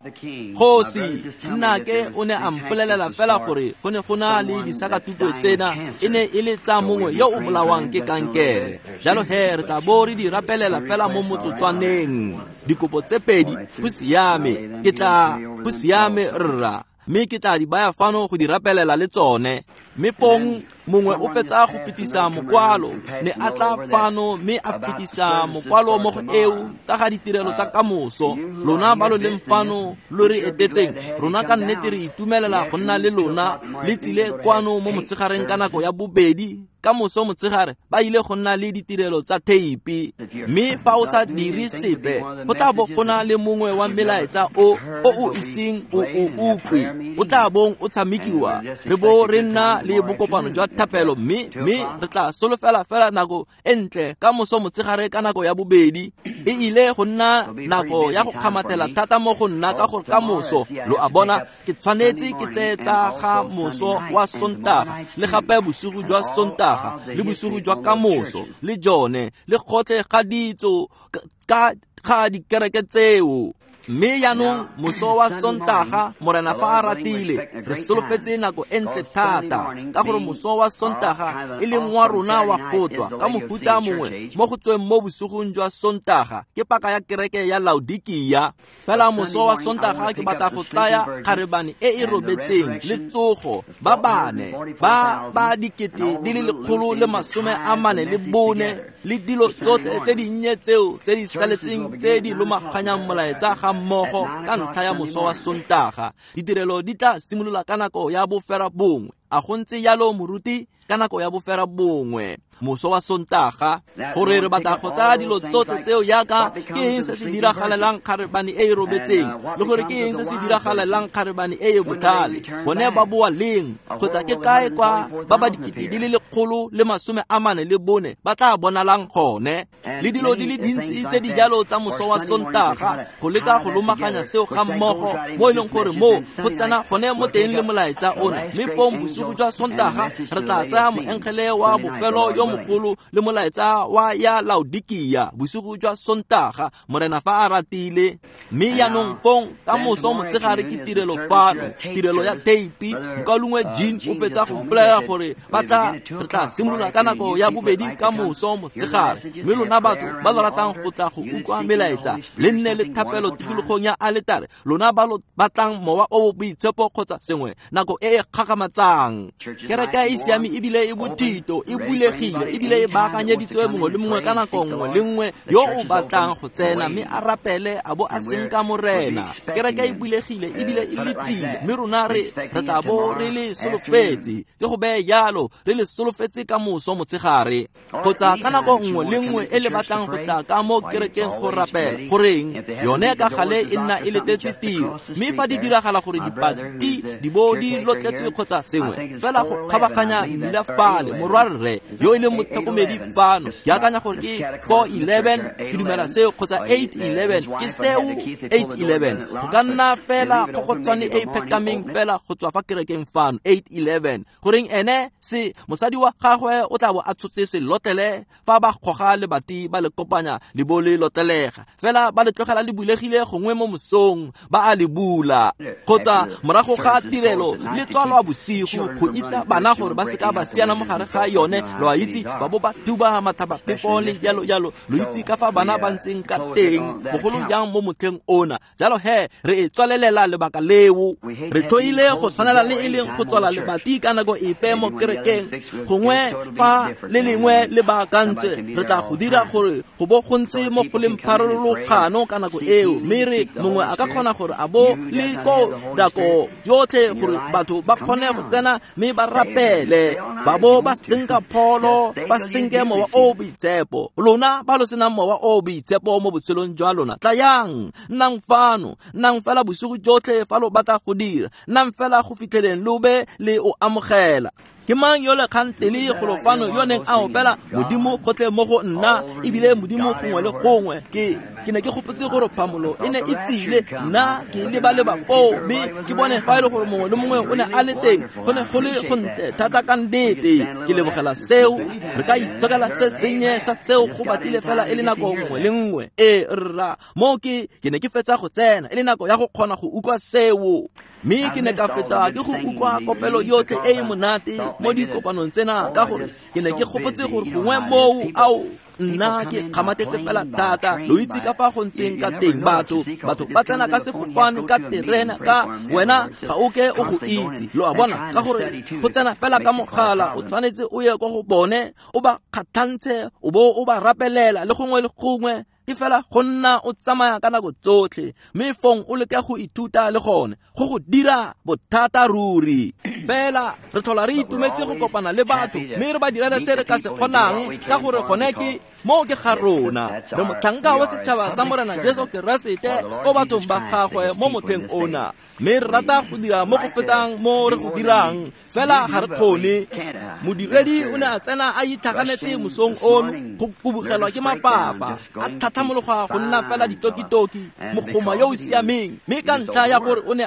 Kgosi nnake o ne a mpolelela fela gore go ne go na le disakatuku tsena e ne e le tsa mongwe yo o bolawang ke kankere. Jalo he re tla bo re di rapelela fela mo motsotswaneng. Dikopo tse pedi go siame, ke tla go siame rra, mme ke tla di baya fano go di rapelela le tsone. Mme fong mongwe o fetsa go fetisa mokwalo, ne a tla fano mme a fetisa mokwalo mo go eo ka ga ditirelo tsa kamoso. Lona ba lo leng fano lo re etetseng, rona ka nnete re itumelela go nna le lona. Le tsile kwano mo motshegareng ka nako ya bobedi ka moso motshegare ba ile go nna le ditirelo tsa theipi. Mme fa o sa dire sepe, go tla bo go na le mongwe wa melaetsa o o iseng o o utlwe, o tla bong o tshamekiwa. Re bo re nna le bokopano jwa thapelo, mme re tla solofela fela nako e ntle ka moso motshegare ka nako ya bobedi. E ile go nna nako ya go kgamathela thata mo go nna ka gore ka moso, lo a bona, ke tshwanetse ke tseye tsa ga moso wa Sontaga le gape bosigo jwa Sontaga le bosigo jwa kamoso le jone le gotlhe ga ditso ka ga dikereke tseo. Mme jaanong moso wa Sontaga, Morena fa a ratile, re solofetse nako e ntle thata, ka gore moso wa Sontaga e leng wa rona wa go tswa ka mofuta mongwe mo go tsweng mo bosigong jwa Sontaga ke paka ya kereke ya Laodikia. Fela moso wa Sontaga ke batla go tsaya kgarebane e e robetseng le tsogo ba bane ba ba 144,000 le dilo tsotlhe tse dinnye tseo tse di saletseng tse di lomaganyang molaetsa ga mmogo ka ntlha ya moso wa Sontaga. Ditirelo di tla simolola ka nako ya 9:30. A go ntse jalo moruti? Ka nako ya 9:30 moso wa Sontaga, gore re batla go tsaya dilo tsotlhe tseo yaka ke eng se se diragalelang kgarebane e e robetseng, le gore ke eng se se diragalelang kgarebane e e botlhale, bone ba boa leng, kgotsa ke kae kwa ba ba 144,000 ba tla bonalang gone, le dilo di le dintsi tse di jalo tsa moso wa Sontaga, go leka go lomaganya seo ga mmogo mo e leng gore mo go tsena gone mo teng le molaetsa ona. Mme fong bosigo jwa Sontaga re tla tsaya moengele wa bofelo yo mogolo le molaetsa wa ya Laodikia bosigo jwa Sontaga, Morena fa a ratile. Mme jaanong fong ka moso motshegare ke tirelo fano, tirelo ya theipi. Mokaulengwe Jean o fetsa go mpolelela gore re tla simolola ka nako ya bobedi ka moso motshegare. Mme lona batho ba lo ratang go tla go utlwa melaetsa, le nne le thapelo tikologong ya aletare, lona ba lo batlang mowa o boitshepo kgotsa sengwe nako e e kgakgamatsang. Kereke e siame ebile e bothito, e bulegile ebile e baakanyeditswe mongwe le mongwe ka nako nngwe le nngwe yo o batlang go tsena mme a rapele a bo a senka Morena. Kereke e bulegile ebile e letile, mme rona re tla bo re le solofetse, ke go beye jalo, re le solofetse ka moso motshegare kgotsa ka nako nngwe le nngwe e le batlang go tla ka mo kerekeng go rapela. Goreng yone ka gale e nna e letetse tiro, mme fa di diragala gore dipati di bo di lotletswe kgotsa sengwe fela go kgabaganya mmila fale, morwarre yo e leng motlhokomedi fano, ke akanya gore ke 4:11, ke dumela seo, kgotsa 8:11, ke seo 8:11, go ka nna fela kgokgotswane e e phekameng fela go tswa fa kerekeng fano, 8:11. Goreng ene se mosadi wa gagwe o tla bo a tshotse selotlele fa ba goga lebati ba le kopanya le bo le lotlelega, fela ba le tlogela le bulegile gongwe mo mosong ba a le bula, kgotsa morago ga tirelo le tswalwa bosigo go itsa bana gore ba seka ba siana mo gare ga yone, lo a itse, ba bo ba duba matlhabaphefo le jalo jalo, lo itse ka fa bana ba ntseng ka teng bogolo jang mo motlheng ona. Jalo he re e tswalelela lebaka leo, re tlhoile go tshwanela le e leng go tswala lebati ka nako epe mo kerekeng, gongwe fa le lengwe le baakantswe re tla go dira gore go bo go ntse mo go leng pharologano ka nako eo, mme re mongwe a ka kgona gore a bo le ko nako yotlhe gore batho ba kgone go tsena mme ba rapele, ba bo ba senka pholo, ba senke mowa o boitshepo. Lona ba lo senang mowa o boitshepo mo botshelong jwa lona, tlayang, nnang fano, nnang fela bosigo jotlhe fa lo batla go dira, nnang fela go fitlheleng lo be le o amogela. Ke mang yo le kgantele golo fano yo neng a opela Modimo gotlhe mo go nna ebile Modimo gongwe le gongwe? Ke ne ke gopotse gore phamolo e ne e tsile, nna ke leba-leba foo mme ke bone fa e le gore mongwe le mongwe o ne a le teng. Go ne go le gontle thata ka nnete. Ke lebogela seo. Re ka itsokela se sennye sa seo go batlile fela e le nako nngwe le nngwe. Ee rra, mo ke ne ke fetsa go tsena e le nako ya go kgona go utlwa seo. Mme ke ne ka feta ke go utlwa kopelo yotlhe e e monate mo dikopanong tsena, ka gore ke ne ke gopotse gore gongwe moo ao nna ke kgamatetse fela thata. Lo itse ka fa go ntseng ka teng, batho ba tsena ka sefofane, ka terena, ka wena ga o ke o go itse. Lo a bona, ka gore go tsena fela ka mogala, o tshwanetse o ye kwa go bone, o ba kgatlhantshe, o bo o ba rapelela le gongwe le gongwe. Ke fela go nna o tsamaya ka nako tsotlhe, mme fong o leke go ithuta le gone go go dira bothata ruri. Fela re tlhola re itumetse go kopana le batho mme re ba direle se re ka se kgonang, ka gore gone ke mo ke ga rona. Re motlhanka wa setšhaba sa Morena Jesu Keresete ko bathong ba gagwe mo motlheng ona, mme re rata go dira mo go fetang mo re go dirang, fela ga re kgone. Modiredi o ne a tsena a itlhaganetse mosong ono go kubugelwa ke mafafa, a tlhatlhamologa go nna fela ditokitoki, mogoma yo o siameng. Mme ka ntlha ya gore o ne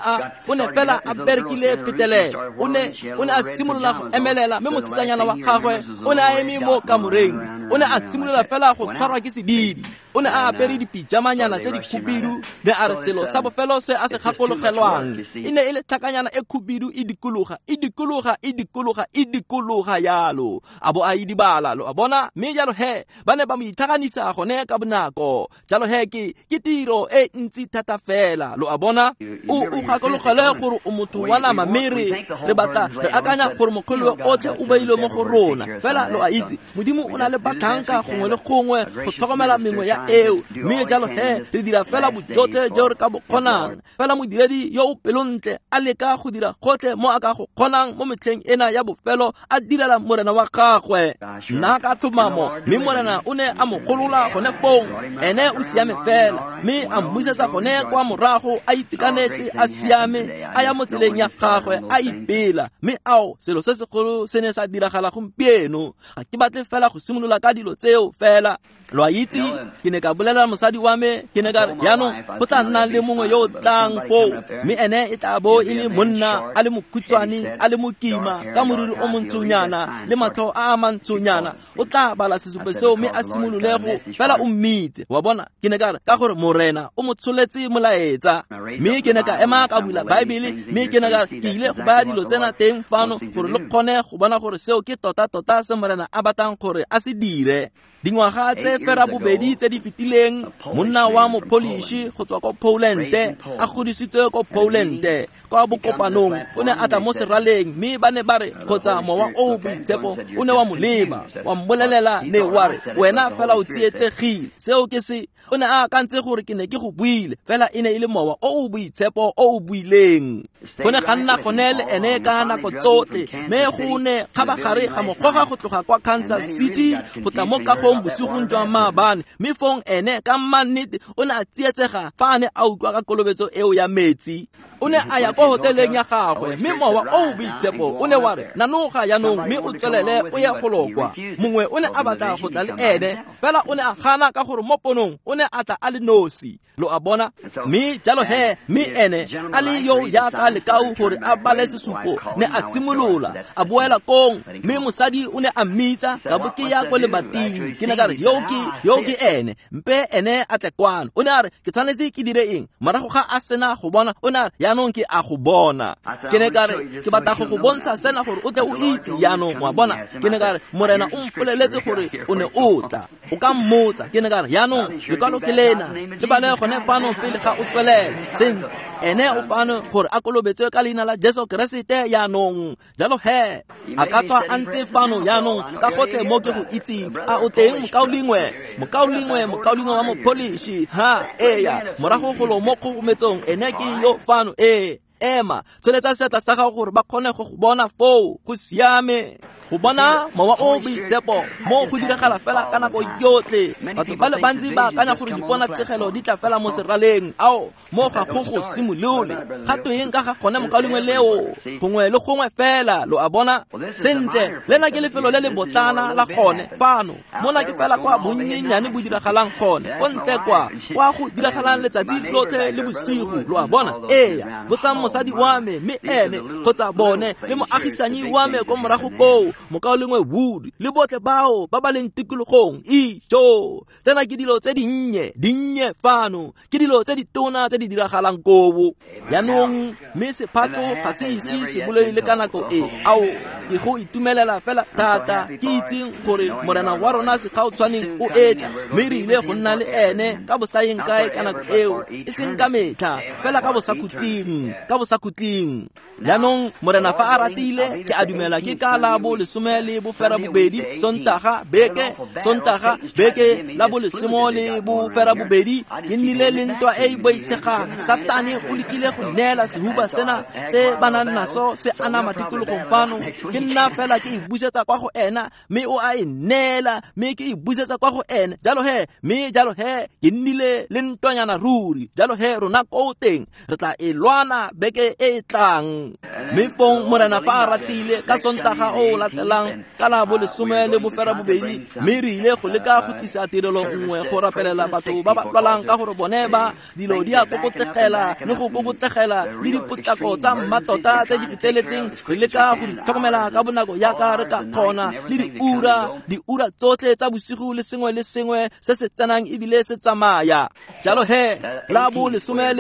fela a berekile phetelela, o ne a simolola go emelela, mme mosetsanyana wa gagwe o ne a eme mo kamoreng. O ne a simolola fela go tshwarwa ke sedidi. O ne a apere dipijamanyana tse di khubidu, ne a re selo sa bofelo se a se gakologelwang e ne e le tlhakanyana e khubidu e dikologa, e dikologa, e dikologa, e dikologa yalo, a bo a idibala. Lo a bona? Mme jalo he ba ne ba mo itlhaganisa gone ka bonako. Jalo he ke tiro e ntsi thata fela. Lo a bona? O gakologelwe gore o motho wa nama, mme re batla re akanya gore mokgwele otlhe o beilwe mo go rona. Fela lo a itse, Modimo o na le batlhanka gongwe le gongwe go tlhokomela mengwe ya eo, mme jalo he re dira fela bojotlhe jo re ka bo kgonang. Fela modiredi yo o pelontle a leka go dira gotlhe mo a ka go kgonang mo metlheng ena ya bofelo, a direla Morena wa gagwe. Nna ka tlhomamo, mme Morena o ne a mo golola gone fong. Ene o siame fela, mme a mmusetsa gone kwa morago a itekanetse, a siame, a ya mo tseleng ya gagwe, a ipela. Mme ao, selo se segolo se ne sa diragala gompieno. Ga ke batle fela go simolola ka dilo tseo fela. Lo a itse, ke ne ka bolelela mosadi wa me, ke ne ka re, jaanong go tla nna le mongwe yo o tlang foo, mme ene e tla bo e le monna a le mokhutshwane, a le mokima, ka moriri o montshonyana le matlho a a mantshonyana. O tla bala sesupo seo mme a simolole go fela o mmitse. Wa bona? Ke ne ka re, ka gore Morena o mo tsholetse molaetsa. Mme ke ne ka ema ka bula Baebele, mme ke ne ka re, ke ile go baya dilo tsena teng fano gore le kgone go bona gore seo ke tota-tota se Morena a batlang gore a se dire. Dingwaga tse fera bobedi tse di fetileng, monna wa mopolishi go tswa ko Poland, a godisitswe ko Poland, kwa bokopanong, o ne a tla mo seraleng, mme ba ne ba re kgotsa mowa o o boitshepo o ne wa mo leba, wa mmolelela, ne wa re, wena fela o tsietsegile. Seo ke se o ne a akantse gore ke ne ke go buile, fela e ne e le mowa o o boitshepo o o buileng. Go ne ga nna gone le ene ka nako tsotlhe, mme go ne kgabagare ga mo goga go tloga kwa Kansas City go tla mo kagong bosigong jwa maabane. Mme fong ene ka mannete o ne a tsietsega fa a ne a utlwa ka kolobetso eo ya metsi. O ne a ya kwa hoteleng ya gagwe, mme mowa o o boitshepo o ne wa re, nanoga jaanong mme o tswelele o ye go kwa. Mongwe o ne a batla go tla le ene, fela o ne a gana ka gore mo ponong o ne a tla a le nosi. Lo a bona? Mme jalo he, mme ene a le yo yaka lekau gore a bale sesupo, ne a simolola a boela kong, mme mosadi o ne a mmitsa, ka bo ke ya ko lebating. Ke ne ka re, yo ke ene, mpe ene a tle kwano. O ne a re, ke tshwanetse ke dire eng? Morago ga a sena go bona, o ne a re, jaanong ke a go bona. Ke ne ka re, ke batla go go bontsha sena gore o tle o itse jaanong, wa bona. Ke ne ka re, Morena o mpoleletse gore o ne o tla, o ka mmotsa. Ke ne ka re, jaanong lekwalo ke lena, le bale gone fano pele ga o tswelela. Sentle, ene o fano gore a kolobetswe ka leina la Jesu Keresete jaanong. Jalo he, a ka tswa a ntse fano jaanong ka gotlhe mo ke go itseng. A o teng, mokaulengwe wa mopolishi? Ha, eya, morago golo mo kgogometsong, ene ke yo fano. Ee, ema, tsholetsa seatla sa gago gore ba kgone go go bona foo. Go siame. Go bona mowa o boitshepo mo go diragala fela ka nako yotlhe. Batho ba le bantsi ba akanya gore diponatsegelo di tla fela mo seraleng. Ao, mo ga go go simolole. Ga tweng ka ga gone mokaulengwe leo? Gongwe le gongwe fela, lo a bona? Sentle, lena ke lefelo le le botlana la gone fano. Mona ke fela kwa bonnyenyane bo diragalang gone, ko ntle kwa, kwa go diragalang letsatsi lotlhe le bosigo, lo a bona? Ee, botsang mosadi wa me, mme ene kgotsa bone le moagisanyi wa me ko morago koo, mokaulengwe Wood le botlhe bao ba ba leng tikologong. Ijo, tsena ke dilo tse dinnye, dinnye fano, ke dilo tse ditona tse di diragalang koo. Jaanong, mme sephatlo ga se ise se bolele le ka nako e. Ao, ke go itumelela fela thata, ke itseng gore Morena wa rona segautshwaneng o etla, mme re ile go nna le ene ka bosayeng kae ka nako eo, e seng ka metlha, fela ka bosakhutleng, ka bosakhutleng. Jaanong, Morena fa a ratile, ke a dumela ke ka la bo 18 Sontaga beke, Sontaga beke la bo 18, ke nnile le ntwa e e boitshegang. Satane o lekile go neela sehuba sena se ba nang naso se anama tikologong fano. Ke nna fela ke e busetsa kwa go ena, mme o a e neela, mme ke e busetsa kwa go ene. Jalo he, mme jalo he, ke nnile le ntwanyana ruri. Jalo he, rona ko teng re tla e lwana beke e e tlang. Mme fong Morena fa a ratile, ka Sontaga o o latelang ka la bo 18, mme re ile go leka go tlisa tirelo nngwe go rapelela batho ba ba lwalang, ka gore bone ba dilo di a kokotlegela le go kokotlegela le dipotlako tsa mmatota tse di feteletseng. Re leka go di tlhokomela ka bonako jaaka re ka kgona, le diura, diura tsotlhe tsa bosigo le sengwe le sengwe se se tsenang ebile se tsamaya. Jalo he, la bo 18 re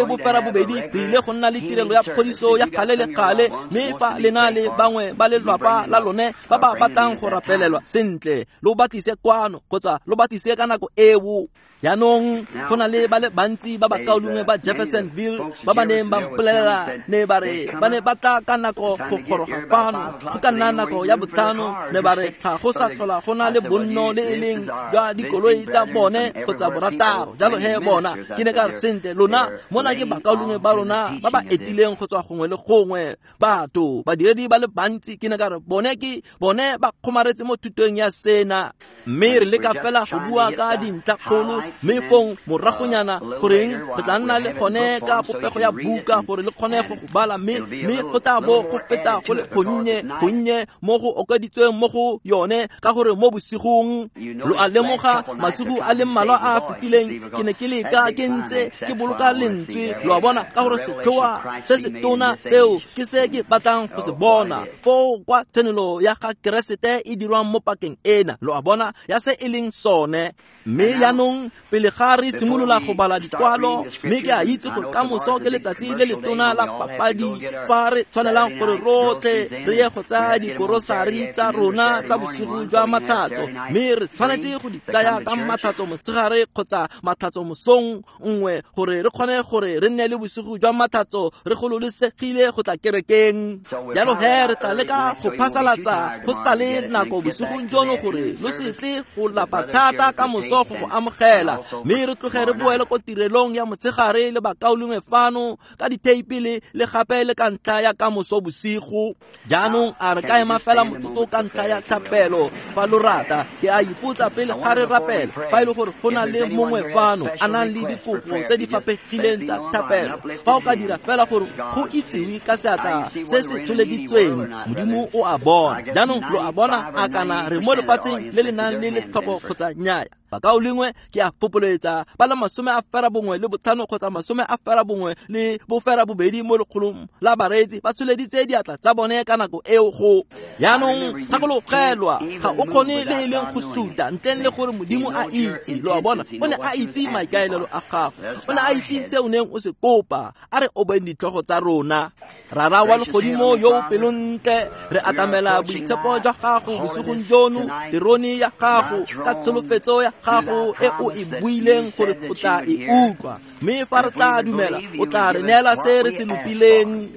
ile go nna le tirelo ya phodiso ya gale le gale, mme fa le na le bangwe ba lelwapa la lone ba ba batlang go rapelelwa sentle, lo batlise kwano kgotsa lo batlise ka nako eo. Jaanong, go na le ba le bantsi ba bakaulengwe ba Jeffersonville ba ba neng ba mpolelela, ne ba re ba ne ba tla ka nako go goroga fano, go ka nna nako ya 5, ne ba re ga go sa tlhola go na le bonno le e leng jwa dikoloi tsa bone kgotsa 6. Jalo he bona, ke ne ka re sentle, lona mona ke bakaulengwe ba rona ba ba etileng go tswa gongwe le gongwe, batho badiredi ba le bantsi. Ke ne ka re bone ke bone ba kgomaretse mo thutong ya sena, mme re leka fela go bua ka dintlhakgolo, mme fong moragonyana goreng re tla nna le gone ka popego ya buka gore le kgone go go bala, mme go tla bo go feta go le gonnye gonnye mo go okeditsweng mo go yone, ka gore mo bosigong lo a lemoga masigo a le mmalwa a a fetileng ke ne ke leka ke ntse ke boloka lentswe, lo a bona, ka gore setlhoa se se tona seo ke se ke batlang go se bona foo kwa tshenolo ya ga Keresete e dirwang mo pakeng ena, lo a bona, ya se e leng sone. Mme jaanong pele ga re simolola go bala dikwalo, mme ke a itse gore ka moso ke letsatsi le letona la papadi fa re tshwanelang gore rotlhe re ye go tsaya dikorosari tsa rona tsa bosigo jwa mathatso, mme re tshwanetse go di tsaya ka mathatso motshegare kgotsa mathatso mosong nngwe gore re kgone gore re nne le bosigo jwa mathatso re gololesegile go tla kerekeng. Jalo he re tla leka go phasalatsa go sa le nako bosigong jono gore lo se tle go lapa thata ka moso go go amogela, mme re tloge re boele ko tirelong ya motshegare le bakaulengwe fano ka ditheipi le gape le ka ntlha ya ka moso bosigo. Jaanong a re ka ema fela motsotso ka ntlha ya thapelo fa lo rata. Ke a ipotsa pele ga re rapela fa e le gore go na le mongwe fano a nang le dikopo tse di faphegileng tsa thapelo, fa o ka dira fela gore go itsiwe ka seatla se se tsholeditsweng, Modimo o a bona. Jaanong lo a bona, a kana re mo lefatsheng le le nang le letlhoko kgotsa nnyaya. Bakaulengwe, ke a fopoletsa ba le 95 kgotsa 98 mo lekgolong la bareetsi ba tsholeditse diatla tsa bone ka nako eo go. Jaanong gakologelwa, ga o kgone le e leng go suta ntleng le gore Modimo a itse, lo a bona. O ne a itse maikaelelo a gago, o ne a itse se o neng o se kopa. A re obeng ditlhogo tsa rona. Rara wa legodimo yo o pelontle, re atamela boitshepo jwa gago bosigong jono, terone ya gago ka tsholofetso ya gago e o e buileng gore o tla e utlwa, mme fa re tla dumela o tla re neela se re se lopileng.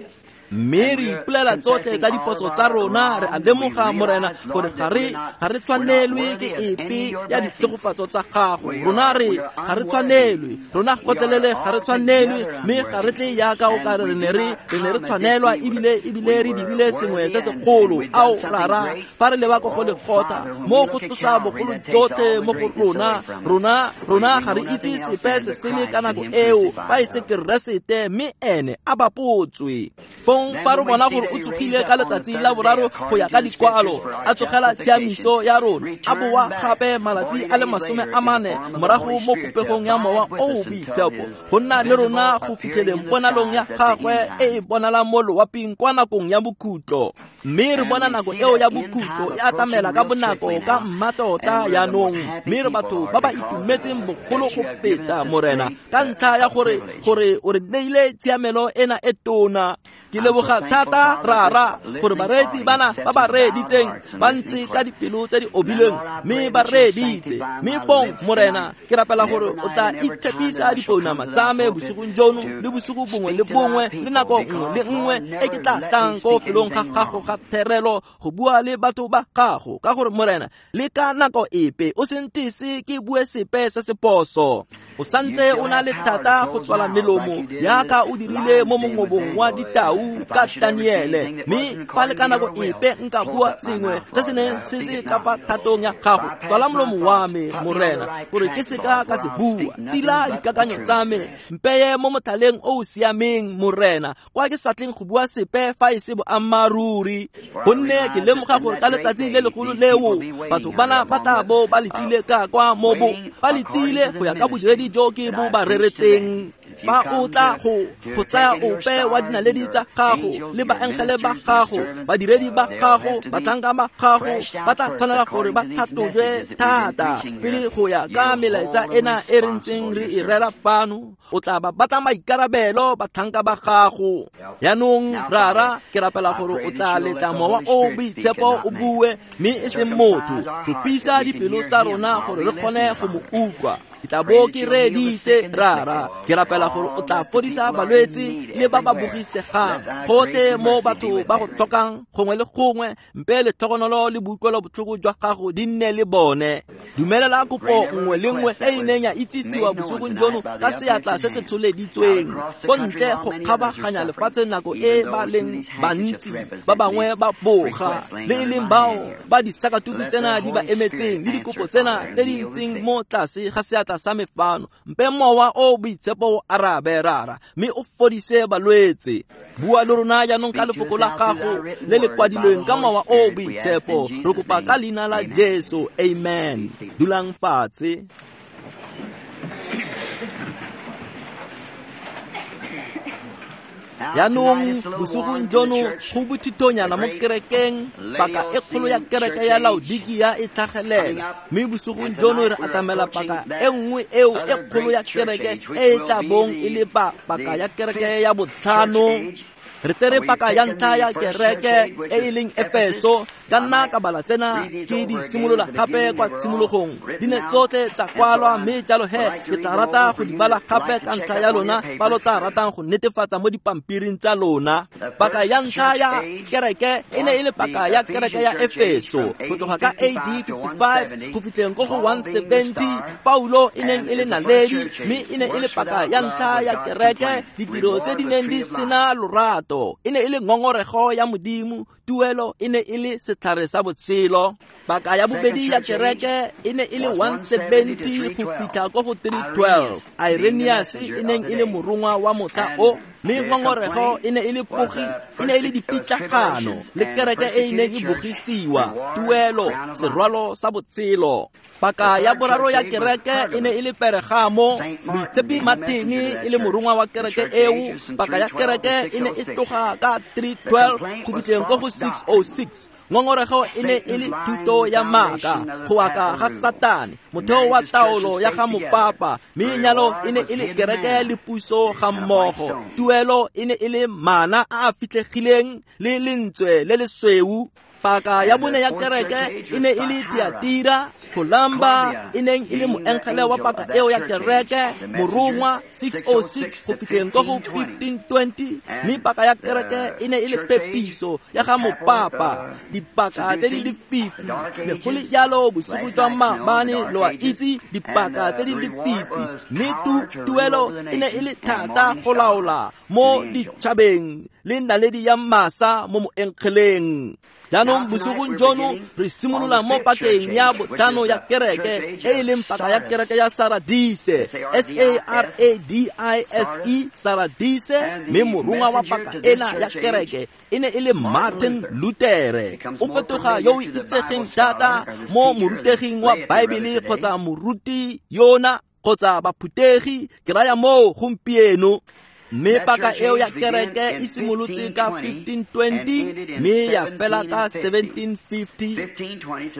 Mme re ipolela tsotlhe tsa diphoso tsa rona, re a lemoga, Morena, gore ga re tshwanelwe ke epe ya ditshegofatso tsa gago. Rona re ga re tshwanelwe, rona gotlhelele ga re tshwanelwe, mme ga re tle jaaka o ka re ne re tshwanelwa ebile re dirile sengwe se segolo. Ao Rara, fa re leba ko go Golgotha, mo go tlosa bogolo jotlhe mo go rona, rona ga re itse sepe se sele ka nako eo fa e se Keresete, mme ene a bapotswe. Fong fa re bona gore o tsogile ka letsatsi la boraro go ya ka dikwalo, a tsogela tshiamiso ya rona, a boa gape malatsi a le 40 morago mo popegong ya Mowa o o Boitshepo, go nna le rona go fitlheleng ponalong ya gagwe e e bonalang mo loaping kwa nakong ya bokhutlo. Mme re bona nako eo ya bokhutlo e atamela ka bonako ka mmatota jaanong, mme re batho ba ba itumetseng bogolo go feta, Morena, ka ntlha ya gore o re neile tshiamelo ena e tona. Ke leboga thata, Rara, gore bareetsi bana ba ba reeditseng ba ntse ka dipelo tse di obilweng, mme ba reeditse. Mme fong, Morena, ke rapela gore o tla itshepisa dipounama tsa me bosigong jono le bosigo bongwe le bongwe le nako nngwe le nngwe e ke tla tlang ko felong ga gago ga therelo go bua le batho ba gago, ka gore, Morena, le ka nako epe o se ntese ke bue sepe se se phoso. O santse o na le thata go tswala melomo jaaka o dirile mo mongobong wa ditau ka Daniele, mme fa le ka nako epe nka bua sengwe se se neng se se ka fa thatong ya gago, tswala molomo wa me, Morena, gore ke seka ka se bua. Tila dikakanyo tsa me, mpeye mo motlhaleng o o siameng, Morena, kwa ke sa tleng go bua sepe fa e se boammaaruri. Gonne ke lemoga gore ka letsatsi le legolo leo batho bana ba tla bo ba letile ka kwa mobo, ba letile go ya ka bodiredi jo ke bo ba reretseng. Fa o tla go tsaya ope wa dinaledi tsa gago le baengele ba gago, badiredi ba gago, batlhanka ba gago, ba tla tshwanela gore ba tlhatlojwe thata pele go ya ka melaetsa ena e re ntseng re e rera fano. O tla ba batla maikarabelo batlhanka ba gago. Jaanong, Rara, ke rapela gore o tla letla Mowa o Boitshepo o bue, mme e seng motho. Tlopisa dipelo tsa rona gore re kgone go mo utlwa. Ke tla bo ke reeditse, Rara. Ke rapela gore o tla fodisa balwetse le ba ba bogisegang gotlhe mo batho ba go tlhokang gongwe le gongwe. Mpe letlhogonolo le boikuelo botlhoko jwa gago di nne le bone. Dumelela kopo nngwe le nngwe e e neng ya itsisiwa bosigong jono ka seatla se se tsholeditsweng ko ntle go kgabaganya lefatshe nako e ba leng bantsi, ba bangwe ba boga, le e leng bao ba disakatuku tsena di ba emetseng le dikopo tsena tse di ntseng mo tlase ga seatla sa me fano. Mpe Mowa o Boitshepo o arabe, Rara, mme o fodise balwetse. Bua le rona jaanong ka lefoko la gago le le kwadilweng ka Mowa o Boitshepo. Re kopa ka leina la Jesu, amen. Dulang fatshe. Jaanong bosigong jono go bothitonyana mo kerekeng, paka e kgolo ya kereke ya Laodikia e tlhagelela, mme bosigong jono re atamela paka e nngwe eo e kgolo ya kereke e e tla bong e le paka ya kereke ya botlhano. Re tsere paka ya ntlha ya kereke e e leng Efeso. Ka nna ka bala tsena ke di simolola gape kwa tshimologong, di ne tsotlhe tsa kwalwa, mme jalo he ke tla rata go di bala gape ka ntlha ya lona ba lo tla ratang go netefatsa mo dipampiring tsa lona. Paka ya ntlha ya kereke e ne e le paka ya kereke ya Efeso go tloga ka AD 55 go fitlheng ko go 170. Paulo e neng e le naledi, mme e ne e le paka ya ntlha ya kereke, ditiro tse di neng di sena lorato. E ne e le ngongorego ya Modimo, tuelo e ne e le setlhare sa botshelo. Paka ya bobedi ya kereke e ne e le 170 go fitlha ko go 312. Irenaeus e neng e le morongwa wa motlha o, mme ngongorego e ne e le pogi, e ne e le dipitlagano le kereke e e neng e bogisiwa, tuelo serwalo sa botshelo. Paka ya boraro ya kereke e ne e le Pergamo, Moitshepi Martini e le morongwa wa kereke eo. Paka ya kereke e ne e tloga ka 312 go fitlheng ko go 606. Ngongorego e ne e le thuto ya maaka, go aka ga Satane, motheo wa taolo ya ga mopapa, mme nyalo e ne e le kereke le puso ga mmogo. Tuelo e ne e le mana a a fitlhegileng le lentswe le lesweu. Paka ya bone ya kereke e ne e le Tiatira, Columba e neng e le moengele wa paka eo ya kereke, morongwa 606 go fitlheng ko go 1520, mme paka ya kereke e ne e le pepiso ya ga mopapa. Dipaka tse di lefifi, ne go le jalo bosigo jwa maabane, lo a itse, dipaka tse di lefifi, mme tuelo e ne e le thata go laola mo ditšhabeng le naledi ya masa mo moengeleng. Jaanong bosigong jono re simolola mo pakeng ya botlhano ya kereke e e leng paka ya kereke ya Saradise, S-A-R-A-D-I-S-E, Saradise, mme morongwa wa paka ena ya kereke e ne e le Martin Luther. O fetoga yo o itsegeng thata mo moruteging wa Baebele kgotsa moruti yona kgotsa baphutegi, ke raya moo gompieno. Mme paka eo ya kereke e simolotse ka 1520 mme ya fela ka 1750.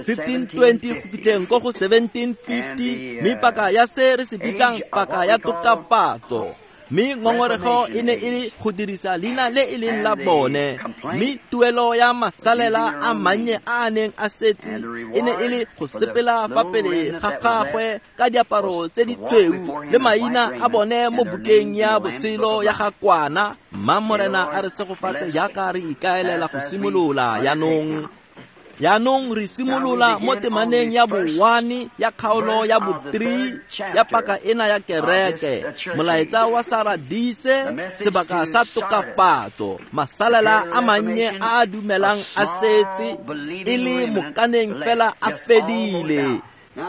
1520 go fitlheng ko go 1750, mme paka ya se re se bitsang paka ya tokafatso. Mme ngongorego e ne e le go dirisa leina le e leng la bone, mme tuelo ya masalela a mannye a a neng a setse e ne e le go sepela fa pele ga gagwe ka diaparo tse di tshweu le maina a bone mo bukeng ya botshelo ya ga Kwana. Mma Morena a re segofatse jaaka re ikaelela go simolola jaanong. Jaanong re simolola mo temaneng ya bo-1 ya kgaolo ya bo-3 ya paka ena ya kereke, molaetsa wa Saradise, sebaka sa tokafatso, masalela a mannye a a dumelang a setse e le mokaneng fela a fedile.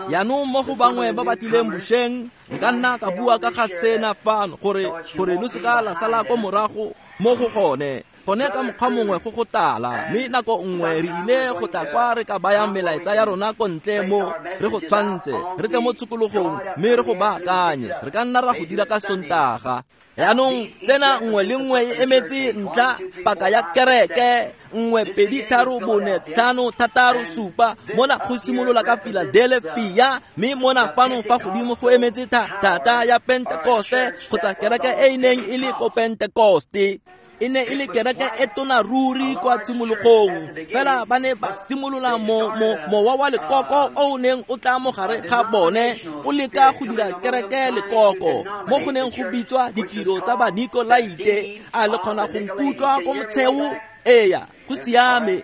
Jaanong mo go bangwe ba ba tlileng bošeng, nka nna ka bua ka ga sena fano gore lo seka la sala ko morago mo go gone. Gone ka mokgwa mongwe go go tala, mme nako nngwe re ile go tla kwa re ka bayang melaetsa ya rona ko ntle mo re go tshwantse, re tle mo tshokologong mme re go baakanye. Re ka nna ra go dira ka Sontaga. Jaanong tsena nngwe le nngwe e emetse ntlha paka ya kereke, 1 2 3 4 5 6 7. Mona go simolola ka Philadelphia, mme mona fano fa godimo go emetse thata ya Pentekoste kgotsa kereke e e neng e le ko Pentekoste. E ne e le kereke e tona ruri kwa tshimologong, fela ba ne ba simolola mowa wa lekoko o o neng o tla mo gare ga bone o leka go dira kereke lekoko, mo go neng go bitswa ditiro tsa Banikolaite. A le kgona go nkutlwa ko motsheo? Eya, go siame.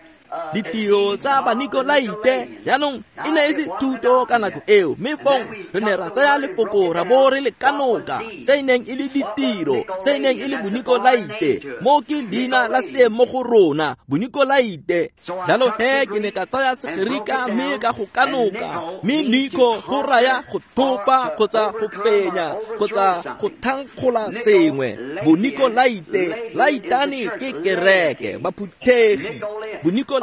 Ditiro tsa Banikolaite jaanong e ne e se thuto ka nako eo, mme fong re ne ra tsaya lefoko ra bo re le kanoka se e neng e le ditiro, se e neng e le Bonikolaite. Mo ke leina la seemo mo go rona, Bonikolaite. Jalo he ke ne ka tsaya Segerika mme ka go kanoka, mme Niko go raya go thopa kgotsa go fenya kgotsa go thankgola sengwe. Bonikolaite, laitane ke kereke, baphuthegi. Bonikolaite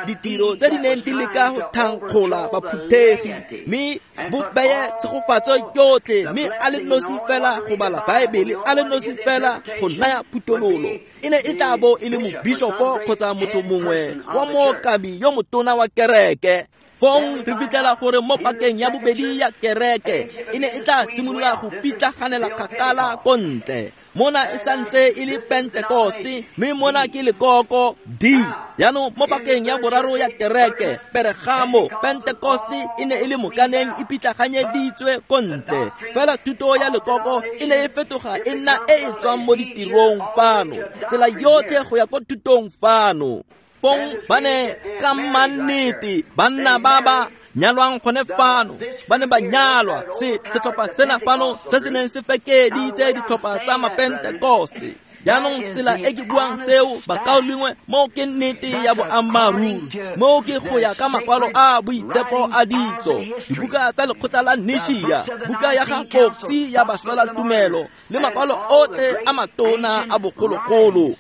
ditiro tse di neng di leka go thankgola baphuthegi, mme bo beye tshegofatso yotlhe, mme a le nosi fela go bala Baebele, a le nosi fela go naya phuthololo. E ne e tla bo e le mobishopo kgotsa motho mongwe wa mookami yo motona wa kereke. Fong re fitlhela gore mo pakeng ya bobedi ya kereke e ne e tla simolola go pitlaganela kgakala ko ntle. Mona e santse e le Pentekoste, mme mona ke lekoko D. Jaanong mo pakeng ya boraro ya kereke, Pergamo, Pentekoste e ne e le mokaneng e pitlaganyeditswe ko ntle. Fela thuto ya lekoko e ne e fetoga e nna e e tswang mo ditirong fano, tsela yotlhe go ya ko thutong fano. Fong ba ne ka mannete banna ba ba nyalwang gone fano, ba ne ba nyalwa se setlhopha sena fano se se neng se fekeditse ditlhopha tsa Mapentekoste. Jaanong tsela e ke buang seo, bakaulengwe, mo ke nnete ya boammaaruri, mo ke go ya ka makwalo a boitshepo a ditso, dibuka tsa lekgotla la Nishia, buka ya ga Foxy ya baswelatumelo le makwalo otlhe a matona a bogologolo.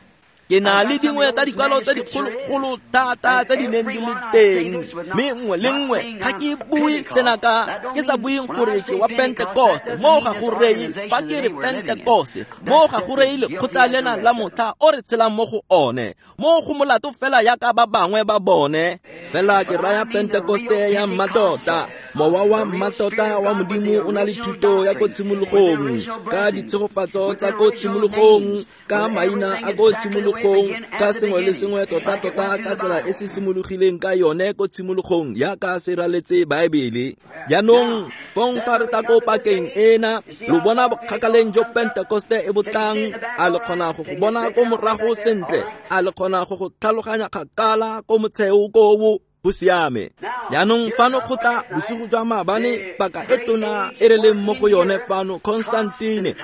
Ke na le dingwe tsa dikwalo tse dikgolokgolo thata tse di neng di le teng, mme nngwe le nngwe ga ke bue sena ka ke sa bueng gore ke wa Pentekoste. Mo ga go reye fa ke re Pentekoste, mo ga go reye lekgotla lena la motlha o re tshelang mo go one, mo go molato fela yaka ba bangwe ba bone. Fela ke raya Pentekoste ya mmatota, Mowa wa mmatota wa Modimo o na le thuto ya ko tshimologong, ka ditshegofatso tsa ko tshimologong, ka maina a ko tshimologong, ka sengwe le sengwe tota-tota ka tsela e se simologileng ka yone ko tshimologong yaka se raletse Baebele. Jaanong fong fa re tla ko pakeng ena, lo bona bokgakaleng jo Pentekoste e botlang, a le kgona go go bona ko morago sentle, a le kgona go go tlhaloganya kgakala ko motsheo koo bo siame. Jaanong fano go tla bosigo jwa maabane paka e tona e re leng mo go yone fano, Constantine,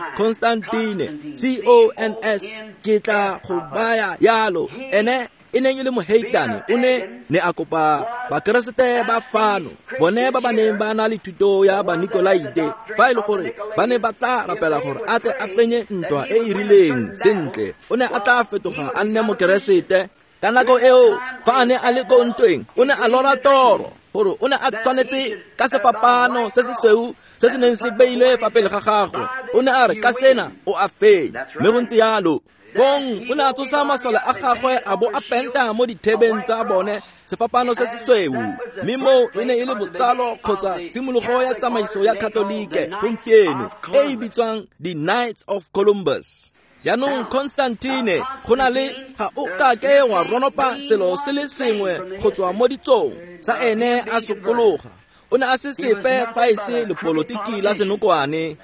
C-O-N-S, ke tla go baya yalo. Ene e neng e le moheitane, o ne a kopa Bakeresete ba fano, bone ba ba neng ba na le thuto ya Banikolaite, fa e le gore ba ne ba tla rapela gore a tle a fenye ntwa e e rileng sentle, o ne a tla fetoga a nne Mokeresete. Ka nako eo fa a ne a le ko ntweng, o ne a lora toro gore o ne a tshwanetse ka sefapano se se sweu se se neng se beilwe fa pele ga gagwe. O ne a re ka sena o a fenya, mme go ntse yalo. Fong o ne a tsosa masole a gagwe a bo a penta mo dithebeng tsa bone sefapano se se sweu, mme moo e ne e le botsalo kgotsa tshimologo ya tsamaiso ya Katolike gompieno e e bitswang the Knights of Columbus. Jaanong Constantine, go na le ga o kake wa ronopa selo se le sengwe go tswa mo ditsong sa ene a sokologa. O ne a se sepe fa e se lepolotiki la senokwane.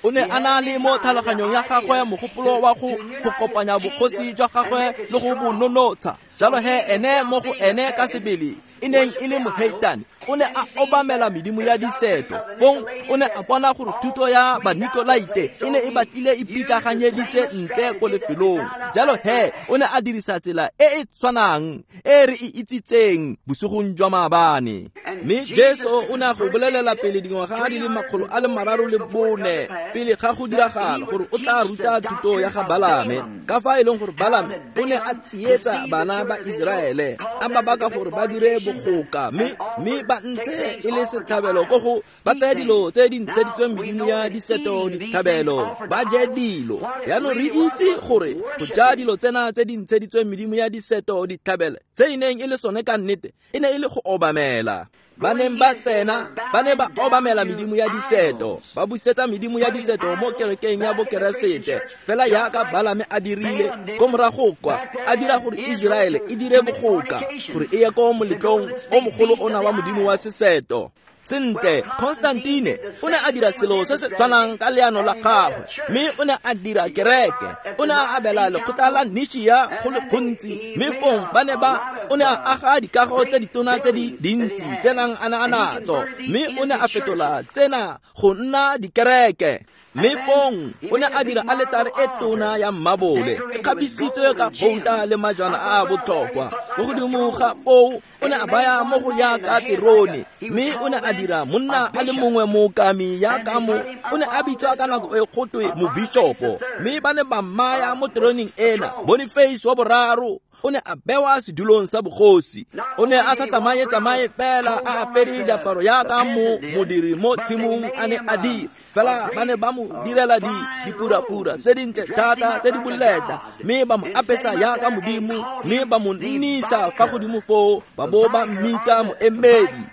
O ne a na le mo tlhaloganyong ya gagwe mogopolo wa go kopanya bogosi jwa gagwe le go bo nonotsha. Jalo he ene mo go ene ka sebele e neng e le moheitane, o ne a obamela medimo ya diseto. Fong o ne a bona gore thuto ya Banikolaite e ne e batlile e pitlaganyeditse ntle ko lefelong. Jalo he o ne a dirisa tsela e e tshwanang e re e itsitseng bosigong jwa maabane. Mme Jesu o ne a go bolelela pele dingwaga di le 304 pele ga go diragala gore o tla ruta thuto ya ga Balame, ka fa e leng gore Balame o ne a tsietsa bana ba Iseraele, a ba baka gore ba dire bogoka, mme ba ntse e le setlhabelo ko go ba tsaya dilo tse di ntsheditsweng medimo ya diseto ditlhabelo, ba je dilo. Jaanong re itse gore go ja dilo tsena tse di ntsheditsweng medimo ya diseto ditlhabelo, tse e neng e le sone ka nnete, e ne e le go obamela. Ba neng ba tsena, ba ne ba obamela medimo ya diseto, ba busetsa medimo ya diseto mo kerekeng ya Bokeresete, fela yaka Balame a dirile ko morago kwa, a dira gore Iseraele e dire bogoka, gore e ye ko moletlong o mogolo ona wa modimo wa seseto. Sentle, Constantine o ne a dira selo se se tshwanang ka leano la gagwe, mme o ne a dira kereke. O ne a abela lekgotla la Nishia go le gontsi, mme fong ba ne ba o ne a aga dikago tse ditona tse di dintsi tse nang a na a natso, mme o ne a fetola tsena go nna dikereke. Mme fong o ne a dira aletare e tona ya mmabole, e kgabisitswe ka gouta le majwana a a botlhokwa. Mo godimo ga foo o ne a baya mo go yaka terone, mme o ne a dira monna a le mongwe mookami yaka mo o ne a bitswa ka nako e gotwe mobishopo, mme ba ne ba mmaya mo teroneng ena. Boniface wa boraro o ne a bewa sedulong sa bogosi. O ne a sa tsamaye fela a apere diaparo yaka mo modiri mo tshimong a ne a dira, fela ba ne ba mo direla dipurapura tse dintle thata tse di boleta, mme ba mo apesa yaka modimo, mme ba mo nnisa fa godimo foo, ba bo ba mmitsa moemedi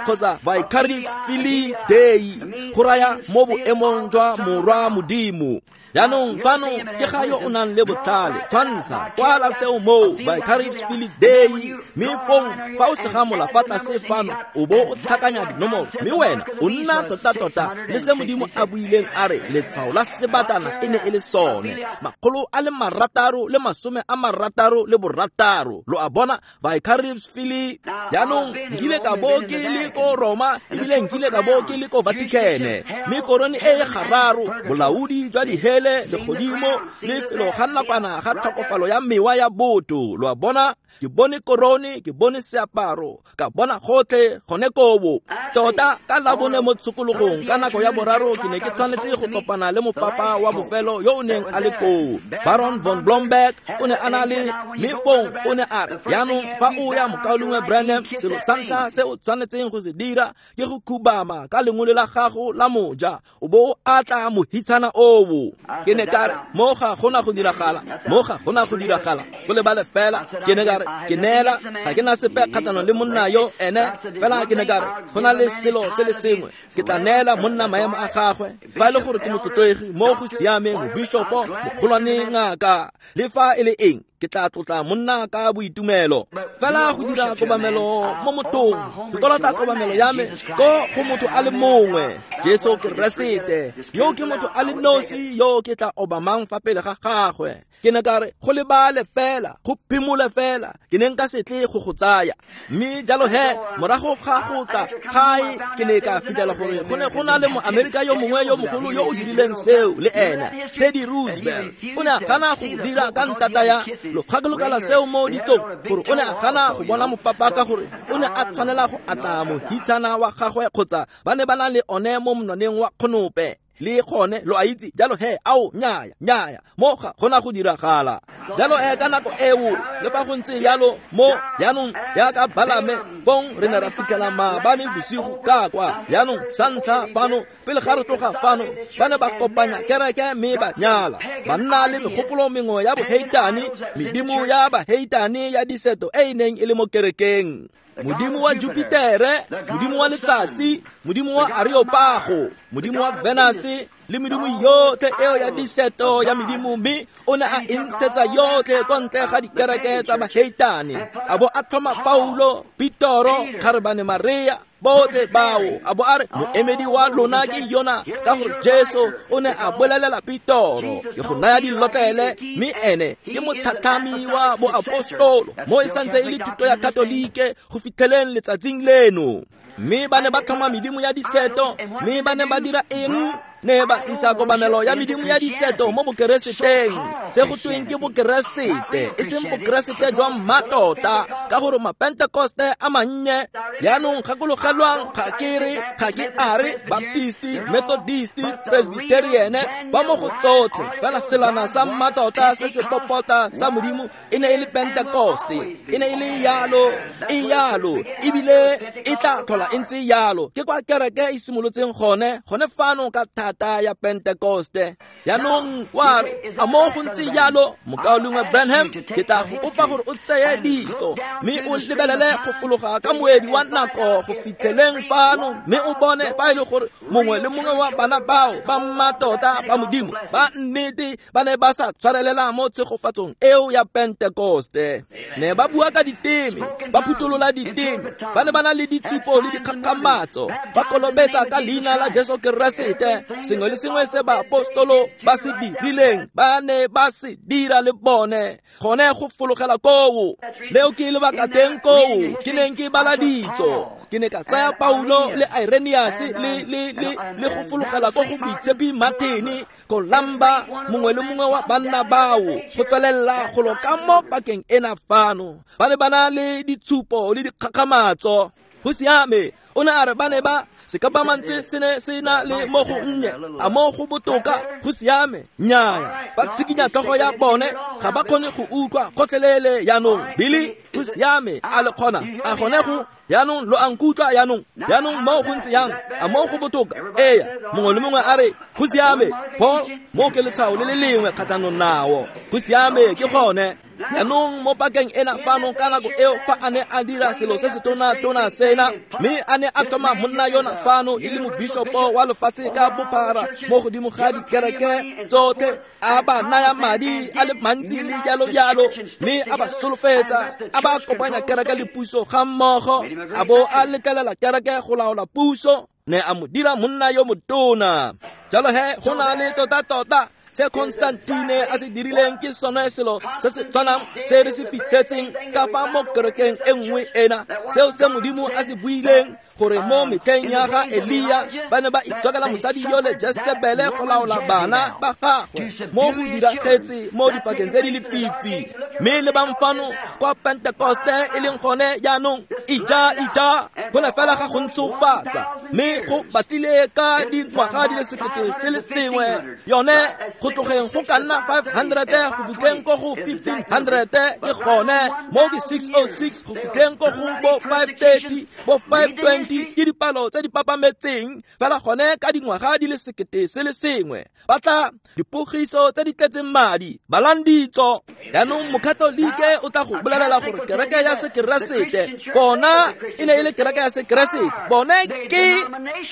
kgotsa Vicarius Filii Dei, go raya mo boemong jwa morwa modimo. Jaanong fano ke ga yo o nang le botlhale, tshwantsha kwala seo moo Vicarius Filii Dei, mme fong fa o segamola fa tlase fano o bo o tlhakanya dinomoro, mme wena o nna tota-tota le se modimo a buileng a re letshwao la sebatana e ne e le sone, 666. Lo a bona, Vicarius Filii. Jaanong nkile ka bo ke le ko Roma, ebile nkile ka bo ke le ko Vatican, mme korone e e gararo, bolaodi jwa dihele, legodimo, lefelo ga nakwana ga tlhokofalo ya mewa ya botho. Lo a bona, ke bone korone, ke bone seaparo, ka bona gotlhe gone kobo. Tota ka labone mo tshokologong ka nako ya boraro ke ne ke tshwanetse go kopana le mopapa wa bofelo yo o neng a le koo, Baron von Blomberg. O ne a na le, mme fong o ne a re, jaanong fa o ya mokaulengwe Branham, selo sa ntlha se o tshwanetseng go se dira ke go khubama ka lengole la gago la moja, o bo o atla mohitshana oo. Ke ne ka re, mo ga gona go diragala, mo ga gona go diragala. Go lebale fela, ke ne ka re, ke neela, ga ke na sepe kgatlhanong le monna yo ene, fela ke ne ka re, go na le selo se le sengwe. Ke tla neela monna maemo a gagwe, fa e le gore ke motlotlegi mo go siameng, mobishopo, mogolwane, ngaka, le fa e le eng, ke tla tlotla monna ka boitumelo. Fela go dira kobamelo mo mothong, ke kolota kobamelo ya me ko go motho a le mongwe, Jesu Keresete. Yo ke motho a le nosi yo ke tla obamang fa pele ga gagwe. Ke ne ka re, go lebale fela, go phimole fela, ke ne nka se tle go go tsaya. Mme jalo he, morago ga go tla gae, ke ne ka fitlhela gore go ne go na le Moamerika yo mongwe yo mogolo yo o dirileng seo le ene, Teddy Roosevelt. O ne a gana go dira ka ntata ya lo gakologela seo mo ditsong, gore o ne a gana go bona mopapa ka gore o ne a tshwanela go atla mohitshana wa gagwe kgotsa ba ne ba na le one mo monwaneng wa kgonope. Le gone lo a itse, jalo he, ao, nnyaya, nnyaya, mo ga gona go diragala. Jalo he ka nako eo, le fa go ntse jalo mo jaanong jaaka Balame, fong re ne ra fitlhela maabane bosigo ka kwa. Jaanong sa ntlha fano, pele ga re tloga fano, ba ne ba kopanya kereke mme ba nyala, ba nna le megopolo mengwe ya boheitane, medimo ya baheitane ya diseto e e neng e le mo kerekeng. Modimo wa Jupitere, modimo wa letsatsi, modimo wa Areopago, modimo wa Venus, le medimo yotlhe eo ya diseto ya medimo, mme o ne a e ntshetsa yotlhe ko ntle ga dikereke tsa baheitane. A bo a tlhoma Paulo, Petoro, Kgarebane Maria, botlhe bao, a bo a re, moemedi wa lona ke yona, ka gore Jesu o ne a bolelela Petoro, ke go naya dilotlele, mme ene ke mothathami wa boapostolo, mo e santse e le thuto ya Katolike go fitlheleng letsatsing leno. Mme ba ne ba tlhoma medimo ya diseto, mme ba ne ba dira eng? Ne ba tlisa kobamelo ya medimo ya diseto mo bokereseteng, se go tweng ke bokeresete, e seng bokeresete jwa mmatota, ka gore mapentekoste a mannye. Jaanong gakologelwang, ga ke re, ga ke a re Baptisti, Methodisti, Presbyterian, ba mo go tsotlhe, fela selana sa mmatota se se popota sa Modimo e ne e le Pentekoste, e ne e le yalo, e yalo, ebile e tla tlhola e ntse yalo. Ke kwa kereke e simolotseng gone, gone fano ka thata ya Pentekoste. Jaanong wa re, a mo go ntse jalo, mokaulengwe Branham, ke tla go kopa gore o tseye ditso, mme o lebelele go fologa ka moedi wa nako go fitlheleng fano, mme o bone fa e le gore mongwe le mongwe wa bana bao ba mmatota ba Modimo ba nnete ba ne ba sa tshwarelela mo tshegofatsong eo ya Pentekoste. Ne ba bua ka diteme, ba phutolola diteme, ba ne ba na le ditshupo le dikgakgamatso, ba kolobetsa ka leina la Jesu Keresete. Sengwe le sengwe se baapostolo ba se dirileng, ba ne ba se dira le bone, gone go fologela koo. Leo ke lebaka teng koo ke neng ke bala ditso. Ke ne ka tsaya Paulo le Irenaeus le le le le go fologela ko go Boitshepi Martin, Columba, mongwe le mongwe wa banna bao, go tswelela go lo ka mo pakeng ena fano. Ba ne ba na le ditshupo le dikgakgamatso. Go siame, o ne a re ba ne ba sekapamantse se ne se na le mo go nnye, a mo go botoka, go siame, nnyaya. Ba tshikinya tlhogo ya bone, ga ba kgone go utlwa gotlhelele jaanong. Billy, go siame, a le kgona, a gone go jaanong lo a nkutlwa jaanong. Jaanong mo go ntse yang, a mo go botoka? Eya, mongwe le mongwe a re, go siame, Paul, mo ke letshwao le le lengwe kgatlhanong nao. Go siame, ke gone. Jaanong mo pakeng ena fano ka nako eo fa a ne a dira selo se se tona-tona sena, mme a ne a tlhoma monna yona fano e le mobishopo wa lefatshe ka bophara mo godimo ga dikereke tsotlhe, a ba naya madi a le mantsi le jalo jalo, mme a ba solofetsa, a ba kopanya kereke le puso ga mmogo, a bo a letlelela kereke go laola puso, ne a mo dira monna yo motona. Jalo he, go na le tota-tota se Constantine a se dirileng ke sone selo se se tshwanang se re se fitlhetseng ka fa mo kerekeng e nngwe ena, seo se Modimo a se buileng gore mo metlheng ya ga Elia ba ne ba itswakela mosadi yole Jezebele go laola bana ba gagwe, mo go diragetse mo dipakeng tse di lefifi. Mme le bang fano kwa Pentekoste e leng gone jaanong, ija ija, go ne fela ga go ntshofatsa. Mme go batlile ka dingwaga di le 1000 yone go tlogeng go ka nna 500 go fitlheng ko go 1500 ke gone mo ke 606 go fitlheng ko go bo 530 bo 520 ke dipalo tse di papametseng fela gone ka dingwaga di le 1000 ba tla dipogiso tse di tletseng madi balang ditso. Jaanong mokatolike o tla go bolelela gore kereke ya sekeresete bona e ne e le kereke ya sekeresete, bone ke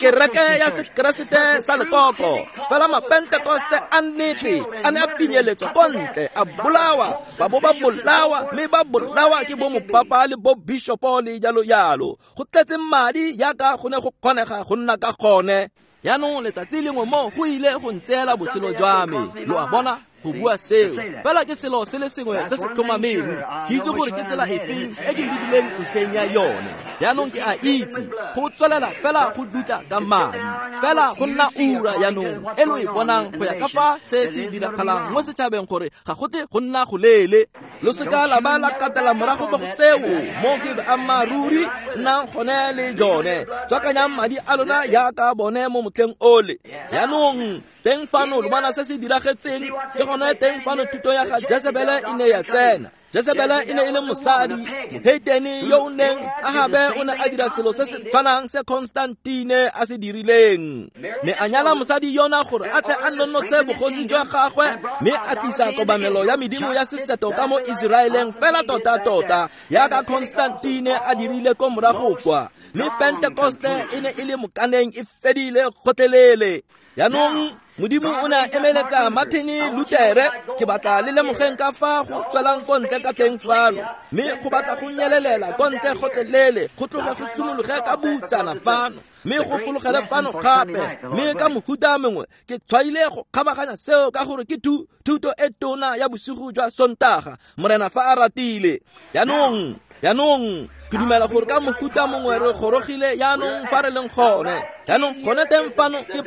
kereke ya sekeresete sa lekoko. Fela mapentekoste a nnete a ne a pinyeletswa ko ntle, a bolawa, ba bo ba bolawa, mme ba bolawa ke bo mopapa le bo bishopo le jalo jalo. Go tletse madi yaka go ne go kgonega go nna ka gone. Jaanong letsatsi lengwe mo go ile go ntseela botshelo jwa me, lo a bona, go bua seo. Fela ke selo se le sengwe se se tlhomameng, ke itse gore ke tsela efeng e ke lebileng ntlheng ya yone. Jaanong ke a itse go tswelela fela go dutla ka madi, fela go nna ura jaanong e lo e bonang go ya ka fa se se diragalang mo setšhabeng gore ga gote go nna go leele. Lo seka la ba la katela morago mo go seo, mo ke boammaaruri nnang gone le jone. Tswakanyang madi a lona yaka bone mo motlheng ole. Jaanong teng fano lo bona se se diragetseng, ke gone teng fano thuto ya ga Jezebele e ne ya tsena. Jezebele e ne e le mosadi moheitene yo o neng Ahabe o ne a dira selo se se tshwanang se Constantine a se dirileng. Ne a nyala mosadi yona gore a tle a nonotshe bogosi jwa gagwe, mme a tlisa kobamelo ya medimo ya seseto ka mo Iseraeleng fela tota-tota yaka Constantine a dirile ko morago kwa. Mme Pentekoste e ne e le mokaneng e fedile gotlhelele. Jaanong Modimo o ne a emeletsa Martin Luther, ke batla le lemogeng ka fa go tswelang ko ntle ka teng fano, mme go batla go nyelelela ko ntle gotlhelele, go tloge go simologe ka butsana fano, mme go fologele fano gape. Mme ka mohuta mongwe ke tshwaile go kgabaganya seo ka gore ke thuto e tona ya bosigo jwa Sontaga, Morena fa a ratile. Jaanong ke dumela gore ka mohuta mongwe re gorogile jaanong fa re leng gone. Jaanong gone teng fano ke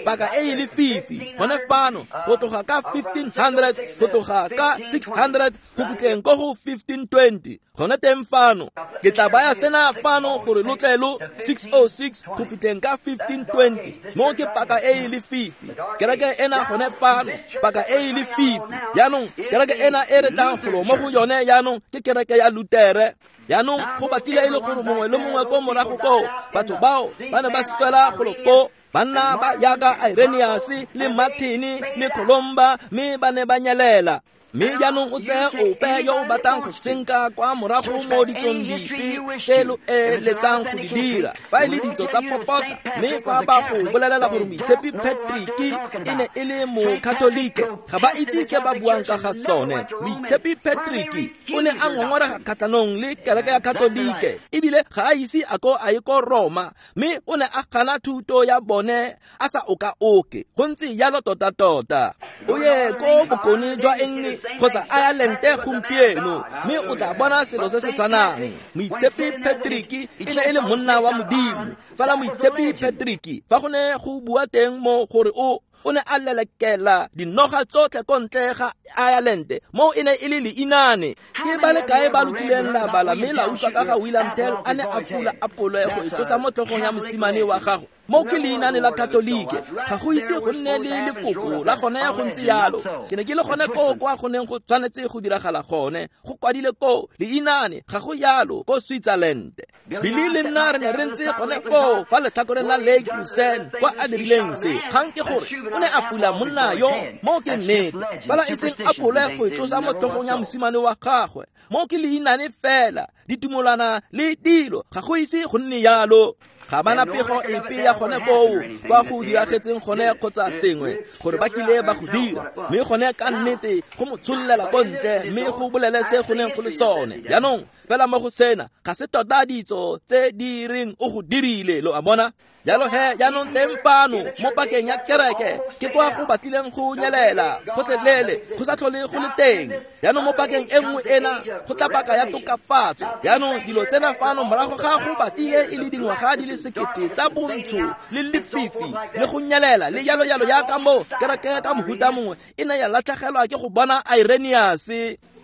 paka e e lefifi, gone fano go tloga ka 1500 go tloga ka 600 go fitlheng ko go 1520. Gone teng fano ke tla baya sena fano gore lo tle lo 606 go fitlheng ka 1520. Mo ke paka e e lefifi, kereke ena gone fano paka e e lefifi. Jaanong kereke ena e re tlang golo mo go yone jaanong ke kereke ya Lutere. Jaanong go batlile e le gore mongwe le mongwe ko morago koo, batho bao ba ne ba swela golo ko, banna ba yaka Irenaeus le Martin le Columba, mme ba ne ba nyelela. Mme jaanong o tseye ope yo o batlang go senka kwa morago mo ditsong dipe tse lo eletsang go di dira, fa e le ditso tsa popota. Mme fa ba go bolelela gore Moitshepi Patrick e ne e le mokatolike, ga ba itse se ba buang ka ga sone. Moitshepi Patrick o ne a ngongorega kgatlhanong le kereke ya Katolike, ebile ga a ise a ko a ye ko Roma, mme o ne a gana thuto ya bone a sa oka-oke. Go ntse jalo tota-tota. O ye ko bokone jwa Eng kgotsa Ireland gompieno, mme o tla bona selo se se tshwanang. Moitshepi Patrick e ne e le monna wa Modimo. Fela Moitshepi Patrick fa go ne go bua teng mo gore o ne a lelekela dinoga tsotlhe ko ntle ga Ireland, mo e ne e le leinane. Ke ba le kae ba lokileng la bala mme la utlwa ka ga William Tell a ne a fula apole go e tlosa mo tlhogong ya mosimane wa gagwe? Mo ke leinane la Katolike, ga go ise go nne le lefoko la gone go ntse yalo. Ke ne ke le gone koo kwa go neng go tshwanetse go diragala gone, go kwadile koo leinane, ga go yalo ko Switzerland. Billy le nna re ne re ntse gone foo fa letlhakoreng la Lake Lucerne kwa a dirileng se. Kgang ke gore o ne a fula monna yo, mo ke nnete, fela e seng apole go e tlosa mo tlhogong ya mosimane wa gagwe. Mo ke leinane fela, ditumolana le dilo, ga go ise go nne yalo. Ga bana pego epe ya gone koo kwa go diragetseng gone kgotsa sengwe gore ba kile ba go dira, mme gone ka nnete go mo tshollela ko ntle mme go bolele se go neng go le sone. Jaanong fela mo go sena ga se tota ditso tse di reng o go dirile, lo a bona. Jalo he jaanong teng fano mo pakeng ya kereke ke kwa go batlileng go nyelela gotlhelele, go sa tlhole go le teng. Jaanong mo pakeng e nngwe ena go tla paka ya tokafatso. Jaanong dilo tsena fano morago ga go batlile e le dingwaga di le 1000 tsa bontsho le lefifi le go nyelela le jalo jalo, yaka mo kereke ka mohuta mongwe e ne ya latlhegelwa ke go bona Irenaeus.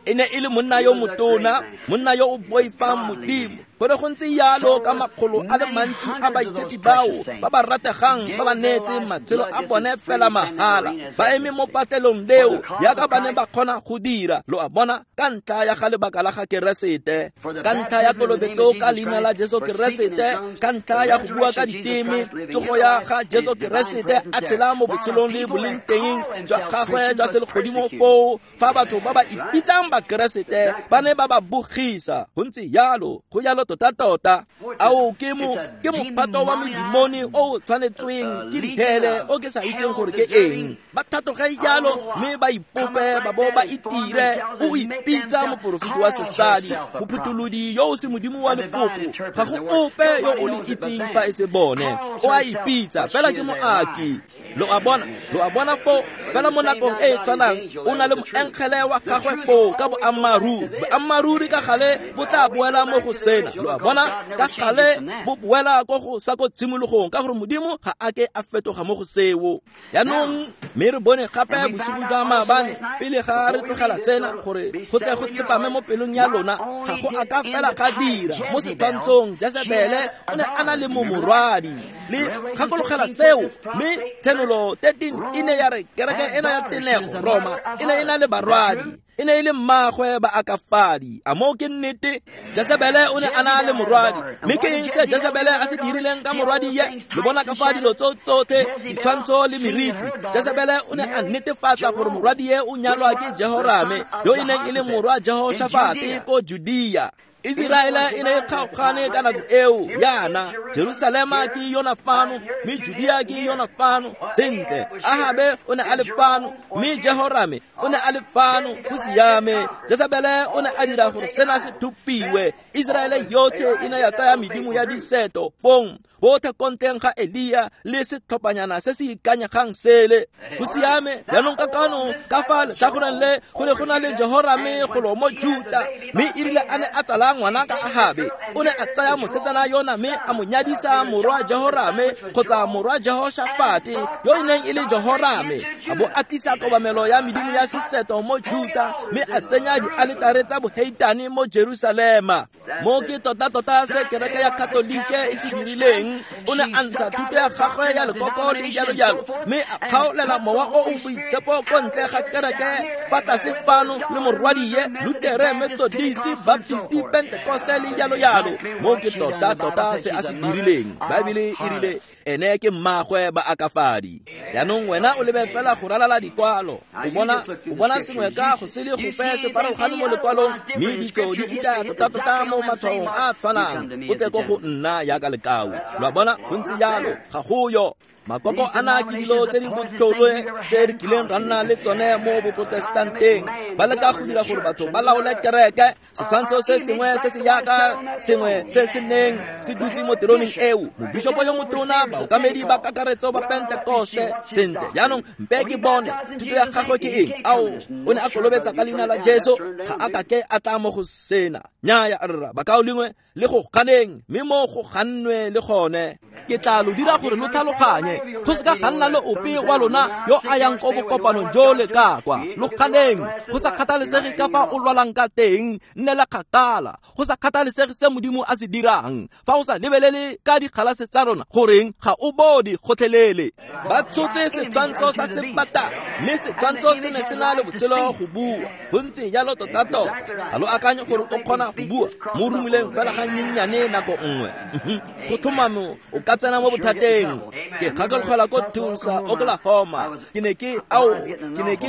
E ne e le monna yo motona, monna yo o boifang Modimo. Go ne go ntse jalo ka makgolo a le mantsi a baitshepi bao ba ba rategang ba ba neetseng matshelo a bone fela mahala, ba eme mo patelong leo jaaka ba ne ba kgona go dira, lo a bona, ka ntlha ya ga lebaka la ga Keresete, ka ntlha ya kolobetso ka leina la Jesu Keresete, ka ntlha ya go bua ka diteme, tsogo ya ga Jesu Keresete a tshela mo botshelong le boleng teng jwa gagwe jwa selegodimo foo, fa batho ba ba ipitsang ba Keresete ba ne ba ba bogisa. Go ntse jalo, go jalo tota-tota. Ao ke mophato wa medimoni o o tshwanetsweng ke dithele o ke sa itseng gore ke eng. Ba thatoge jalo mme ba ipope ba bo ba itire. O ipitsa moporofeti wa sesadi, mophutholodi yo o se modimo wa lefoko, ga go ope yo o le itseng fa e se bone. O a ipitsa fela ke moaki. Lo a bona foo, fela mo nakong e e tshwanang o na le moengele wa gagwe foo ka boammaaruri. Boammaaruri ka gale bo tla boela mo go sena. Lo a bona, ka gale bo boela ko go sa ko tshimologong, ka gore Modimo ga a ke a fetoga mo go seo. Jaanong mme re bone gape bosigo jwa maabane pele ga re tlogela sena, gore go tle go tsepame mo pelong ya lona, ga go a ka fela ga dira mo setshwantshong. Jesebele o ne a na le morwadi, le gakologela seo. Mme Tshenolo 13 e ne ya re kereke ena ya tenego Roma e ne e na le barwadi, e ne e le mmagwe ba akafadi. A moo ke nnete? Jesebele o ne a na le morwadi, mme ke eng se Jesebele a se dirileng ka morwadi ye? Le bona ka fa dilo tsotlhe, ditshwantsho le meriti. Jesebele o ne a netefatsa gore morwadi ye o nyalwa ke Jehorame, yo e neng e le morwa Jehoshafate ko Judea. Iseraele e ne e kgaogane ka nako eo yana. Jerusalema ke yona fano, mme Judea ke yona fano. Sentle, Ahabe o ne a le fano, mme Jehorame o ne a le fano. Go siame. Jesebele o ne a dira gore sena se thupiwe. Iseraele yotlhe e ne ya tsaya medimo ya diseto fong, bothe kontleng ga Elia le setlhophanyana se se ikanyegang sele. Go siame. Jaanong ka kano ka fa letlhakoreng le go ne go na le Jehorame golo mo Juta, mme e rile a ne a tsala ngwana ka Ahabe, o ne a tsaya mosetsana yona mme a mo nyadisa morwa Jehorame kgotsa morwa Jehoshafate yo e neng e le Jehorame, a bo a tlisa kobamelo ya medimo ya seseto mo Juta, mme a tsenya dialetare tsa boheitane mo Jerusalema. Mo ke tota-tota se kereke ya Katolike e se dirileng. O ne a ntsha thuto ya gagwe ya lekoko le jalo-jalo, mme a kgaolela mowa o o boitshepo ko ntle ga kereke fa tlase fano le morwadie, Lutere, Methodist, Baptist, Pentecoste le jalo-jalo. Mo ke tota-tota se a se dirileng. Baebele e rile ene ke mmagwe ba akafadi. Jaanong wena o lebe fela go ralala dikwalo, o bona sengwe ka go se le gope se farologane mo lekwalong, mme ditso di itaya tota-tota mo matshwaong a tshwanang. O tle ko go nna jaaka lekau. Lo a bona, go ntse jalo, ga go yo. Makoko ana ke dilo tse di botlhole tse re kileng ra nna le tsone mo boprotestanteng. Ba leka go dira gore batho ba laole kereke. Setshwantsho se sengwe se se jaaka sengwe se se neng se dutse mo teroneng eo, mobishopo yo motona, baokamedi ba kakaretso ba Pentekoste. Sentle, jaanong mpe ke bone thuto ya gagwe ke eng. Ao, o ne a kolobetsa ka leina la Jesu, ga a kake a tla mo go sena. Nnyaya rra, bakaulengwe, le go ganeng, mme mo go gannwe le gone. Ke tla lo dira gore lo tlhaloganye, go se ka ga nna le ope wa lona yo a yang ko bokopanong jo le ka kwa. Lo ganeng, go sa kgathalesege ka fa o lwalang ka teng, nnela kgakala, go sa kgathalesege se Modimo a se dirang. Fa o sa lebelele ka dikgalase tsa rona, goreng ga o bone gotlhelele. Ba tshotse setshwantsho sa sebata, mme setshwantsho se ne se na le botshelo go bua. Go ntse jalo tota-tota. Ga lo akanye gore o kgona go bua mo romileng fela ga nyenyane nako nngwe. Go tlhomamo o ka tsena mo bothateng. Ke gakologelwa ko Tulsa, Oklahoma. Ke ne ke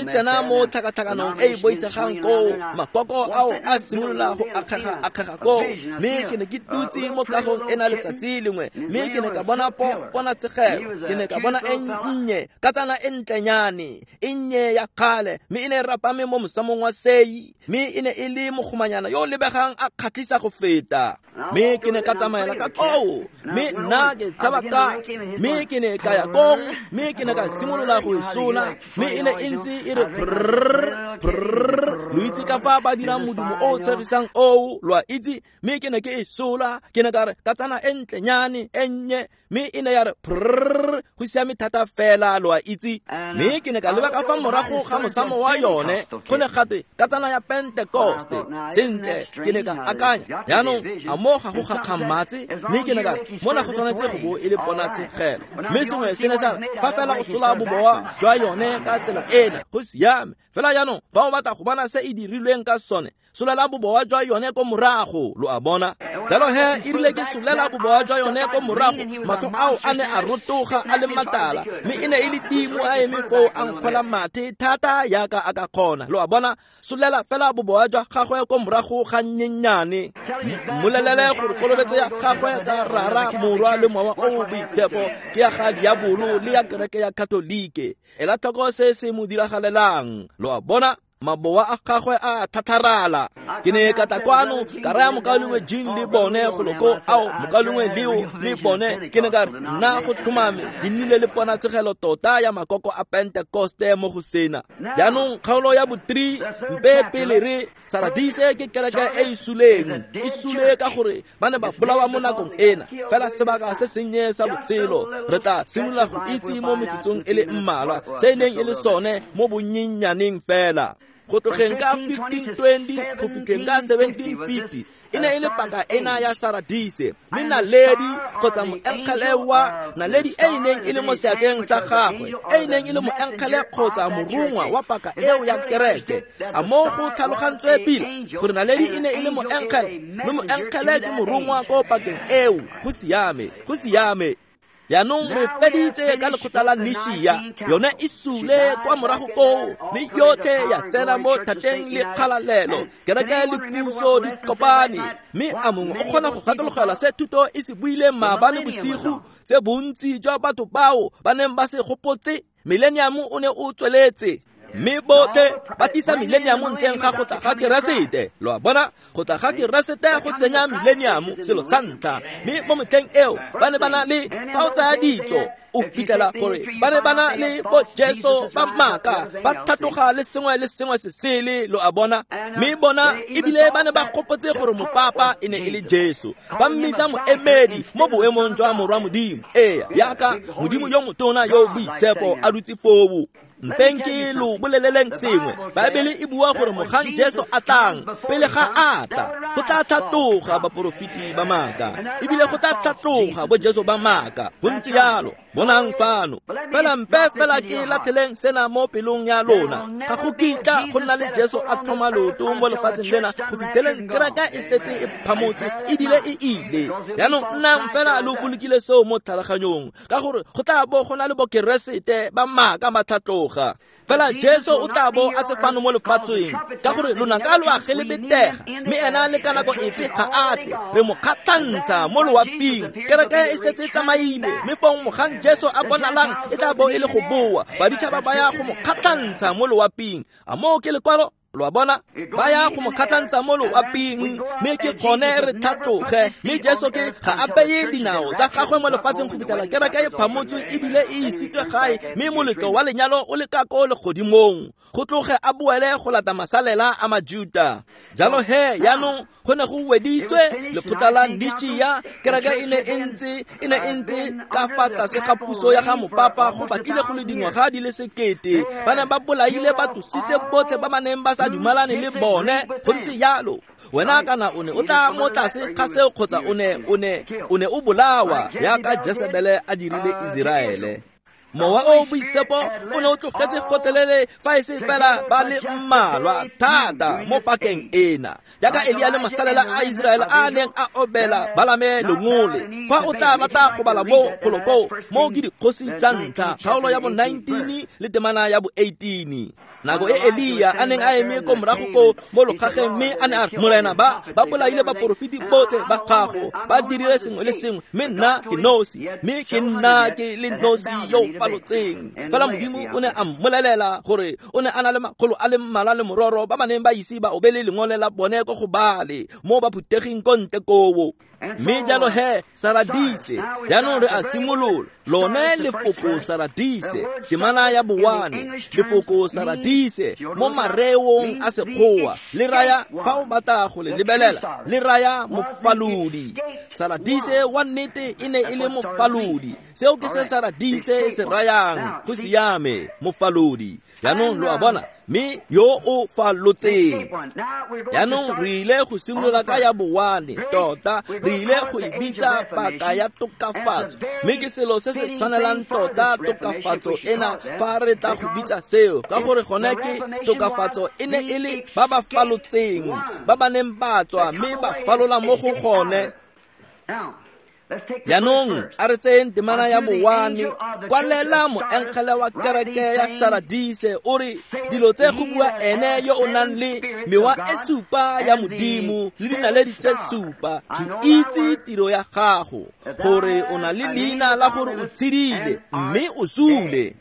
tsena mo tlhakatlhakanong e e boitshegang koo. Makoko ao a simolola go akgega koo, mme ke ne ke dutse mo kagong ena letsatsi lengwe, mme ke ne ka bona ponatshegelo. Ke ne ka bona e nnye, katsana e ntlenyane, e nnye ya kgale, mme e ne e rapame mo mosamong wa sei, mme e ne e le mogomanyana yo o lebegang a kgatlhisa go feta. Mme ke ne ka tsamaela ka koo, mme nna ke tshaba katse, mme ke ne ka ya kong, mme ke ne ka simolola go e sola, mme e ne e ntse e re prrr prrr, Lo itse ka fa ba dirang modumo o o tshegisang oo, lo a itse. Mme ke ne ke e sola, ke ne ka re katsana e ntlenyane e nnye, mme e ne ya re prrr, go siame thata fela, lo a itse. Mme ke ne ka leba ka fa morago ga mosamo wa yone, go ne gatwe katsana ya Pentekoste. Sentle, ke ne ka akanya, jaanong a mo ga go gakgamatse? Mme ke ne ka re mona go tshwanetse go bo e le ponatshegelo. Mme sengwe se ne sa re, fa fela o sola boboa jwa yone ka tsela ena, go siame. Fela jaanong fa o batla go bona se e dirilweng ka sone, solela boboa jwa yone ko morago, lo a bona. Jalo he e rile ke solela boboa jwa yone ko morago, matlho ao a ne a rotoga a le matala, mme e ne e le timo a eme foo a nkgola mathe thata yaka a ka kgona, lo a bona. Solela fela boboa jwa gagwe ko morago ga nnyenyane, mmolelele gore kolobetso ya gagwe ka Rara, Morwa le Mowa o o Boitshepo ke ya ga diabolo le ya kereke ya Katolike. Ela tlhoko se se mo diragalelang, lo a bona. Maboa a gagwe a thatharala. Ke ne ka tla kwano ka raya mokaulengwe Jean le bone goloko ao, mokaulengwe Leo le bone, ke ne ka re nna go tlhomame di nnile le ponatshegelo tota ya makoko a Pentekoste mo go sena. Jaanong kgaolo ya bo 3, mpe pele re Saradise ke kereke e e suleng, e sule ka gore ba ne ba bolawa mo nakong ena. Fela sebaka se sennye sa botshelo, re tla simolola go itse mo metsotsong e le mmalwa se e neng e le sone mo bonnyenyaneng fela. Go tlogeng ka 1520 go fitlheng ka 1750 e ne e le paka ena ya Saradise. Mme naledi kgotsa moenkgele wa naledi e e neng e le mo seatleng sa gagwe, e e neng e le moenkgele kgotsa morongwa wa paka eo ya kereke. A mo go tlhalogantswe pila gore naledi e ne e le moenkgele, mme moenkgele ke morongwa ko pakeng eo. Go siame, go siame. Jaanong re feditse ka lekgotla la Nishia, yone e sule kwa morago koo, mme yotlhe ya tsena mo thateng le kgalalelo. Kereke le puso di kopane, mme a mongwe o kgona go gakologelwa se thuto e se buileng maabane bosigo, se bontsi jwa batho bao ba neng ba se gopotse. Millennium o ne o tsweletse, mme botlhe ba tlisa millennium ntleng ga go tla ga Keresete. Lo a bona, go tla ga Keresete go tsenya millennium selo sa ntlha. Mme mo metlheng eo ba ne ba na le, fa o tsaya ditso o fitlhela gore ba ne ba na le bo Jesu ba maaka, ba tlhatloga le sengwe le sengwe se sele, lo a bona. Mme bona ebile ba ne ba gopotse gore mopapa e ne e le Jesu, ba mmitsa moemedi mo boemong jwa Morwa Modimo. Ee, yaka Modimo yo motona yo boitshepo a dutse foo. Mpeng ke lo boleleleng sengwe. Baebele e bua gore mogang Jesu a tlang, pele ga a tla, go tla tlhatloga baporofeti ba maaka, ebile go tla tlhatloga bo Jesu ba maaka. Go ntse yalo. Bonang fano. Fela mpe fela ke latlheleng sena mo pelong ya lona. Ga go kitla go nna le Jesu a tlhoma leoto mo lefatsheng lena go fitlheleng kereke e setse e phamotse ebile e ile. Jaanong nnang fela lo bolokile seo mo tlhaloganyong, ka gore go tla bo go na le bokeresete ba maaka ba tlhatloga. Fela Jesu o tla bo a se fano mo lefatsheng, ka gore lonaka lo a gelebetega, mme ena le ka nako epe ga a tle. Re mo kgatlhantsha mo loaping. Kereke e setse e tsamaile, mme fong mogang Jesu a bonalang e tla bo e le go boa. Baditšhaba ba ya go mo kgatlhantsha mo loaping. A moo ke lekwalo? Lo a bona, ba ya go mo kgatlhantsha mo loaping, mme ke gone re tlhatloge. Mme Jesu ke ga a beye dinao tsa gagwe mo lefatsheng go fitlhela kereke e phamotswe ebile e isitswe gae, mme moletlo wa lenyalo o le ka ko legodimong, go tloge a boele go lata masalela a Majuta. Jalo he jaanong go ne go weditswe lekgotla la Nishia. Kereke e ne e ntse ka fa tlase ga puso ya ga mopapa go batlile go le dingwaga di le 1000. Ba ne ba bolaile ba tlositse botlhe ba ba neng ba sa dumalane le bone. Go ntse yalo. Wena kana o ne o tla mo tlase ga seo kgotsa o ne o bolawa yaka Jesebele a dirile Iseraele. Mowa o boitshepo o ne o tlogetse gotlhelele fa e se fela ba le mmalwa thata mo pakeng ena, jaaka Elia le masalela a Iseraele a neng a obela Balame lengole. Fa o tla rata go bala mo goloko, mo ke dikgosi tsa ntlha, kgaolo ya bo 19 le temana ya bo 18. Nako e Elia a neng a eme ko morago ko mo lokgageng, mme a ne a re, Morena, ba bolaile baporofeti botlhe ba gago, ba dirile sengwe le sengwe, mme nna ke nosi, mme ke nna ke le nosi yo falotseng. Fela Modimo o ne a mmolelela gore o ne a na le makgolo a le mmalwa le mororo ba ba neng ba ise ba obele lengole la bone ko go bale mo ba phutheging ko ntle koo. Mme jalo he Saradise, jaanong re a simolola. Lone lefoko Saradise, temana ya bowane, lefoko Saradise mo mareong a Sekgowa le raya, fa o batla go le lebelela, le raya mofalodi. Saradise wa nnete e ne e le mofalodi. Seo ke se Saradise se rayang, go siame, mofalodi. Jaanong lo a bona, mme yo o falotseng. Jaanong re ile go simolola ka ya bowane, tota re ile go e bitsa paka ya tokafatso, mme ke selo se se tshwanelang tota tokafatso ena fa re tla go bitsa seo, ka gore gone ke tokafatso e ne e le ba ba falotseng, ba ba neng ba tswa mme ba falola mo go gone. Jaanong a re tseyeng temana ya bowane. Kwalela moengele wa kereke ya Saradise o re, dilo tse go bua ene yo o nang le mewa e supa ya Modimo le dinaledi tse supa, ke itse tiro ya gago, gore o na le leina la gore o tshedile mme o sule.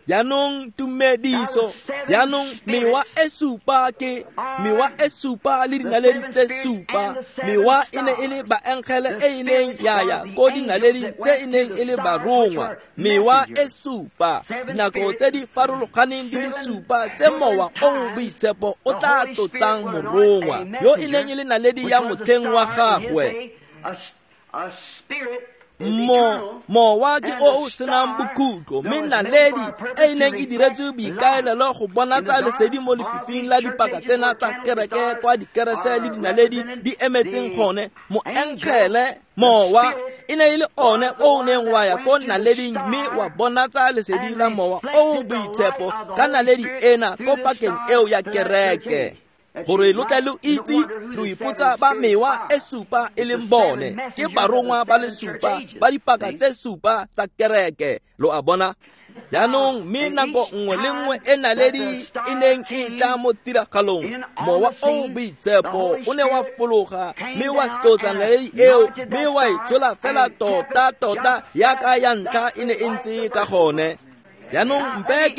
Jaanong tumediso, jaanong mewa e supa ke mewa e supa le dinaledi tse supa. Mewa e ne e le baengele e e neng ya ya ko dinaledi tse e neng e le barongwa. Mewa e supa, dinako tse di farologaneng di le supa tse mowa o o boitshepo o tla tlotsang morongwa yo e neng e le naledi ya motlheng wa gagwe. Mowa ke o o senang bokhutlo, mme naledi e e neng e diretswe boikaelelo go bonatsa lesedi mo lefifing la dipaka tsena tsa kereke kwa dikerese le dinaledi di emetseng gone. Moengele mowa e ne e le one o o neng wa ya ko naleding mme wa bonatsa lesedi la mowa o o boitshepo ka naledi ena ko pakeng eo ya kereke, gore lo tle lo itse, lo ipotsa ba mewa e supa e leng bone, ke barongwa ba le supa ba dipaka tse supa tsa kereke. Lo a bona? Jaanong mme nako nngwe le nngwe e naledi e neng e tla mo tiragalong, mowa o boitshepo o ne wa fologa mme wa tlotsa naledi eo mme wa e tshola fela tota-tota yaka ya ntlha e ne e ntse ka gone. Jaanong mpe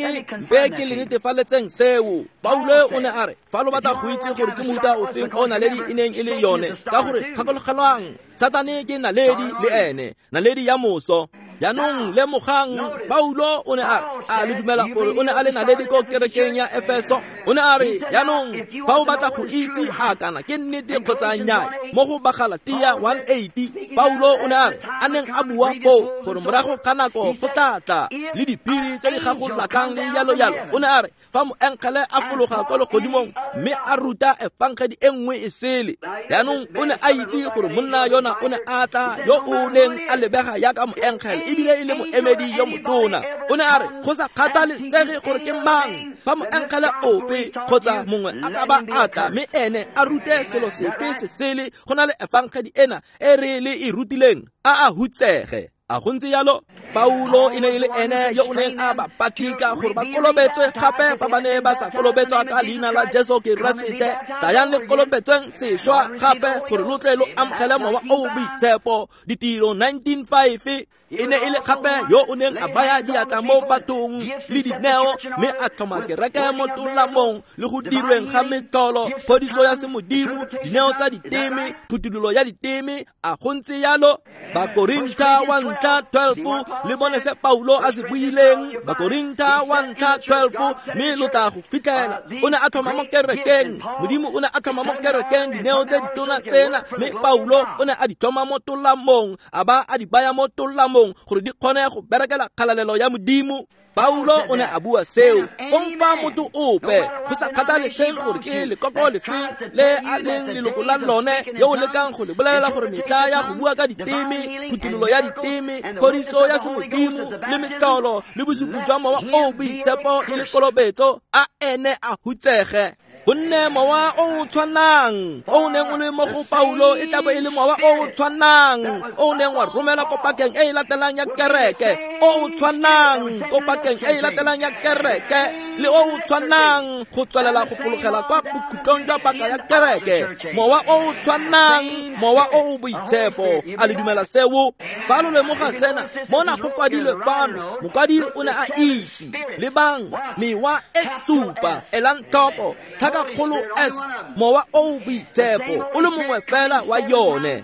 ke le netefaletseng seo. Paulo o ne a re, fa lo batla go itse gore ke mofuta ofeng o naledi e neng e le yone, ka gore gakologelwang, Satane ke naledi le ene, naledi ya moso. Jaanong lemogang, Paulo o ne a re, a le dumela gore o ne a le naledi ko kerekeng ya Efeso? O ne a re, jaanong fa o batla go itse a kana ke nnete kgotsa nnyaa, mo go Bagalatia 1:80, Paulo o ne a re, a neng a bua foo gore morago ga nako go tla tla le diphiri tse di gagolakang le jalo jalo. O ne a re, fa moengele a fologa kwa legodimong mme a ruta efangedi e nngwe e sele. Jaanong o ne a itse gore monna yona o ne a tla yo o neng a lebega yaka moengele ebile e le moemedi yo motona. O ne a re, go sa kgathalesege gore ke mang, fa moengele ope kgotsa mongwe a ka ba a tla mme ene a rute selo sepe se sele go na le efangedi ena e re le e rutileng, a a hutsege. A go ntse jalo? Paulo e ne e le ene yo o neng a ba patika gore ba kolobetswe gape fa ba ne ba sa kolobetswa ka leina la Jesu Keresete. Tlayang le kolobetsweng sešwa gape gore lo tle lo amogele mowa o o boitshepo. Ditiro 19:5. E ne e le gape yo o neng a baya diatla mo bathong le dineo mme a tlhoma kereke mo tolamong le go dirweng ga metlholo, phodiso ya semodimo, dineo tsa diteme, phuthololo ya diteme. A go ntse jalo? Bakorintha 1:12, le bone se Paulo a se buileng. Bakorintha 1:12, mme lo tla go fitlhela. O ne a tlhoma mo kerekeng, Modimo o ne a tlhoma mo kerekeng dineo tse ditona tsena, mme Paulo o ne a di tlhoma mo tolamong, a ba a di baya mo tolamong gore di kgone go berekela kgalalelo ya Modimo. Paulo o ne a bua seo. Fong fa motho ope, go sa kgathalesege gore ke lekoko lefeng le a leng leloko la lone, yo o lekang go le bolelela gore metla ya go bua ka diteme, phuthololo ya diteme, phodiso ya semodimo le metlholo le bosupi jwa mowa o boitshepo e le kolobetso, a ene a hutsege. Gonne mowa o o tshwanang o o neng o le mo go Paulo e tla bo e le mowa o o tshwanang o o neng wa romelwa ko pakeng e e latelang ya kereke, o o tshwanang ko pakeng e e latelang ya kereke. le o o tshwanang go tswelela go fologela kwa bokhutlong jwa paka ya kereke. Mowa o o tshwanang, mowa o o boitshepo. A le dumela seo? Fa lo lemoga sena, mona go kwadilwe fano, mokwadi o ne a itse. Lebang, mewa e supa, elang tlhoko, tlhakakgolo S, mowa o o boitshepo, o le mongwe fela wa yone.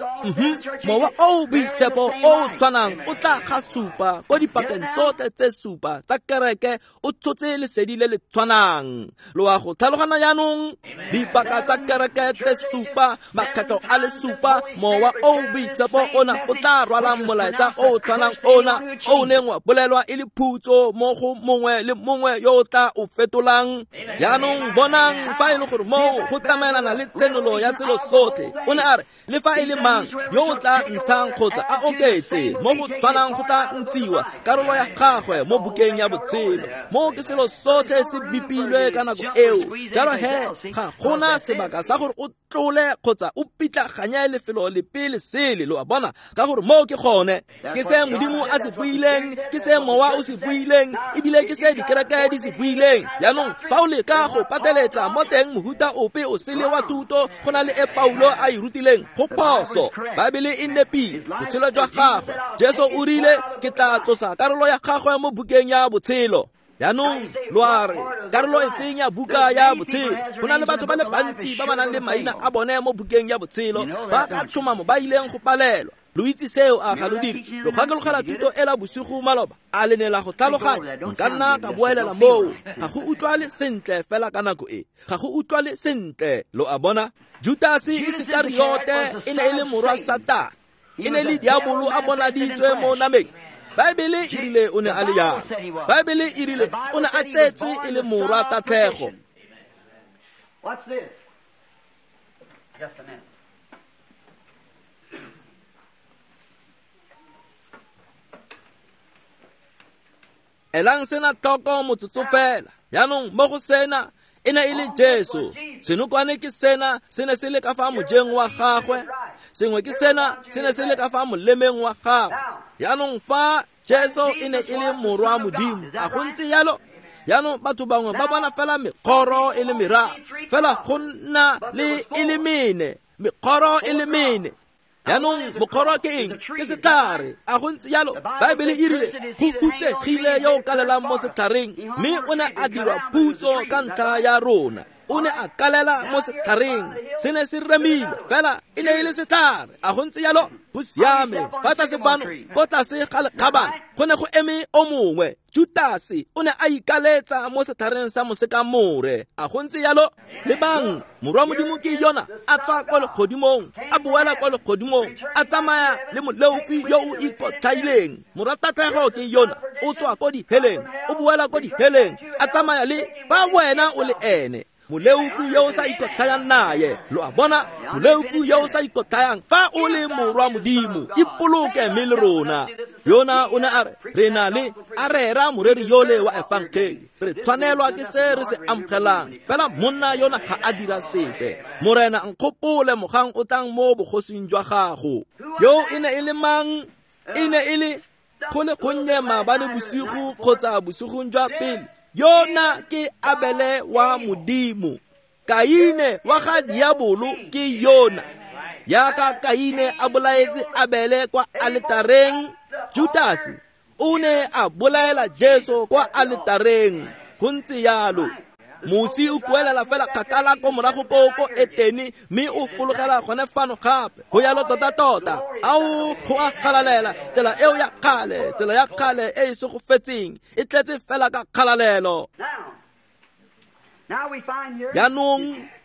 Mowa o o boitshepo o o tshwanang o tla ga supa ko dipakeng tsotlhe tse supa tsa kereke, o tshotse lesedi le le tshwanang. Lo a go tlhalogana jaanong? Dipaka tsa kereke tse supa, makgetho a le supa, mowa o o boitshepo ona o tla rwalang molaetsa o o tshwanang ona o o neng wa bolelwa e le phutso mo go mongwe le mongwe yo o tla o fetolang. Jaanong bonang fa e le gore moo go tsamaelana le tshenolo ya selo sotlhe. O ne a re le fa e le mang yo o tla ntshang kgotsa a oketse mo go tshwanang go tla ntshiwa karolo ya gagwe mo bukeng ya botshelo. Moo ke selo sotlhe se bipilwe ka nako eo. Jalo he ga gona sebaka sa gore o tlole kgotsa o pitlaganye lefelo lepe le sele, lo a bona, ka gore moo ke gone. Ke se Modimo a se buileng, ke se mowa o se buileng, ebile ke se dikereke di se buileng. Jaanong fa o leka go pateletsa mo teng mohuta ope o sele wa thuto go na le e Paulo a e rutileng, go phoso. Baebele e nepile botshelo jwa gagwe. Jesu o rile ke tla tlosa karolo ya gagwe mo bukeng ya botshelo. Jaanong lo a re karolo efeng ya buka ya botshelo? Go na le batho ba le bantsi ba ba nang le maina a bone mo bukeng ya botshelo ba ka tlhomamo ba ileng go palelwa. Lo itse seo, a ga lo dire? Lo gakologela thuto ela bosigo maloba, a le ne la go tlhaloganya? Nka nna ka boelela moo. Ga go utlwale sentle fela ka nako e, ga go utlwale sentle, lo a bona. Judase Isekariote e ne e le morwa Satane, e ne le diabolo a bonaditswe mo nameng. Baebele e rile o ne a le jalo. Baebele e rile o ne a tsetswe e le morwa tatlhego. Elang sena tlhoko motsotso fela. Jaanong mo go sena e ne e le Jesu. Senokwane ke sena se ne se le ka fa mojeng wa gagwe, sengwe ke sena se ne se le ka fa molemeng wa gagwe. Jaanong fa Jesu e ne e le morwa Modimo, a go ntse jalo? Jaanong batho bangwe ba bona fela mekgoro e le meraro, fela go nna le e le mene, mekgoro e le mene. Jaanong mokgoro ke eng? Ke setlhare. A go ntse jalo? Baebele e rile go hutsegile yo o kalelang mo setlhareng, mme o ne a dirwa phutso ka ntlha ya rona. O ne a kalela mo setlhareng, se ne se remile, fela e ne e le setlhare. A go ntse jalo? Go siame. Fa tlase fano ko tlase ga lekgabana go ne go eme o mongwe, Judase, o ne a ikaletsa mo setlhareng sa mosekamore. A go ntse jalo? Lebang, morwa Modimo ke yona a tswa kwa legodimong, a boela kwa legodimong, a tsamaya le moleofi yo o ikotlhaileng. Morwa tatlhego ke yona o tswa ko diheleng, o boela ko diheleng, a tsamaya le ba wena o le ene moleofi yo o sa ikotlhayang naye. Lo a bona, moleofi yo o sa ikotlhayang, fa o le morwa Modimo, ipoloke mme le rona. Yona o ne a re re na le a rera moreri yole wa efangeli, re tshwanelwa ke se re se amogelang, fela monna yona ga a dira sepe. Morena nkgopole mogang o tlang mo bogosing jwa gago. Yo e ne e le mang? E ne e le go le gonnye maabane bosigo kgotsa bosigong jwa pele. Yona ke Abele wa Modimo. Kaine wa ga diabolo ke yona. Yaka Kaine a bolaetse Abele kwa aletareng, Judase o ne a bolaela Jesu kwa aletareng. Go ntse jalo. Mosi o kuelela fela kgakala ko morago ko ko Etene, mme o fologela gone fano gape. Go yalo tota-tota. Ao, go a kgalalela. Tsela eo ya kgale, tsela ya kgale e e segofetseng, e tletse fela ka kgalalelo.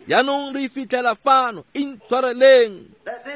Jaanong re fitlhela fano, intshwareleng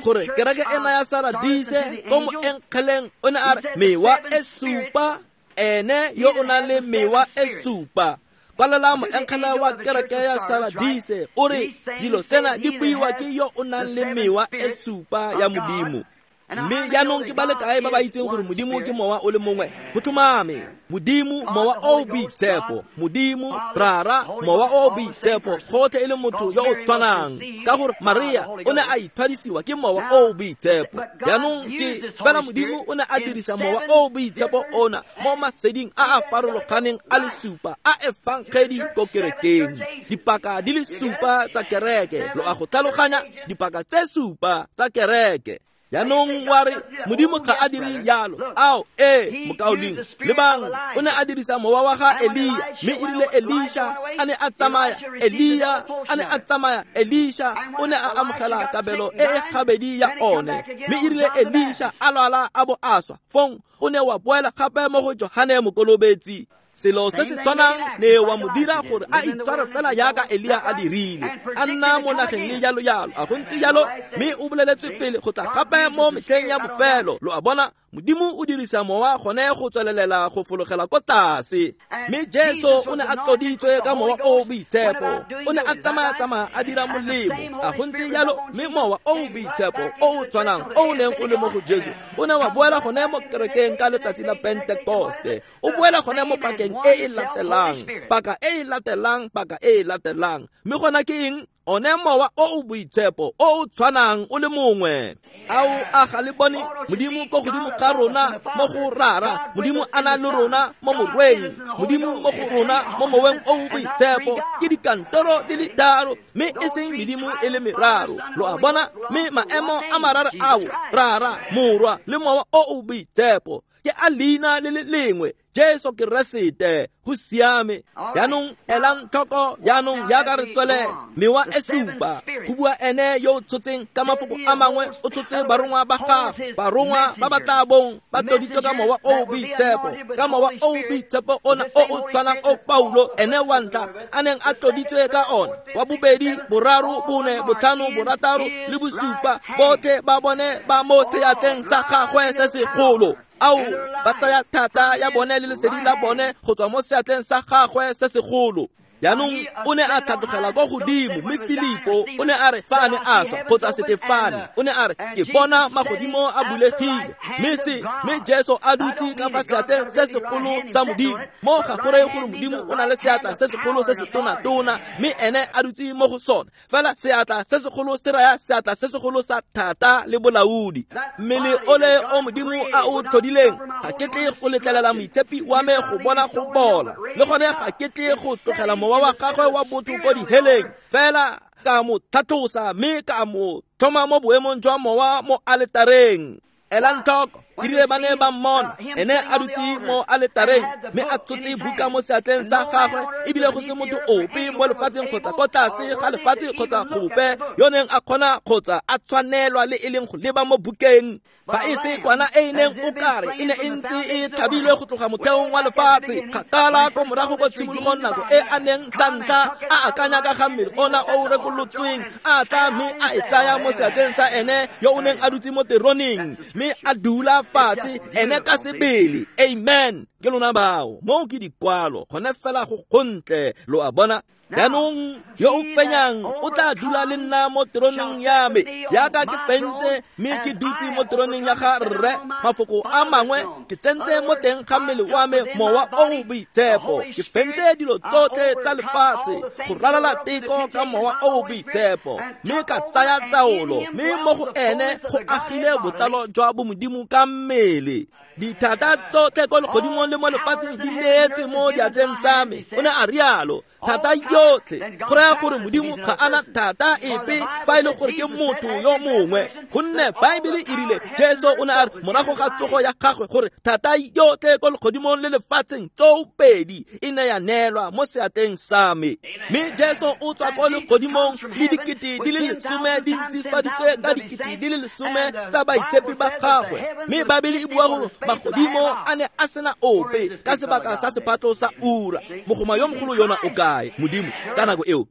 gore kereke ena ya Saradise ko moenkgeleng o ne a re mewa e supa, ene yo o nang le mewa e supa. Kwalela moenkgele wa kereke ya Saradise o re dilo tsena di buiwa ke yo o nang le mewa e supa ya Modimo. Mme jaanong ke ba le kae ba ba itseng gore Modimo ke mowa o le mongwe? Go tlhomame. Modimo Mowa o o Boitshepo, Modimo Rara, Mowa o o Boitshepo, gotlhe e le motho yo o tshwanang, ka gore Maria o ne a ithwadisiwa ke Mowa o o Boitshepo. Jaanong ke fela Modimo o ne a dirisa Mowa o o Boitshepo ona mo maseding a a farologaneng a le supa a efangedi ko kerekeng. Dipaka di le supa tsa kereke, lo a go tlhaloganya, dipaka tse supa tsa kereke. Jaanong wa re Modimo ga a dire jalo. Ao, ee, mokaulengwe, lebang, o ne a dirisa mowa wa ga Elia, mme e rile Elisha a ne a tsamaya, Elia a ne a tsamaya, Elisha o ne a amogela kabelo e e gabedi ya one, mme e rile Elisha a lwala a bo a swa, fong o ne wa boela gape mo go Johane Mokolobetsi. Selo se se tshwanang ne wa mo dira gore a itshware fela jaaka Elia a dirile, a nna mo nageng le jalo jalo, a go ntse jalo, mme o boleletswe pele go tla gape mo metlheng ya bofelo. Lo a bona, Modimo o dirisa mowa gone go tswelelela go fologela ko tlase. Mme Jesu o ne a tloditswe ka Mowa o o Boitshepo, o ne a tsamaya-tsamaya a dira molemo, a go ntse jalo, mme Mowa o o Boitshepo o o tshwanang o o neng o le mo go Jesu o ne wa boela gone mo kerekeng ka letsatsi la Pentekoste, o boela gone mo pakeng e e latelang, paka e e latelang, paka e e latelang. Mme gona ke eng? One Mowa o o Boitshepo o o tshwanang o le mongwe. Ao, a ga le bone Modimo ko godimo ga rona mo go Rara, Modimo a na le rona mo Morweng, Modimo mo go rona mo Moweng o o Boitshepo. Ke dikantoro di le tharo, mme e seng medimo e le meraro. Lo a bona? Mme maemo a mararo ao, Rara, Morwa le Mowa o o Boitshepo, ke a leina le le lengwe, Jesu Keresete. Go siame. Jaanong elang tlhoko, jaanong jaaka re tswelela, mewa e supa go bua ene yo o tshotseng, ka mafoko a mangwe o tshotse barongwa ba gagwe, barongwa ba ba tla bong ba tloditswe ka Mowa o o Boitshepo, ka Mowa o o Boitshepo ona o o tshwanang o Paulo ene wa ntlha a neng a tloditswe ka ona, wa bobedi, boraro, bone, botlhano, borataro le bosupa, botlhe ba bone ba mo seatleng sa gagwe se segolo. Ao, ba tsaya thata ya bone le lesedi la bone go tswa mo seatleng sa gagwe se segolo. Jaanong o ne a tlhatlogela kwa godimo, mme Filipo o ne a re fa a ne a swa, kgotsa Setefane o ne a re, ke bona magodimo a bulegile, mme Jesu a dutse ka fa seatleng se segolo sa Modimo. Mo ga go reye gore Modimo o na le seatla se segolo se se tona-tona, mme ene a dutse mo go sone. Fela seatla se segolo se raya seatla se segolo sa thata le bolaodi. Mmele ole o Modimo a o tlhodileng, ga ke tle go letlelela moitshepi wa me go bona go bola, le gone ga ke tle go tlogela mowa wa gagwe wa botho ko diheleng, fela ka mo tlhatlosa mme ka mo tlhoma mo boemong jwa mowa mo aletareng. Elang tlhoko, dirile ba ne ba mmona ene a dutse mo aletareng, mme a tshotse buka mo seatleng sa gagwe, ebile go se motho ope mo lefatsheng kgotsa ko tlase ga lefatshe kgotsa gope yo neng a kgona kgotsa a tshwanelwa le e leng go leba mo bukeng. Ba e se kwana e e neng o kare e ne e ntse e thabilwe go tloga motheong wa lefatshe, kgakala ko morago ko tshimologong, nako e a neng sa ntlha a akanya ka ga mmele ona o rekolotsweng, a tla mme a e tsaya mo seatleng sa ene yo o neng a dutse mo teroneng, mme a dula fatshe ene ka sebele. Amen. Ke lona bao, moo ke dikwalo gone fela go gontle. Lo a bona? Jaanong yo o fenyang o tla dula le nna mo teroneng ya me, jaaka ke fentse mme ke dutse mo teroneng ya ga Rre. Mafoko a mangwe, ke tsentse mo teng ga mmele wa me Mowa o o Boitshepo, ke fentse dilo tsotlhe tsa lefatshe go ralala teko ka Mowa o o Boitshepo, mme ka tsaya taolo, mme mo go ene go agile botlalo jwa bomodimo ka mmele. Dithata tsotlhe ko legodimong le mo lefatsheng di neetswe mo diatleng tsa me, o ne a rialo. Thata yotlhe, go raya gore Modimo ga ana thata epe fa e le gore ke motho yo mongwe, gonne Baebele e rile Jesu o ne a re morago ga tsogo ya gagwe gore thata yotlhe ko legodimong le lefatsheng tsoopedi e ne ya neelwa mo seatleng sa me. Mme Jesu o tswa ko legodimong le dikete di le 10 di ntsifaditswe ka dikete di le 10 tsa baitshepi ba gagwe. Mme Baebele e bua gore magodimo a ne a sena ope ka sebaka sa sephatlo sa ura. Mogoma yo mogolo yona o kae? Modimo ka nako eo.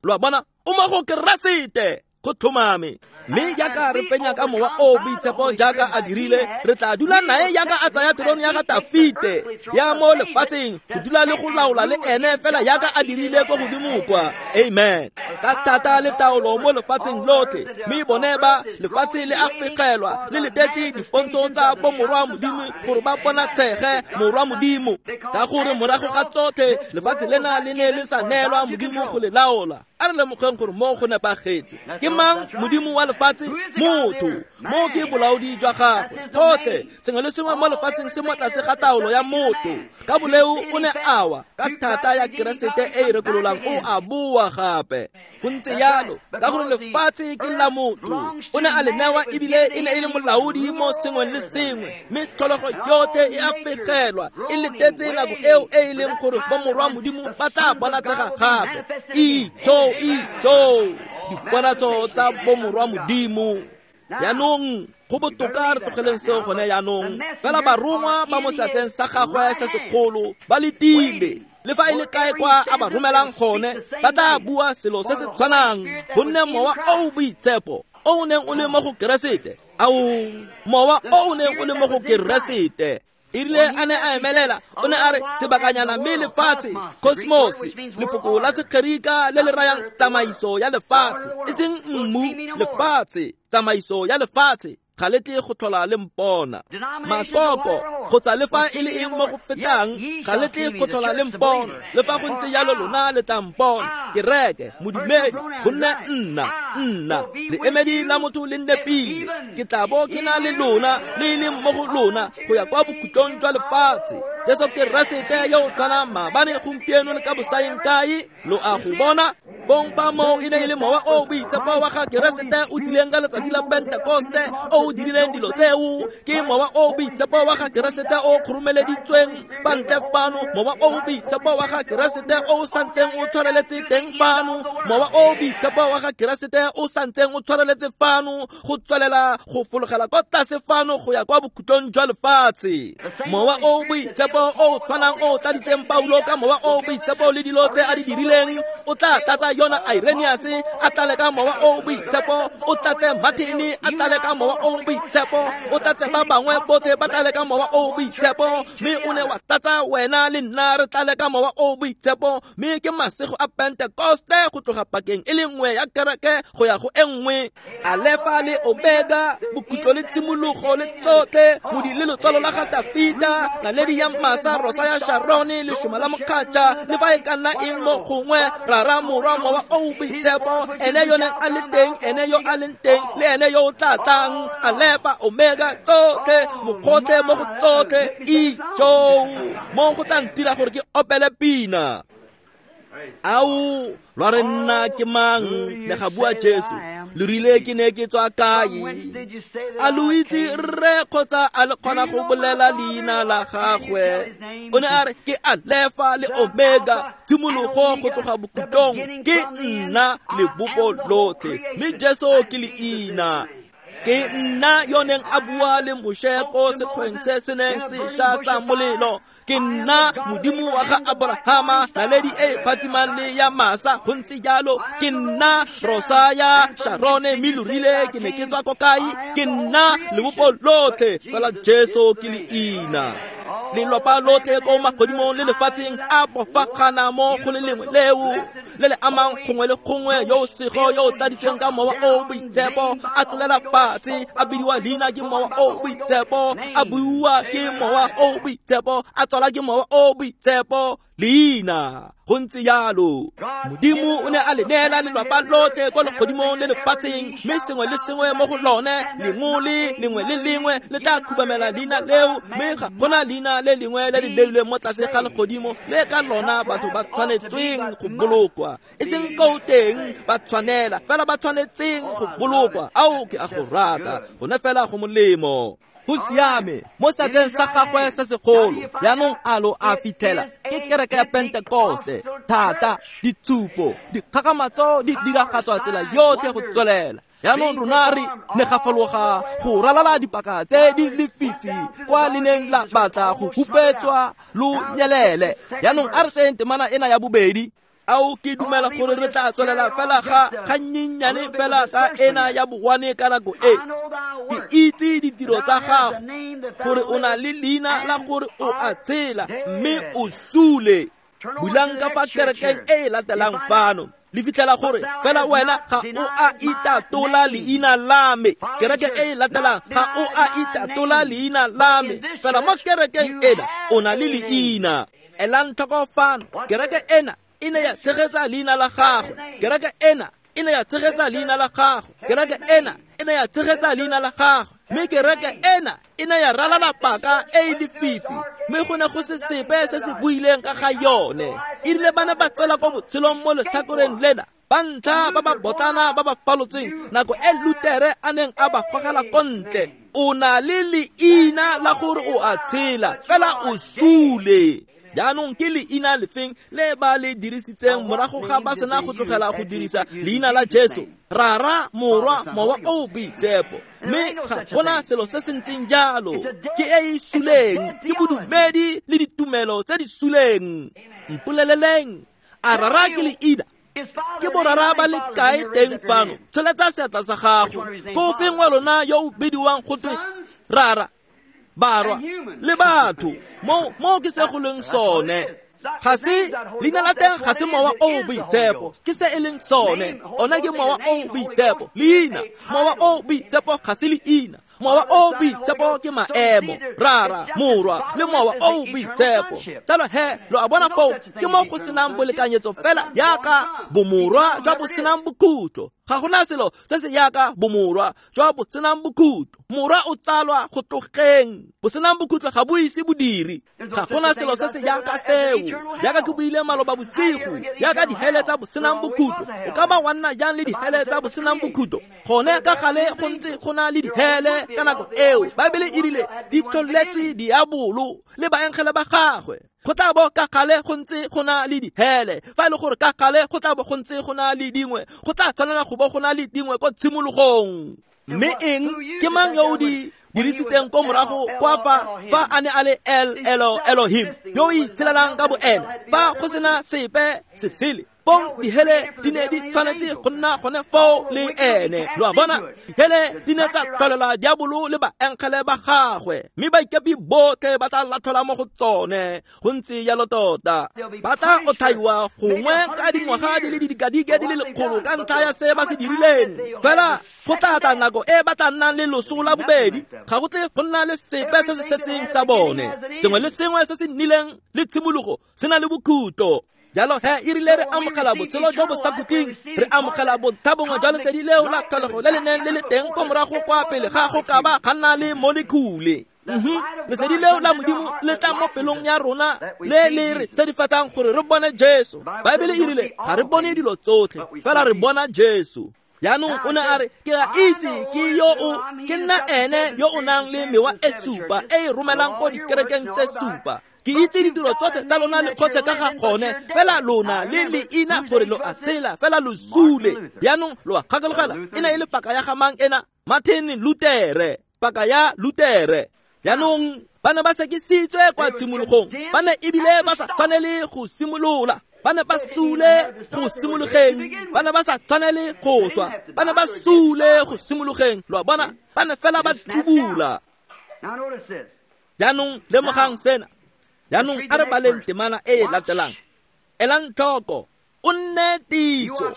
Lo a bona? O mo go Keresete. Go tlhomame. Mme jaaka re fenya ka mowa o boitshepo jaaka a dirile, re tla dula nae jaaka a tsaya terone ya ga Tafite ya mo lefatsheng, go dula le go laola le ene fela jaaka a dirile ko godimo kwa. Amen. Ka thata le taolo mo lefatsheng lotlhe, mme bone ba lefatshe le a fegelwa le letetse dipontsho tsa bomorwa Modimo gore ba bonatshege morwa Modimo, ka gore morago ga tsotlhe lefatshe lena le ne le sa neelwa Modimo go le laola. A re lemogeng gore mo go nepagetse. Ke mang Modimo wa lefatshe? Motho. Mo ke bolaodi jwa gagwe. Gotlhe sengwe le sengwe mo lefatsheng se mo tlase ga taolo ya motho. Ka boleo o ne a wa, ka thata ya Keresete e e rekololang o a boa gape. Go ntse jalo, ka gore lefatshe ke la motho. O ne a le newa ebile e ne e le molaodi mo sengweng le sengwe, mme tlholego yotlhe e a fegelwa e letetse nako eo e e leng gore bomorwa Modimo ba tla bonatsega gape. Ijo, ijo, diponatso tsa bomorwa Modimo. Jaanong go botoka re tlogeleng seo gone jaanong. Fela barongwa ba mo seatleng sa gagwe se segolo ba letile, le fa e le kae kwa a ba romelang gone, ba tla bua selo se se tshwanang, gonne mowa o o boitshepo o o neng o le mo go Keresete, ao, mowa o o neng o le mo go Keresete, e rile a ne a emelela, o ne a re sebakanyana mme lefatshe, cosmos, lefoko la Segerika le le rayang tsamaiso ya lefatshe, e seng mmu, lefatshe, tsamaiso ya lefatshe, ga le tle go tlhola le mpona. Makoko kgotsa le fa e le eng mo go fetang, ga le tle go tlhola le mpona. Le fa go ntse jalo lona le tla mpona. Kereke, modumedi, gonne nna, leemedi la motho le nnepile. Ke tla bo ke na le lona, le e leng mo go lona, go ya kwa bokhutlong jwa lefatshe. Jesu Keresete yo o tshwanang maabane, gompieno le ka bosaeng kae, lo a go bona. Fong fa moo e ne e le mowa o boitshepo wa ga Keresete o tsileng ka letsatsi la Pentekoste o o dirileng dilo tseo, ke mowa o boitshepo wa ga Keresete o khurumeleditsweng fa ntle fano, mowa o boitshepo wa ga Keresete o santseng o tshwareletse teng fano, mowa o boitshepo wa ga Keresete o santseng o tshwareletse fano, go tswelela go fologela kwa tlase fano go ya kwa bokhutlong jwa lefatshe. Mowa o boitshepo o tshwanang o tladitseng Paulo ka mowa o boitshepo le dilo tse a di dirileng, o tla tlatsa yona Irenaeus a tlale ka mowa o boitshepo, o tlatse Martin a tlale ka mowa o boitshepo, o tlatse ba bangwe botlhe ba tlale ka mowa o boitshepo, mme o ne wa tlatsa wena le nna re tlale ka mowa o boitshepo. Mme ke masego a Pentekoste go tloga pakeng e le nngwe ya kereke go ya go e nngwe. Alefa le Omega, bokhutlo le tshimologo le tsotlhe, modi le lotswalo la ga Tafita, naledi ya masa, rosa ya Sharone, lešoma la mokgatšha, le fa e ka nna eng mo gongwe, rara morwa mowa o boitshepo, ene yo neng a le teng, ene yo a leng teng, le ene yo o tla tlang. Alefa, Omega, tsotlhe, mogotlhe mo go tsotlhe, ijo, mo go tla ntira gore ke opele pina. Ao, lwa re nna ke mang? Ne ga bua Jesu. Le rile ke ne ke tswa kae? A lo itse rre kgotsa a le kgona go bolela leina la gagwe? O ne a re ke Alefa le Omega, tshimologo go tloga bokhutlong, ke nna lebopo lotlhe, mme Jesu ke leina. Ke nna yo neng a bua le Moshe ko sekgweng se se neng se ša sa molelo. Ke nna Modimo wa ga Abrahama, naledi e phatsimang le ya masa, go ntse jalo. Ke nna rosa ya Sharone, mme lo rile ke ne ke tswa ko kae? Ke nna lebopo lotlhe, fela Jesu ke leina. Lelapa lotlhe ko magodimong le lefatsheng a bofagana mo go le lengwe leo le le amang gongwe le gongwe, yo o sego yo o tladitsweng ka mowa o boitshepo, a tlolela fatshe, a bidiwa leina ke mowa o boitshepo, a buiwa ke mowa o boitshepo, a tswala ke mowa o boitshepo, leina. Go ntse jalo. Modimo o ne a le neela lelapa lotlhe kwa legodimong le lefatsheng, mme sengwe le sengwe mo go lone, lengwe le lengwe le lengwe le tla khubamela leina leo, mme ga gona leina le lengwe le le leilweng mo tlase ga legodimo le ka lona batho ba tshwanetsweng go bolokwa. E seng ko teng ba tshwanela, fela ba tshwanetseng go bolokwa. Ao, ke a go rata, gone fela go molemo. Go siame mo seatleng sa gagwe se segolo. Jaanong a lo a fitlhela ke kereke ya Pentekoste, thata, ditshupo, dikgakgamatso di diragatswa tsela yotlhe go tswelela. Jaanong rona re ne ga fologa go ralala dipaka tse di lefifi kwa le neng la batla go hupetswa lo nyelele. Jaanong a re tseyeng temana ena ya bobedi. Ao ke dumela gore re tla tswelela fela ga gannyenyane fela ka ena ya bogwane ka nako e. Ke itse ditiro tsa gago, gore o na le leina la gore o a tshela mme o sule. Bulang ka fa kerekeng e e latelang fano, le fitlhela gore fela wena ga o a itatola leina la me. Kereke e e latelang ga o a itatola leina la me, fela mo kerekeng ena o na le leina. Elang tlhoko fano, kereke ena e ne ya tshegetsa leina la gagwe. Kereke ena e ne ya tshegetsa leina la gagwe. Kereke ena e ne ya tshegetsa leina la gagwe. Mme kereke ena e ne ya ralala paka e e lefifi, mme go ne go se sepe se se buileng ka ga yone. E rile ba ne ba tswela ko botshelong mo letlhakoreng lena, ba ntlha ba ba botlana ba ba falotseng nako e Lutere a neng a ba gogela ko ntle. O na le leina la gore o a tshela, fela o sule. Jaanong ke leina lefeng le ba le dirisitseng morago ga ba sena go tlogela go dirisa leina la Jesu? Rara, Morwa, Mowa o Boitshepo. Mme ga gona selo se se ntseng jalo. Ke e e suleng, ke bodumedi le ditumelo tse di suleng. Mpoleleleng, a rara ke leina? Ke borara ba le kae teng fano? Tsholetsa seatla sa gago. Ko feng wa lona yo o bidiwang go twe rara, barwa le batho? Mo ke se go leng sone. Ga se leina la teng, ga se Mowa o Boitshepo, ke se e leng sone. Ona ke Mowa o Boitshepo, leina. Mowa o Boitshepo ga se leina. Mowa o Boitshepo ke maemo, Rara, Morwa le Mowa o Boitshepo. Jalo he, lo a bona foo, ke mo go senang bolekanyetso fela yaka bomorwa jwa bo senang bokhutlo. Ga gona selo se se yaka bomorwa jwa bo senang bokhutlo. Morwa o tsalwa go tlogeng, bo senang bokhutlo ga bo ise bodiri. Ga gona selo se se yaka seo. Yaka ke buile maloba bosigo, yaka dihele tsa bo senang bokhutlo. O ka ba wa nna jang le dihele tsa bo senang bokhutlo? Gone ka gale go ntse go na le dihele ka nako eo. Baebele e rile di tlholetswe diabolo le baengele ba gagwe. Go tla bo ka gale go ntse go na le dihele. Fa e le gore ka gale go tla bo go ntse go na le dingwe, go tla tshwanela go bo go na le dingwe ko tshimologong. Mme eng? Ke mang yo o di dirisitseng ko morago kwa fa a ne a le El Elohim, yo o itshelelang ka boene, fa go sena sepe se sele? Pong dihele di ne di tshwanetse go nna gone foo le ene. Lo a bona, dihele di ne tsa tlholela diabolo le baengele ba gagwe, mme baikepi botlhe ba tla latlhelwa mo go tsone. Go ntse jalo tota. Ba tla otlhaiwa gongwe ka dingwaga di le didikadike di le lekgolo ka ntlha ya se ba se dirileng. Fela go tla tla nako e ba tla nnang le loso la bobedi, ga go tle go nna le sepe se se setseng sa bone. Sengwe le sengwe se se nnileng le tshimologo se na le bokhutlo. Jalo he, e rile re amogela botshelo jo bo sa khutleng, re amogela bontlha bongwe jwa lesedi leo la tlholego le le neng le le teng ko morago kwa pele ga go ka ba ga nna le molekhule. Lesedi leo la Modimo le tla mo pelong ya rona le le re sedifatsang gore re bone Jesu. Baebele e rile ga re bone dilo tsotlhe, fela re bona Jesu. Jaanong o ne a re, ke a itse ke yo o ke nna ene yo o nang le mewa e supa e e romelang ko dikerekeng tse supa. Ke itse ditiro tsotlhe tsa lona le kgotlhe ka ga gone, fela lona le leina gore lo a tshela, fela lo sule. Jaanong lo a gakologela, e ne e le paka ya ga mang ena? Martin Lutere, paka ya Lutere. Jaanong ba ne ba sekisitswe kwa tshimologong, ba ne ebile ba sa tshwanele go simolola. Ba ne ba sule go simologeng, ba ne ba sa tshwanele go swa, ba ne ba sule go simologeng. Lo a bona, ba ne fela ba tsubula. Jaanong lemogang sena. Jaanong a re baleng temana e e latelang. Elang tlhoko, o nne tiso,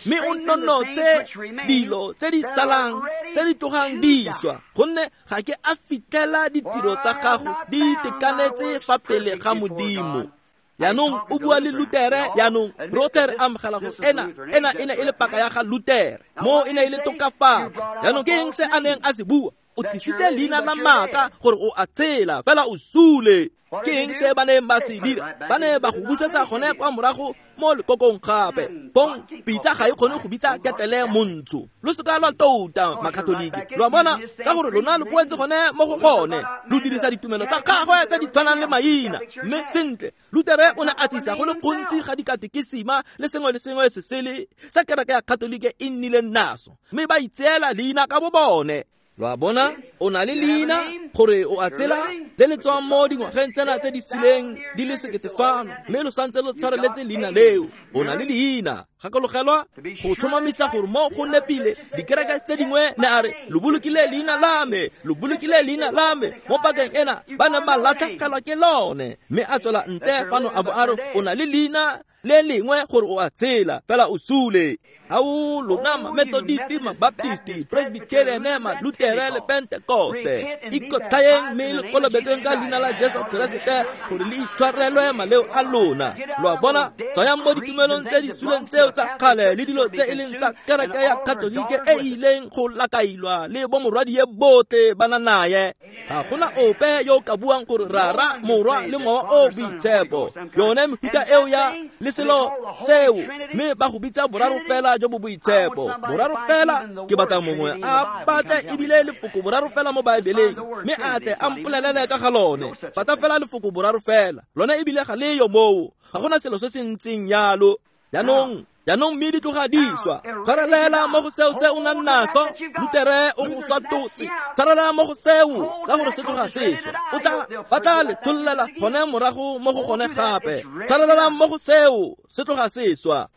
mme o nonotse dilo tse di salang tse di tlogang di swa, gonne ga ke a fitlhela ditiro tsa gago di itekanetse fa pele ga Modimo. Jaanong o bua le Lutere. Jaanong Luther amogela gore ena e ne e le paka ya ga Lutere, mo e ne e le tokafatso. Jaanong ke eng se a neng a se bua? O tlisitse leina la maaka gore o a tshela, fela o sule. Ke eng se ba neng ba se dira? Ba ne ba go busetsa gone kwa morago mo lekokong gape. Bong pitsa ga e kgone go bitsa ketele montsho. Lo seka lwa touta makatoliki. Lo a bona, ka gore lona lo boetse gone mo go gone. Lo dirisa ditumelo tsa gagwe tse di tshwanang le maina. Mme sentle, Lutere o ne a tlisa go le gontsi ga dikatekisima le sengwe le sengwe se sele sa kereke ya Katolike e nnileng naso, mme ba itseela leina ka bo bone. Lo a bona, o na le leina gore o a tsela le le tswang mo dingwageng tsena tse di suleng di le sekete fano, mme lo santse lo tshwareletse leina leo. O na le leina. Gakologelwa go tlhomamisa gore mo go nepile dikereke tse dingwe ne a re lo bolokile leina la me, lo bolokile leina la me mo pakeng ena ba ne ba latlhegelwa ke lone. Mme a tswela ntle fano a bo a re o na le leina le lengwe gore o a tshela, fela o sule. Ao lona ma Methodist, ma Baptist, Presbyterian, ma Lutere le Pentecoste, ikotlhaeng mme le kolobetseng ka leina la Jesu Keresete gore le itshwarelwe maleo a lona. Lo a bona, tswayang mo ditumelong tse di suleng tseo tsa kgale le dilo tse e leng tsa kereke ya Katolike e ileng go lakailwa le bomorwadie botlhe ba na naye. Ga gona ope yo o ka buang gore Rara, Morwa le Mowa o Boitshepo. Yone mefuta eo ya le selo seo, mme ba go bitsa boraro fela jo bo boitshepo. Boraro fela, ke batla mongwe a batle ebile lefoko boraro fela mo Baebeleng, mme a tle a mpolelele ka ga lone. Batla fela lefoko boraro fela, lone ebile ga le yo moo. Ga gona selo se se ntseng yalo. Jaanong mme di tloga di swa. Tshwarelela mo go seo se o nang naso. Lutere o go swatotse. Tshwarelela mo go seo ka gore se tloga se swa. O tla ba tla le tshollela gone morago mo go gone gape. Tshwarelela mo go seo se tloga se swa.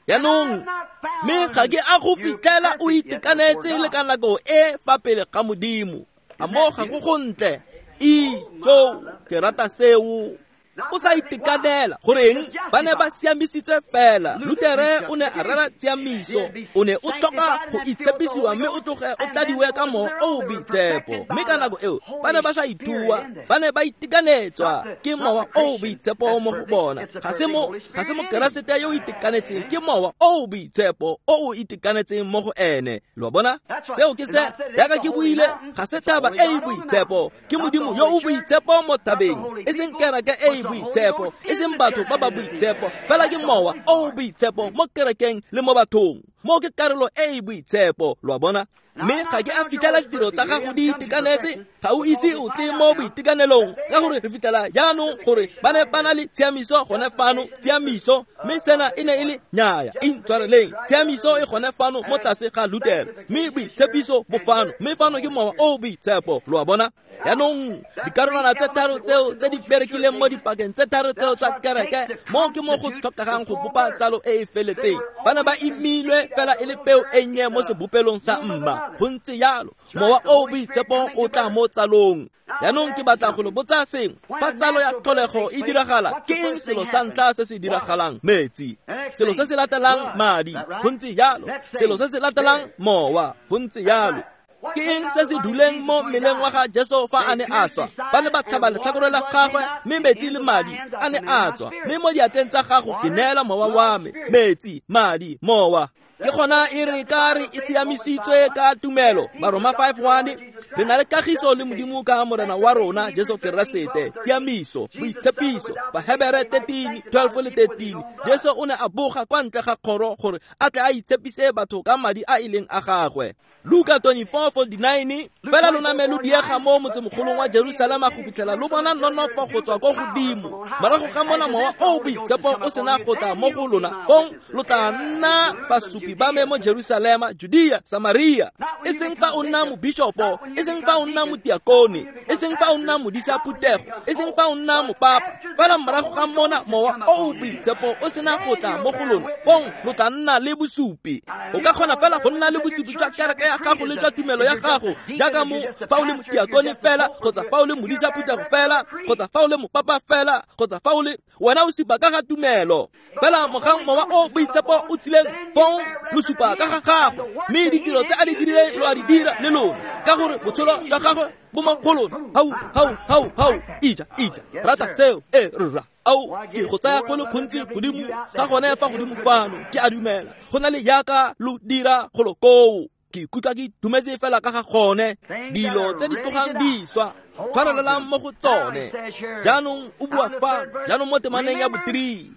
Jaanong mme ga ke a go fitlhela o itekanetse le ka nako e fa pele ga Modimo. A mo ga go gontle. Ijo, ke rata seo. O sa itekanela goreng ba ne ba siamisitswe fela. Lutere o ne a rera tshiamiso, o ne o tlhoka go itshepisiwa mme o tloge o tladiwe ka mowa o o boitshepo. Mme ka nako eo ba ne ba sa itua, ba ne ba itekanetswa ke mowa o o boitshepo mo go bona. Ga se Mokeresete yo o itekanetseng, ke mowa o o boitshepo o o itekanetseng mo go ene. Lo bona, seo ke se jaaka ke buile, ga se thaba e e boitshepo, ke Modimo yo o boitshepo mo thabeng, e seng kereke e e boitshepo, e seng batho ba ba boitshepo, fela ke mowa o boitshepo mo kerekeng le mo bathong. Mo ke karolo e e boitshepo. Lo a bona? Mme ga ke a fitlhela ditiro tsa gago di itekanetse, ga o ise o tle mo boitekanelong, ka gore re fitlhela jaanong gore ba ne ba na le tshiamiso gone fano, tshiamiso, mme sena e ne e le nnyaya, intshwareleng, tshiamiso e gone fano mo tlase ga Lutere, mme boitshepiso bo fano, mme fano ke mowa o boitshepo. Lo a bona? Jaanong dikarolwana tse tharo tseo tse di berekileng mo dipakeng tse tharo tseo tsa kereke, mo ke mo go tlhokegang go bopa tsalo e e feletseng. Ba ne ba imilwe fela e le peo e nnye mo sebopelong sa mma. Go ntse yalo, mowa o boitshepo o tla mo tsalong. Jaanong ke batla go lo botsa sengwe. Fa tsalo ya tlholego e diragala, ke eng selo sa ntlha se se diragalang? Metsi. Selo se se latelang, madi. Go ntse yalo. Selo se se latelang, mowa. Go ntse yalo. Ke eng se se duleng mo mmeleng wa ga Jesu fa a ne a swa? Ba ne ba tlhaba letlhakore la gagwe, mme metsi le madi a ne a tswa. Mme mo diatleng tsa gago ke neela mowa wa me. Metsi, madi, mowa. Ke gona e re ka re e siamisitswe ka tumelo. Baroma 5:1, re na le kagiso le Modimo ka Morena wa rona Jesu Keresete. Tshiamiso, boitshepiso. Bahebere 13:12 le 13. Jesu o ne a boga kwa ntle ga kgoro gore a tle a itshepise batho ka madi a e leng a gagwe. Luka 24:49, fela lona me lo diega mo motsemogolong wa Jerusalema go fitlhela lo bona nonofo go tswa ko godimo. Morago ga mona mowa o boitshepo o sena go tla mo go lona, fong lo tla nna basupi ba me mo Jerusalema, Judea, Samaria. E seng fa o nna mobishopo, e seng fa o nna motiakone, e seng fa o nna modisa phuthego, e seng fa o nna mopapa. Fela morago ga mona mowa o boitshepo o sena go tla mo go lona, fong lo tla nna le bosupi. O ka kgona fela go nna le bosupi jwa kereke ya gago le jwa tumelo ya gago, jaaka mo fa o le motiakone fela, kgotsa fa o le modisa phuthego fela, kgotsa fa o le mopapa fela, kgotsa fa o le wena o supa ka ga tumelo. Fela mogang mowa o boitshepo o tsileng, fong lo supa ka ga gagwe, mme ditiro tse a di dirileng lo a di dira le lona, ka gore botshelo jwa gagwe bo mo go lona. Hau, hau, hau, hau, ija, ija, rata seo, e rra. Ao, ke go tsaya go le gontsi godimo ga gone fa godimo fano, ke a dumela go na le jaaka lo dira golo koo. Ke ikutlwa ke itumetse fela ka ga gone. Dilo tse di tlogang di swa, tshwarelelang mo go tsone. Jaanong o bua fa, jaanong mo temaneng ya bo-3.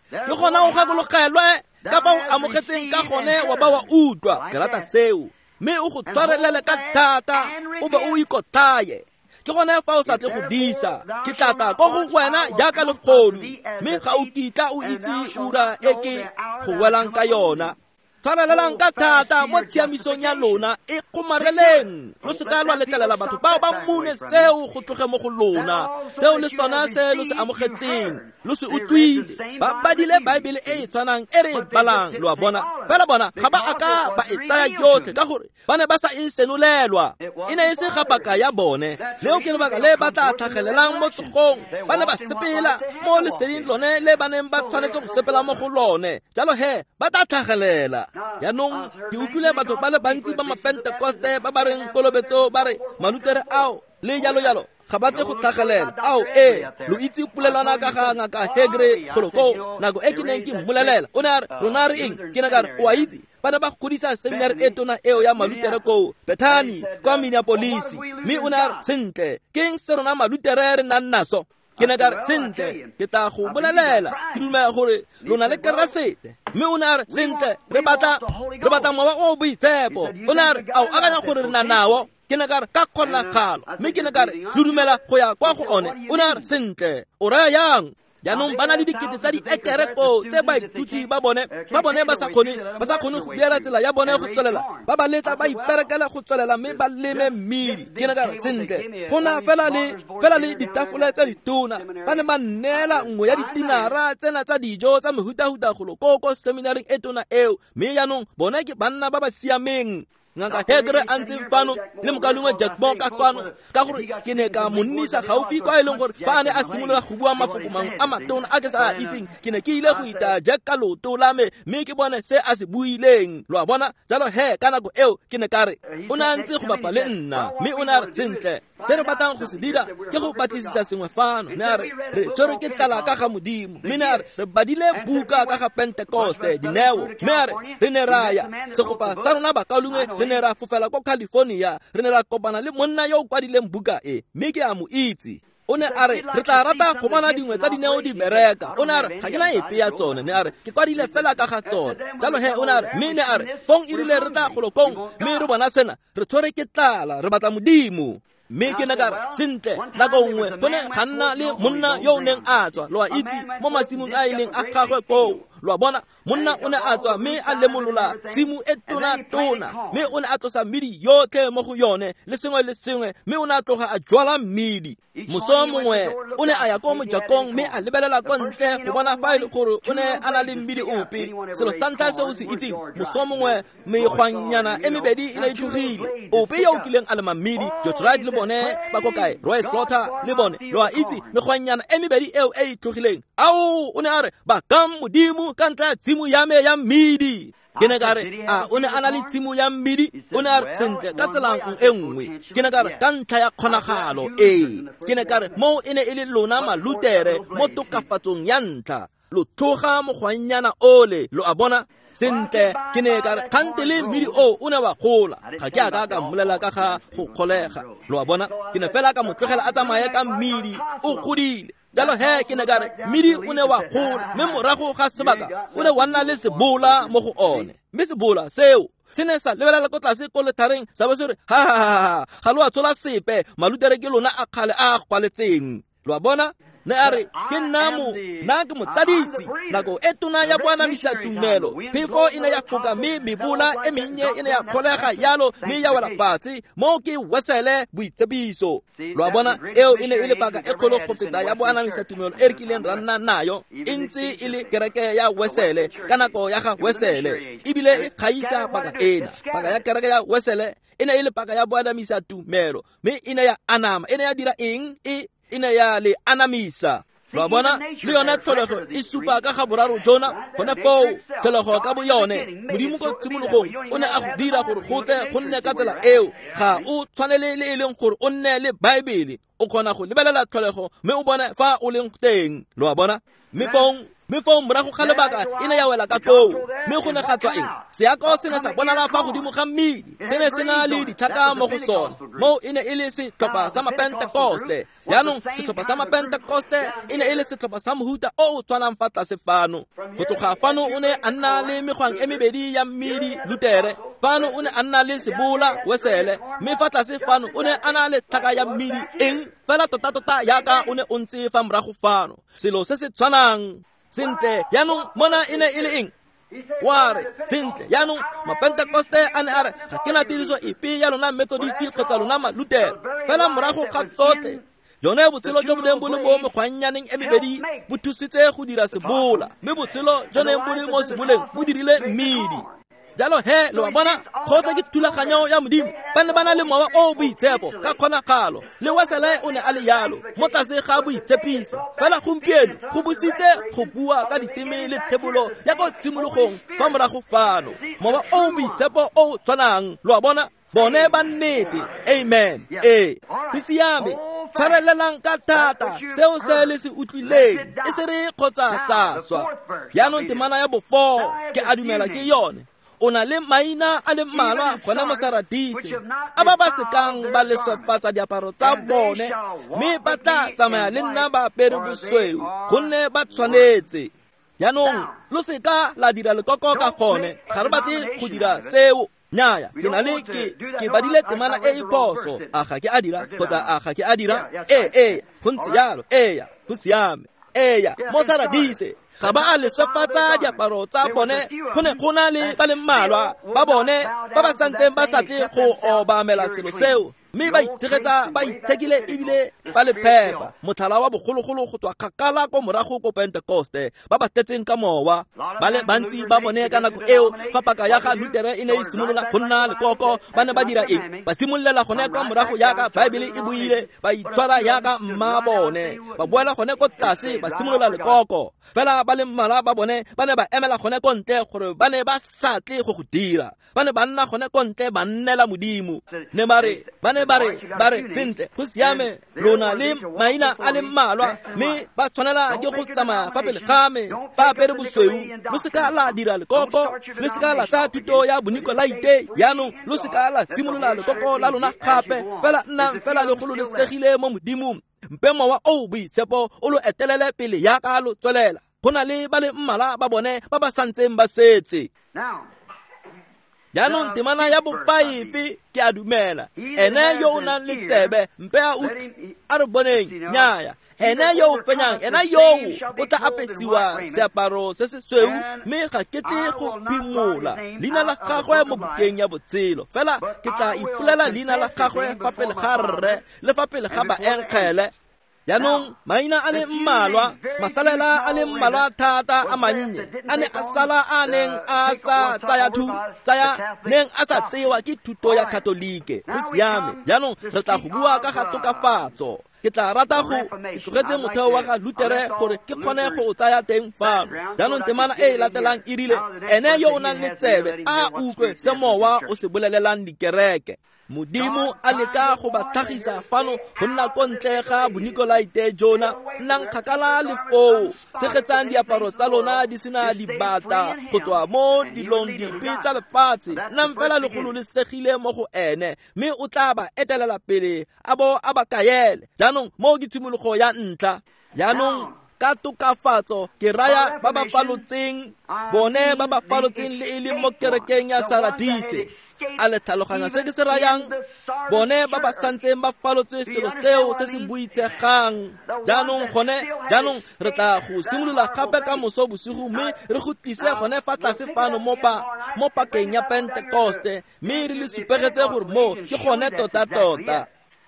Ke gona o gakologelwe ka fa o amogetseng ka gone wa ba wa utlwa. Ke rata seo. Mme o go tshwarelele ka thata, o be o ikotlhaye. Ke gone fa o sa tle go disa, ke tla tla ko go wena jaaka legodu, mme ga o kitla o itse ura e ke go welang ka yona. Tshwarelelang ka thata mo tshiamisong ya lona, e kgomareleng. Lo seka lwa letlelela batho bao ba mune seo go tloge mo go lona. Seo le sona se lo se amogetseng, lo se utlwile. Ba badile Baebele e e tshwanang e re e balang, lo a bona. Fela bona ga ba a ka ba e tsaya yotlhe ka gore ba ne ba sa e senolelwa. E ne e se ga paka ya bone. Leo ke lebaka le ba tla tlhagelelang mo tsogong. Ba ne ba sepela mo leseding lone le ba neng ba tshwanetse go sepela mo go lone. Jalo he ba tla tlhagelela. Jaanong ke utlwile batho ba le bantsi ba mapentekoste ba ba reng kolobetso ba re malutere ao le jalo jalo ga ba tle go tlhagelela. Ao ee, lo itse polelwana ka ga ngaka Hegre golo koo nako e ke neng ke mmolelela. O ne a re rona re eng? Ke ne ka re o a itse ba ne ba godisa seminari e tona eo ya malutere koo Bethany kwa Minneapolis. Mme o ne a re sentle ke eng se rona malutere re nang naso? Ke ne ka re sentle ke tla go bolelela, ke dumela gore lona le Keresete. Mme o ne a re sentle re batla mowa o boitshepo. O ne a re a o akanya gore re na nao? Ke ne ka re ka kgonagalo. Mme ke ne ka re lo dumela go ya kwa go one? O ne a re sentle o raya yang? Jaanong ba na le dikete tsa diekere koo tse baithuti ba bone ba sa kgone go beela tsela ya bone go tswelela, ba ba letla ba iperekela go tswelela mme ba leme mmidi. Ke ne ka re sentle go na fela le ditafole tse ditona. Ba ne ba nneela nngwe ya ditinara tsena tsa dijo tsa mehutahuta golo koo ko seminaring e tona eo. Mme jaanong bone ke banna ba ba siameng. Ngaka Hegre a ntseng fano le mokalengwe Jack Moore ka kwano, ka gore ke ne ka mo nnisa gaufi kwa e leng gore fa a ne a simolola go bua mafoko mangwe a matona a ke sa a itseng, ke ne ke ile go itaya Jack ka leoto la me mme ke bone se a se buileng. Lo a bona? Jalo he ka nako eo ke ne ka re o ne a ntse go bapa le nna, mme o ne a re sentle se re batlang go se dira ke go batlisisa sengwe fano. Ne a re re tshwerwe ke tlala ka ga Modimo. Mme ne a re re badile buka ka ga Pentekoste dineo. Mme a re re ne ra ya segopa sa rona bakaulengwe, re ne ra fofela ko California, re ne ra kopana le monna yo o kwadileng buka e, mme ke a mo itse. O ne a re re tla rata go bona dingwe tsa dineo di bereka. O ne a re ga ke na epe ya tsone. Ne a re ke kwadile fela ka ga tsone. Jalo he o ne a re mme ne a re fong e rile re tla golokong mme re bona sena, re tshwere ke tlala, re batla Modimo. Mme ke ne ka re sentle nako nngwe go ne ga nna le monna yo o neng a tswa, lo a itse, mo masimong a e leng a gagwe koo. Lo a bona, monna o ne a tswa mme a lemolola tshimo e tona-tona, mme o ne a tlosa mmidi yotlhe mo go yone le sengwe le sengwe, mme o ne a tloga a jwala mmidi. Moso mongwe o ne a ya ko mojakong mme a lebelela kwa ntle go bona fa e le gore o ne a na le mmidi ope. Selo sa ntlha se o se itseng, moso mongwe megwanyana e mebedi e ne e tlogile. Ope yo o kileng a lema mmidi, George Wright le bone ba ko kae, Roy Slaughter le bone, lo a itse, megwanyana e mebedi eo e e tlogileng. Ao, o ne a re bakang Modimo ka ntlha ya tshimo ya me ya mmidi. Ke ne ka re a o ne a na le tshimo ya mmidi? O ne a re sentle ka tsela e nngwe. Ke ne ka re ka ntlha ya kgonagalo ee. Ke ne ka re moo e ne e le lona malutere mo tokafatsong ya ntlha, lo tloga mogwannyana ole, lo a bona. Sentle ke ne ka re kgante le mmidi o o ne wa gola. Ga ke a ka ka mmolela ka ga go kgolega, lo a bona. Ke ne fela ka mo tlogela a tsamaye ka mmidi o godile. Jalo he ke ne ka re mmidi o ne wa gola, mme morago ga sebaka o ne wa nna le sebola mo go one. Mme sebola seo se ne sa lebelela ko tlase ko lethareng sa bo se re ha ha ha, ga lo a tshola sepe, malutere ke lona a kgale a gwaletseng. Lo a bona? Ne a re ke nna nna ke motsadisi. Nako e tona ya boanamisa tumelo, phefo e ne ya foka mme mebola e mennye e ne ya kgolega yalo mme ya wela fatshe. Moo ke Wesele boitsebiso. Lo a bona? Eo e ne e le paka e kgolo go feta ya boanamisa tumelo e re kileng ra nna nayo, e ntse e le kereke ya Wesele ka nako ya ga Wesele, ebile e kgaisa paka ena. Paka ya kereke ya Wesele e ne e le paka ya boanamisa tumelo, mme e ne ya anama. E ne ya dira eng? E ne ya le anamisa. Lo a bona? Le yone tlholego e supa ka ga boraro jona gone foo, tlholego ka bo yone. Modimo ko tshimologong o ne a go dira gore go tle go nne ka tsela eo. Ga o tshwanele le e leng gore o nne le Baebele, o kgona go lebelela tlholego mme o bone fa o leng teng. Lo a bona? Mme fong morago ga lebaka e ne ya wela ka koo, mme go ne ga tswa eng? Seako se ne sa bonala fa godimo ga mmidi, se ne se na le ditlhaka mo go sone. Moo e ne e le setlhopha sa mapentekoste. Jaanong setlhopha sa mapentekoste e ne e le setlhopha sa mohuta o o tshwanang fa tlase fano. Go tloga fano o ne a nna le megwang e mebedi ya mmidi, Lutere. Fano o ne a nna le sebola, Wesele. Mme fa tlase fano o ne a na le tlhaka ya mmidi, eng? Fela tota-tota yaka o ne o ntse fa morago fano. Selo se se tshwanang. Sentle, jaanong mona e ne e le eng? Wa re sentle jaanong mapentekoste a ne a re ga ke na tiriso epe ya lona Methodist kgotsa lona Malutere, fela morago ga tsotlhe jone botshelo jo bo neng bo le mo mekgwannyaneng e mebedi bo thusitse go dira sebola, mme botshelo jo neng bo le mo seboleng bo dirile mmidi. Jalo he lo a bona kgotsa ke thulaganyo ya Modimo. Ba ne ba na le mowa o boitshepo ka kgonagalo, le Wesele o ne a le yalo mo tlase ga boitshepiso. Fela gompieno go busitse go bua ka diteme le thebolo ya ko tshimologong fa morago fano, mowa o boitshepo o tshwanang. Lo a bona bone ba nnete. Amen. Ee, go siame. Tshwarelelang ka thata seo se le se utlwileng, e se re kgotsa sa swa. Jaanong temana ya bofo ke a dumela ke yone. O na le maina a le mmalwa gone mo Saradise a ba ba sekang ba leswefatsa diaparo tsa bone, mme ba tla tsamaya le nna ba apere bosweu, gonne ba tshwanetse. Jaanong lo seka la dira lekoko ka gone, ga re batle go dira seo. Nnyaya, ke na le ke badile temana e e phoso. A ga ke a dira kgotsa a ga ke a dira? Ee, go ntse jalo. Eya, go siame. Eya, mo Saradise ga ba a leswefatsa diaparo tsa bone, go ne go na le ba le mmalwa ba bone ba ba santseng ba sa tle go obamela selo seo, mme ba itshegetsa ba itshekile ebile ba le phepa. Motlhala wa bogologolo go tswa kgakala ko morago ko Pentekoste, ba ba tletseng ka mowa. Ba le bantsi ba bone ka nako eo fa paka ya ga Lutere e ne e simolola go nna lekoko, ba ne ba dira eng? Ba simololela gone kwa morago yaka Baebele e buile, ba itshwara yaka mma bone, ba boela gone ko tlase, ba simolola lekoko. Fela ba le mmalwa ba bone ba ne ba emela gone ko ntle gore ba ne ba sa tle go go dira. Ba ne ba nna gone ko ntle ba nnela Modimo. Ne ba re, ba ne ba re, ba re sentle, go siame, lona le maina a le mmalwa, mme ba tshwanela ke go tsamaya fa pele ga me ba apere bosweu. Lo seka la dira lekoko, lo seka la tsaya thuto ya Bonikolaite. Jaanong lo seka la simolola lekoko la lona gape, fela nnang fela le gololesegile mo Modimong. Mpe mowa o boitshepo o lo etelele pele yaka lo tswelela. Go na le ba le mmalwa ba bone ba ba santseng ba setse. Jaanong temana ya bofaefe ke a dumela, ene yo o nang le tsebe mpe a utlwe, a re boneng. Nnyaya, ene yo o fenyang, ena yoo o tla apesiwa seaparo se se sweu, mme ga ke tle go phimola leina la gagwe mo bukeng ya botshelo, fela ke tla ipolela leina la gagwe fa pele ga Rre le fa pele ga baenkgele. Jaanong maina a le mmalwa, masalela a le mmalwa thata a mannye a ne a sala a neng a sa tsaya neng a sa tsewa ke thuto ya Katolike. Go siame. Jaanong re tla go bua ka ga tokafatso. Ke tla rata go ke tlogetse motheo wa ga Lutere gore ke kgone go o tsaya teng fano. Jaanong temana e e latelang e rile, ene yo o nang le tsebe a utlwe se mowa o se bolelelang dikereke. Modimo a leka go ba tlhagisa fano go nna ko ntle ga Bonikolaite jona. Nnang kgakala le foo, tshegetsang diaparo tsa lona di sena dibata go tswa mo dilong dipe tsa lefatshe. Nnang fela le gololesegile mo go ene, mme o tla ba etelela pele a bo a ba kaele. Jaanong moo ke tshimologo ya ntlha. Jaanong ka tokafatso ke raya ba ba falotseng, bone ba ba falotseng le e leng mo kerekeng ya Saradise. A le tlhaloganya se ke se rayang? Bone ba ba santseng ba falotse selo seo se se boitshegang. Jaanong gone, jaanong re tla go simolola gape ka moso bosigo, mme re go tlise gone fa tlase fano mo pakeng ya Pentekoste, mme re le supegetse gore mo ke gone tota-tota.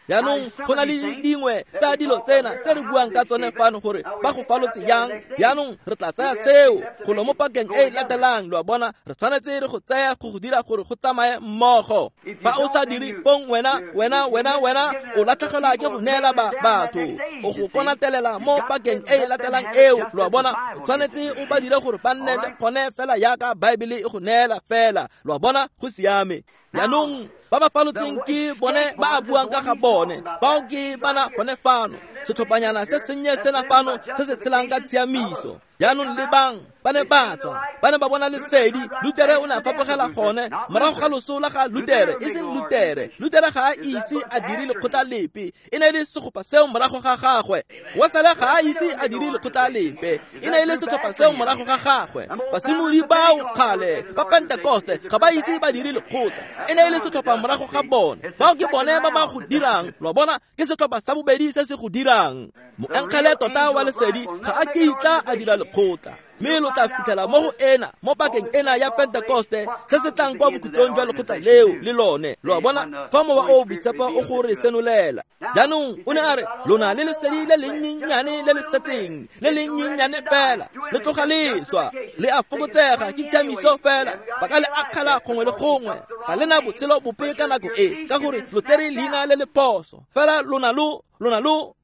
Jaanong go na le dingwe tsa dilo tsena tse re buang ka tsone fano gore ba go falotse yang. Jaanong re tla tsaya seo golo mo pakeng e e latelang. Lo a bona, re tshwanetse re go tsaya go go dira gore go tsamaye mmogo. Fa o sa dire fong wena o latlhegelwa ke go neela batho, o go konatelela mo pakeng e e latelang eo. Lo a bona, o tshwanetse o ba dire gore ba nne le gone fela yaka Baebele e go neela fela. Lo a bona, go siame. Jaanong ba ba falotseng ke bone ba a buang ka ga bone, bao ke bana gone fano, setlhophanyana se sennye sena fano se se tshelang ka tshiamiso. Jaanong lebang, ba ne ba tswa, ba ne ba bona lesedi. Lutere o ne a fapogela gone morago ga loso la ga Lutere, e seng Lutere. Lutere ga a ise a dire lekgotla lepe, e ne e le segopa seo morago ga gagwe. Wesele ga a ise a dire lekgotla lepe, e ne e le setlhopha seo morago ga gagwe. Basimolodi bao kgale ba Pentekoste ga ba ise ba dire lekgotla, e ne e le setlhopha morago ga bone. Bao ke bone ba ba go dirang. Lo a bona, ke setlhopha sa bobedi se se go dirang. dirang. Moengele tota wa lesedi ga a kitla a dira lekgotla, mme lo tla fitlhela mo go ena mo pakeng ena ya Pentekoste se se tlang kwa bokhutlong jwa lekgotla leo le lone. Lo a bona, fa Mowa o o Boitshepo o go re senolela. Jaanong o ne a re lona le lesedi le lennyennyane le le setseng, le lennyennyane fela, le tloga le swa, le a fokotsega, ke tshiamiso fela, ba ka le akgela gongwe le gongwe, ga le na botshelo bope ka nako e, ka gore lo tsere leina le le phoso. Fela lona lo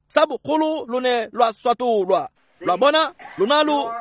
sa bogolo lo ne lwa swatolwa. Lo a bona, lona lo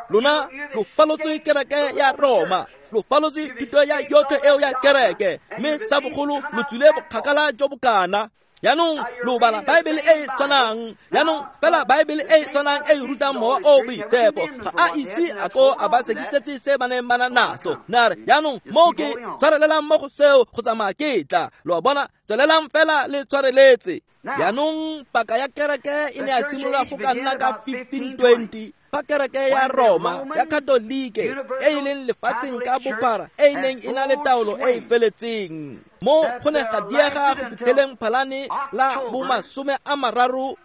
falotse kereke ya Roma, lo falotse thuto ya yotlhe eo ya kereke, mme sa bogolo lo tswile bokgakala jo bokana. Jaanong lo bala Baebele e e tshwanang, jaanong fela Baebele e e tshwanang e e rutang Mowa o o Boitshepo ga a ise a ko a ba sekisetse se ba neng ba na naso. Ne a re jaanong mo ke tshwarelelang mo go seo go tsamaya ke tla. Lo a bona, tswelelang fela le tshwareletse. Jaanong paka ya kereke e ne ya simolola go ka nna ka 1520 fa kereke ya Roma ya Katolike e e leng lefatsheng ka bophara e e neng e na le taolo e e feletseng. Mo go ne ga diega go fitlheleng Phalane la bo 31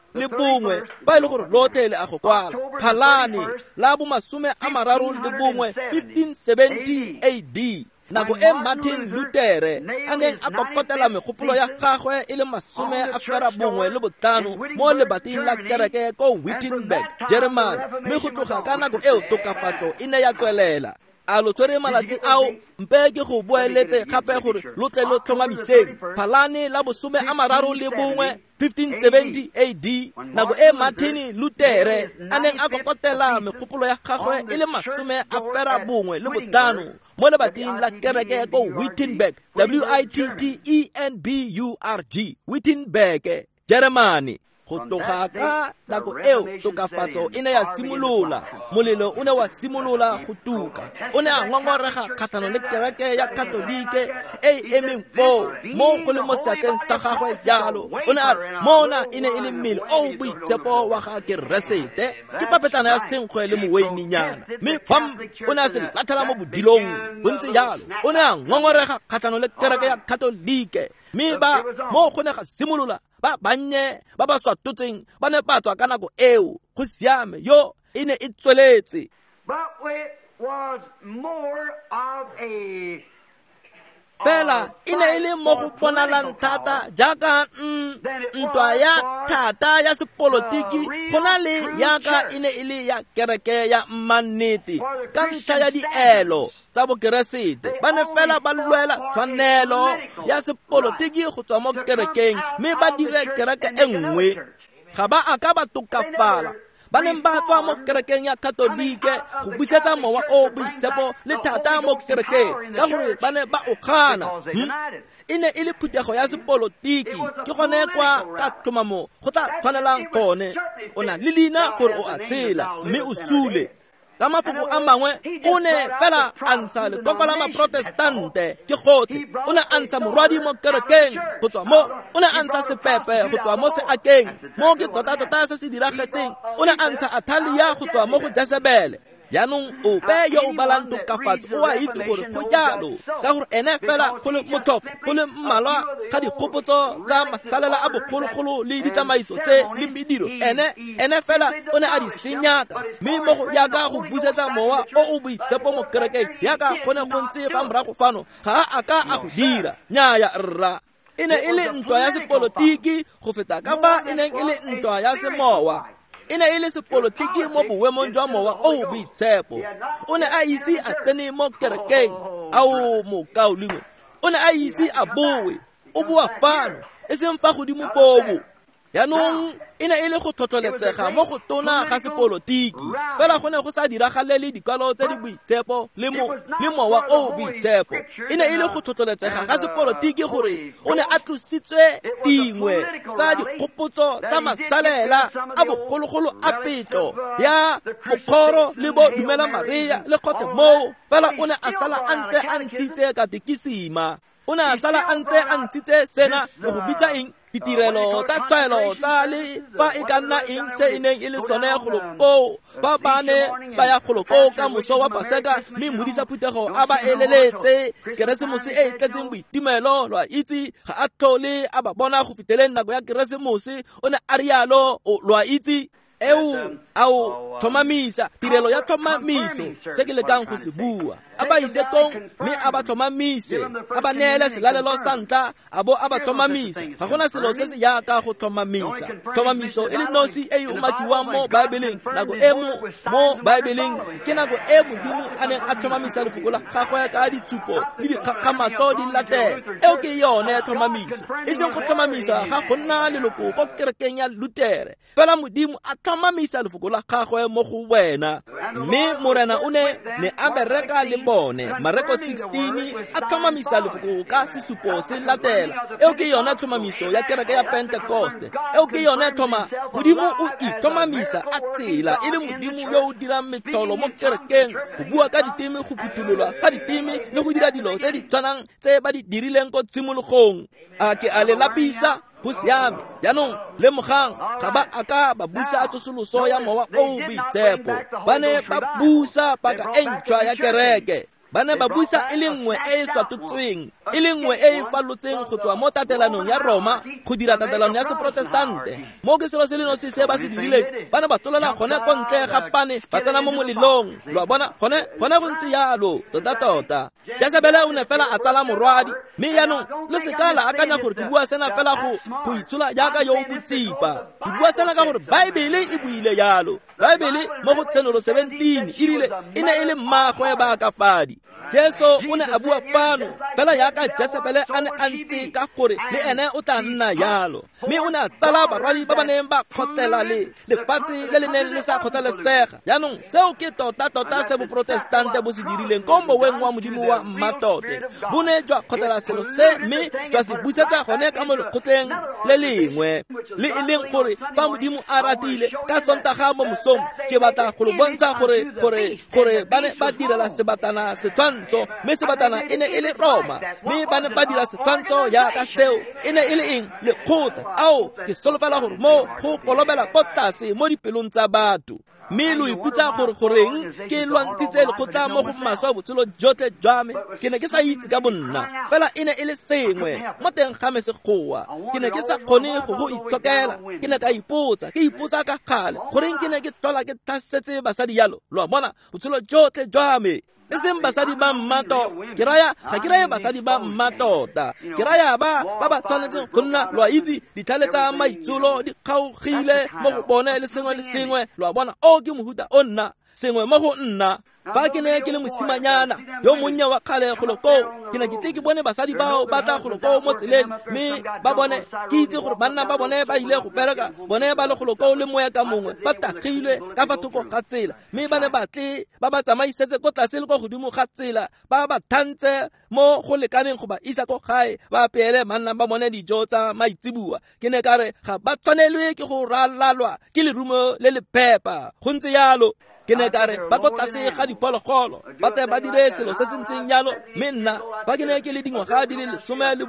fa e le gore lotlhe le a go kwala. Phalane la bo 31 1570 AD, nako e Martin Luther a neng a kokotela megopolo ya gagwe e le 95 mo lebating la kereke ko Wittenberg, Germany, mme go tloga ka nako eo tokafatso e ne ya tswelela. A lo tshwere malatsi ao? Mpe ke go boeletse gape gore lo tle lo tlhomamiseng. Phalane la bo 31 1570 AD, nako e Martin Luther a neng a kokotela megopolo ya gagwe e le 95 mo lebating la kereke ko Wittenberg, Wittenburg, Wittenberg, Germany. Go tloga ka nako eo tokafatso e ne ya simolola, molelo o ne wa simolola go tuka. O ne a ngongorega kgatlhanong le kereke ya Katolike e e emeng foo mo go le mo seatleng sa gagwe jalo. O ne a re mona e ne e le mmele o o boitshepo wa ga Keresete, ke papetlana ya senkgwe le moweininyana, mme bam, o ne a se latlhela mo bodilong bontse jalo. O ne a ngongorega kgatlhanong le kereke ya Katolike, mme ba mo go ne ga simolola ba bannye ba ba swatotseng ba ne ba tswa ka nako eo. Go siame, yo e ne e tsweletse. Fela e ne e le mo go bonalang thata jaaka ntwa ya thata ya sepolotiki go na le yaka e ne e le ya kereke ya mmannete ka ntlha ya dielo tsa bokeresete. Ba ne fela ba lwela tshwanelo ya sepolotiki go tswa mo kerekeng mme ba dire kereke e nngwe. Ga ba a ka ba tokafala. Ba neng ba tswa mo kerekeng ya Katolike go busetsa Mowa o Boitshepo le thata mo kerekeng ka gore ba ne ba o gana. E ne e le phuthego ya sepolotiki, ke gone kwa ka tlhomamo go tla tshwanelang gone. O na le leina gore o a tshela mme o sule. Ka mafoko a mangwe, o ne fela a ntsha lekoko la maprotestante ke gotlhe. O ne a ntsha morwadi mo kerekeng go tswa mo, o ne a ntsha sepepe go tswa mo seakeng, mo ke tota-tota se se diragetseng. O ne a ntsha Athalia go tswa mo go Jezebele. Jaanong ope yo o balang tokafatso o a itse gore go jalo, ka gore ene fela go le motlhofo go le mmalwa ga dikgopotso tsa masalela a bogologolo le ditsamaiso tse le mediro, ene fela o ne a di senyaka, mme mo go yaka go busetsa Mowa o o Boitshepo mo kerekeng yaka go ne go ntse fa morago fano, ga a ka a go dira. Nnyaya rra, e ne e le ntwa ya sepolotiki go feta ka fa e neng e le ntwa ya semowa. E ne e le sepolotiki mo boemong jwa Mowa o o Boitshepo. O ne a ise a tsene mo kerekeng. Ao mokaulengwe, o ne a ise a boe. O boa fano, e seng fa godimo foo. Jaanong e ne e le go tlhotlheletsega mo go tona ga sepolotiki, fela go ne go sa diragalele dikwalo tse di boitshepo le Mowa o o Boitshepo. E ne e le go tlhotlheletsega ga sepolotiki gore o ne a tlositswe dingwe tsa dikgopotso tsa masalela a bogologolo a petlo ya mokgoro le bo dumela Maria le kgothe moo, fela o ne a sala a ntse a ntshitse katekisima. O ne a sala a ntse a ntshitse sena le go bitsa eng ditirelo tsa tshwaelo tsa le fa e ka nna eng se e neng e le sone golo koo. Ba ba ne ba ya golo koo ka moso wa Paseka, mme modisa phuthego a ba eleletse Keresemose e e tletseng boitumelo. Lo a itse, ga a tlhole a ba bona go fitlheleng nako ya Keresemose, o ne a rialo. Lo a itse, eo ao tlhomamisa tirelo ya tlhomamiso, se ke lekang go se bua. A ba ise kong mme a ba tlhomamise, a ba neele selalelo sa ntlha, a bo a ba tlhomamisa. Ga gona selo se se jaaka go tlhomamisa. Tlhomamiso e le nosi e e umakiwang mo Baebeleng, nako e mo Baebeleng ke nako e Modimo a neng a tlhomamisa lefoko la gagwe ka ditshupo le dikgakgamatso di latela. Eo ke yone tlhomamiso, e seng go tlhomamisa ga go nna leloko ko kerekeng ya Lutere, fela Modimo a tlhomamisa lefoko la gagwe mo go wena. Mme Morena o ne a bereka le bone. Mareko 16 a tlhomamisa lefoko ka sesupo se latela. Eo ke yone tlhomamiso ya kereke ya Pentekoste. Eo ke yone tlhoma Modimo o itlhomamisa a tsela e le Modimo yo o dirang metlholo mo kerekeng, go bua ka diteme, go phuthololwa ka diteme, le go dira dilo tse di tshwanang tse ba di dirileng ko tshimologong. A ke a le lapisa? Go siame. Jaanong lemogang, ga ba a ka ba busa tsosoloso ya mowa o boitshepo. Ba ne ba busa paka e ntšhwa ya kereke. Ba ne ba busa e le nngwe e e swatotsweng, e le nngwe e e falotseng go tswa mo tatelanong ya Roma go dira tatelano ya Seprotestante. Mo ke selo se le nosi se ba se dirileng, ba ne ba tlolela gone ko ntle ga pane, ba tsena mo molelong. Lo a bona, gone go ntse jalo tota-tota. Jezebele o ne fela a tsala morwadi. Mme jaanong le seka la akanya gore ke bua sena fela go itshola jaaka yo o botsipa. Ke bua sena ka gore Baebele e buile jalo. Baebele mo go Tshenolo 17 e rile e ne e le mmaagwe baakafadi. Jesu o ne a bua fano fela jaaka Jezebele a ne a ntse ka gore le ene o tla nna jalo. Mme o ne a tsala barwadi ba ba neng ba kgotlela le lefatshe le le neng le sa kgotlelesega. Jaanong seo ke tota-tota se boprotestante bo se dirileng ko moweng wa Modimo wa mmatote. Bo ne jwa kgotlela selo se mme jwa se busetsa gone ka mo lekgotleng le lengwe, le e leng gore fa Modimo a ratile ka Sontaga mo mosong ke batla go lo bontsha gore ba ne ba direla sebatana setshwantsho, mme sebatana e ne e le Roma, mme ba ne ba dira setshwantsho jaaka seo e ne e le eng? Lekgotla. Ao, ke solofela gore mo go kolobela ko tlase mo dipelong tsa batho. Mme lo ipotsa gore goreng ke lwantshitse lekgotla mo go maswe botshelo jotlhe jwa me. Ke ne ke sa itse ka bonna, fela e ne e le sengwe mo teng ga me segoa. Ke ne ke sa kgone go itshokela. Ke ne ka ipotsa, ke ipotsa ka kgale goreng ke ne ke tlhola ke tlhasetse basadi jalo. Lo a bona, botshelo jotlhe jwa me. E seng basadi ba mmato, ke raya ga ke raya basadi ba mmatota, ke raya ba ba tshwanetseng go nna, lo a itse, ditlhale tsa maitsholo di kgaogile mo go bone le sengwe le sengwe. Lo a bona, o ke mohuta o nna sengwe mo go nna. Fa ke ne ke le mosimanyana yo monnye wa kgale golo koo, ke ne ke tle ke bone basadi bao ba tla golo koo mo tseleng, mme ba bone ke itse gore banna ba bone ba ile go bereka, bone ba le golo koo le moya ka mongwe, ba tagilwe ka fa thoko ga tsela, mme ba ne ba tle ba ba tsamaisetse ko tlase le ko godimo ga tsela, ba ba thantse mo go lekaneng go ba isa ko gae, ba apeele banna ba bone dijo tsa maitseboa. Ke ne ka re ga ba tshwanelwe ke go ralalwa ke lerumo le le phepa. Go ntse jalo. Ke ne ka re ba ko tlase ga diphologolo, ba tle ba dire selo se se ntseng jalo. Mme nna fa ke ne ke le dingwaga di le 17,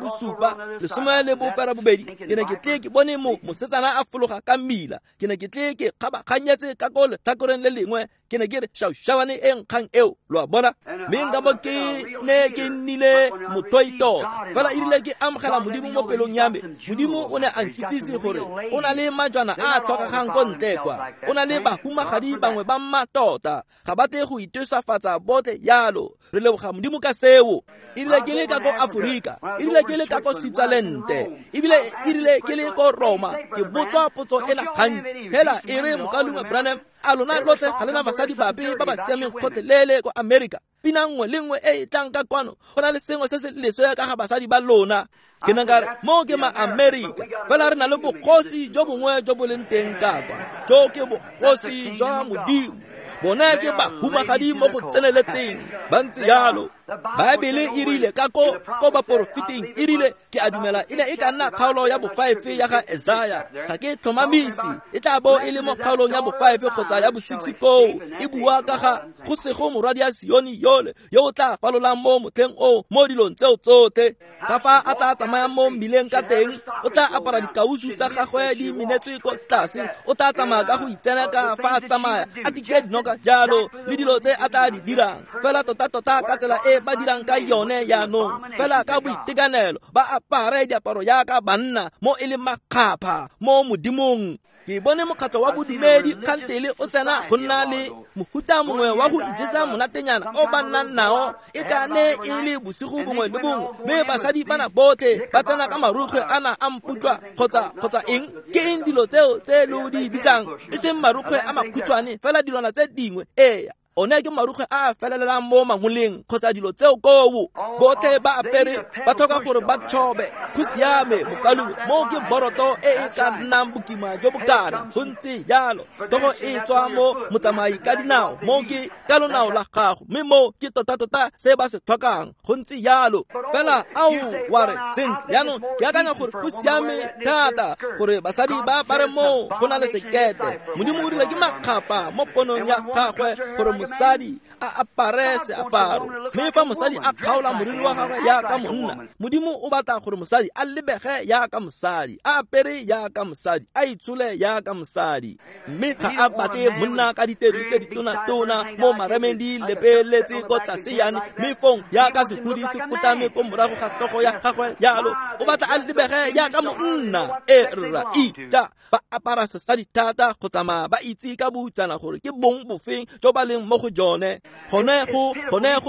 18, ke ne ke tle ke bone mosetsana a fologa ka mmila. Ke ne ke tle ke kgabaganyetse ka ko letlhakoreng le lengwe. Ke ne ke re šaušawane e nkgang eo. Lo a bona, mme nka bo ke ne ke nnile mothoi tota. Fela e rile ke amogela Modimo mo pelong ya me, Modimo o ne a nkitsise gore o na le majwana a a tlhokegang ko ntle kwa, o na le bahumagadi bangwe ba mmatota, ga ba tle go itosafatsa botlhe jalo. Re leboga Modimo ka seo. E rile ke le ka ko Aforika, e rile ke le ka ko Switzerland, ebile e rile ke le ko Roma, ke botswa potso ena gantsi. Hela e re mokaulengwe Branham, a lona lotlhe ga lena basadi bape ba ba siameng gotlhelele ko Amerika? Pina nngwe le nngwe e e tlang ka kwano go na le sengwe se se leswe ka ga basadi ba lona. Ke ne ka re mo ke ma-Amerika, fela re na le bogosi jo bongwe jo bo leng teng ka kwa, jo ke bogosi jwa Modimo. Bone ke bahumagadi mo go tseneletseng, ba ntse jalo. Baebele e rile ka ko baporofeting e rile ke a dumela e ne e ka nna kgaolo ya bo5 ya ga Esaya, ga ke tlhomamise, e tla bo e le mo kgaolong ya bo5 kgotsa ya bo6 koo, e bua ka ga go sego morwadi ya Sione yole yo o tla falolang mo motlheng oo mo dilong tseo tsotlhe. Ka fa a tla tsamayang mo mmileng ka teng, o tla apara dikausu tsa gagwe di minetswe ko tlase, o tla tsamaya ka go itsena ka fa a tsamaya a tike dinoka jalo le dilo tse a tla di dirang, fela tota-tota ka tsela e ba dirang ka yone jaanong, fela ka boitekanelo ba apare diaparo jaaka banna mo e leng makgapha mo Modimong. Ke bone mokgatlho wa bodumedi kgantele o tsena go nna le mohuta mongwe wa go ijesa monatenyana o ba nnang nao, e ka ne e le bosigo bongwe le bongwe, mme basadi bana botlhe ba tsena ka marukgwe ana a mputlwa kgotsa eng, ke eng dilo tseo tse lo di bitsang, e seng marukgwe a makhutshwane, fela dilwana tse dingwe. Ee, one ke marukgwe a a felelelang mo mangoleng kgotsa dilo tseo koo, botlhe ba apere ba tlhoka gore ba tshobe. Go siame mokalung, mo ke boroto e e ka nnang bokima jo bokana, go ntse jalo. Togo e tswa mo motsamai ka dinao, mo ke ka lonao la gago, mme mo ke tota-tota se ba se tlhokang, go ntse jalo. Fela ao wa re sentle jaanong ke akanya gore go siame thata gore basadi ba apare moo go na le sekete. Modimo o rile ke makgapa mo ponong ya gagwe gore mosadi a apare seaparo, mme fa mosadi a kgaola moriri wa gagwe jaaka monna, Modimo o batla gore mosadi a lebege jaaka mosadi, a apere jaaka mosadi, a itshole jaaka mosadi. Mme ga a batle monna ka ditedu tse ditona-tona mo maremeng di lepeletse ko tlase yane, mme fong jaaka sehudi se kotame ko morago ga tlhogo ya gagwe jalo, o batla a lebege jaaka monna. E rra ija ba apara sesadi thata go tsamaya ba itse ka boutsana gore ke bong bofeng jo ba leng mo go jone. Gone go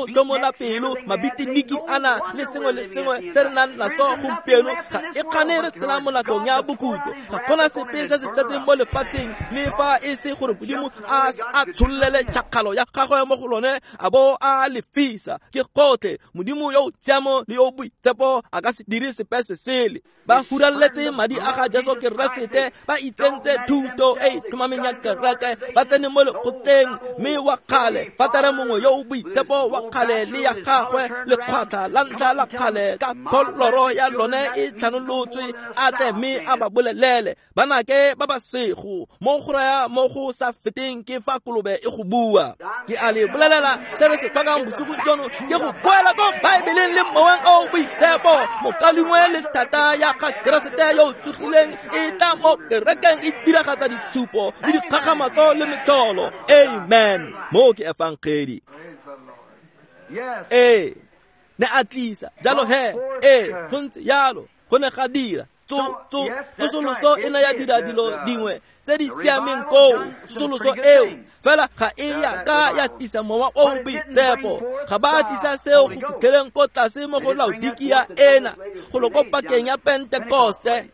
tlomola pelo mabitiniki ana le sengwe le sengwe se re nang naso gompieno ga e kgane re tshela mo nakong ya bokhutlo. Ga gona sepe se se setseng mo lefatsheng le fa e se gore Modimo a tshololele tšhakgalo ya gagwe mo go lone a bo a lefisa. Ke gotlhe, Modimo yo o tshiamo le yo boitshepo a ka se dire sepe se sele. Ba huraletse madi a ga Jesu Keresete, ba itsentse thuto e e tlhomameng ya kereke, ba tsene mo lekgotleng, mme wa kgale fatare mongwe yo o boitshepo wa kgale le ya gagwe lekgwatlha la ntlha la kgale ka kholoro ya lone e tlhanolotswe, a tle mme a ba bolelele banake ba ba sego mo go raya mo go sa feteng ke fa kolobe e go bua. Ke a le bolelela se re se tlhokang bosigo jono ke go boela ko Baebeleng le moweng o boitshepo, mokalengwe le thata ya ga Keresete yo o tsogileng e tla mo kerekeng e diragatsa ditshupo le dikgakgamatso le metlholo. Amen. Mo ke efangedi. Ee, ne a tlisa jalo he, ee, go ntse jalo, go ne ga dira tsosoloso e ne ya dira dilo dingwe tse di siameng koo, tsosoloso eo fela ga e ya ka ya tlisa mowa o o boitshepo. Ga ba tlisa seo go fitlheleng ko tlase mo go Laodikia ena, go lo ko pakeng ya Pentekoste.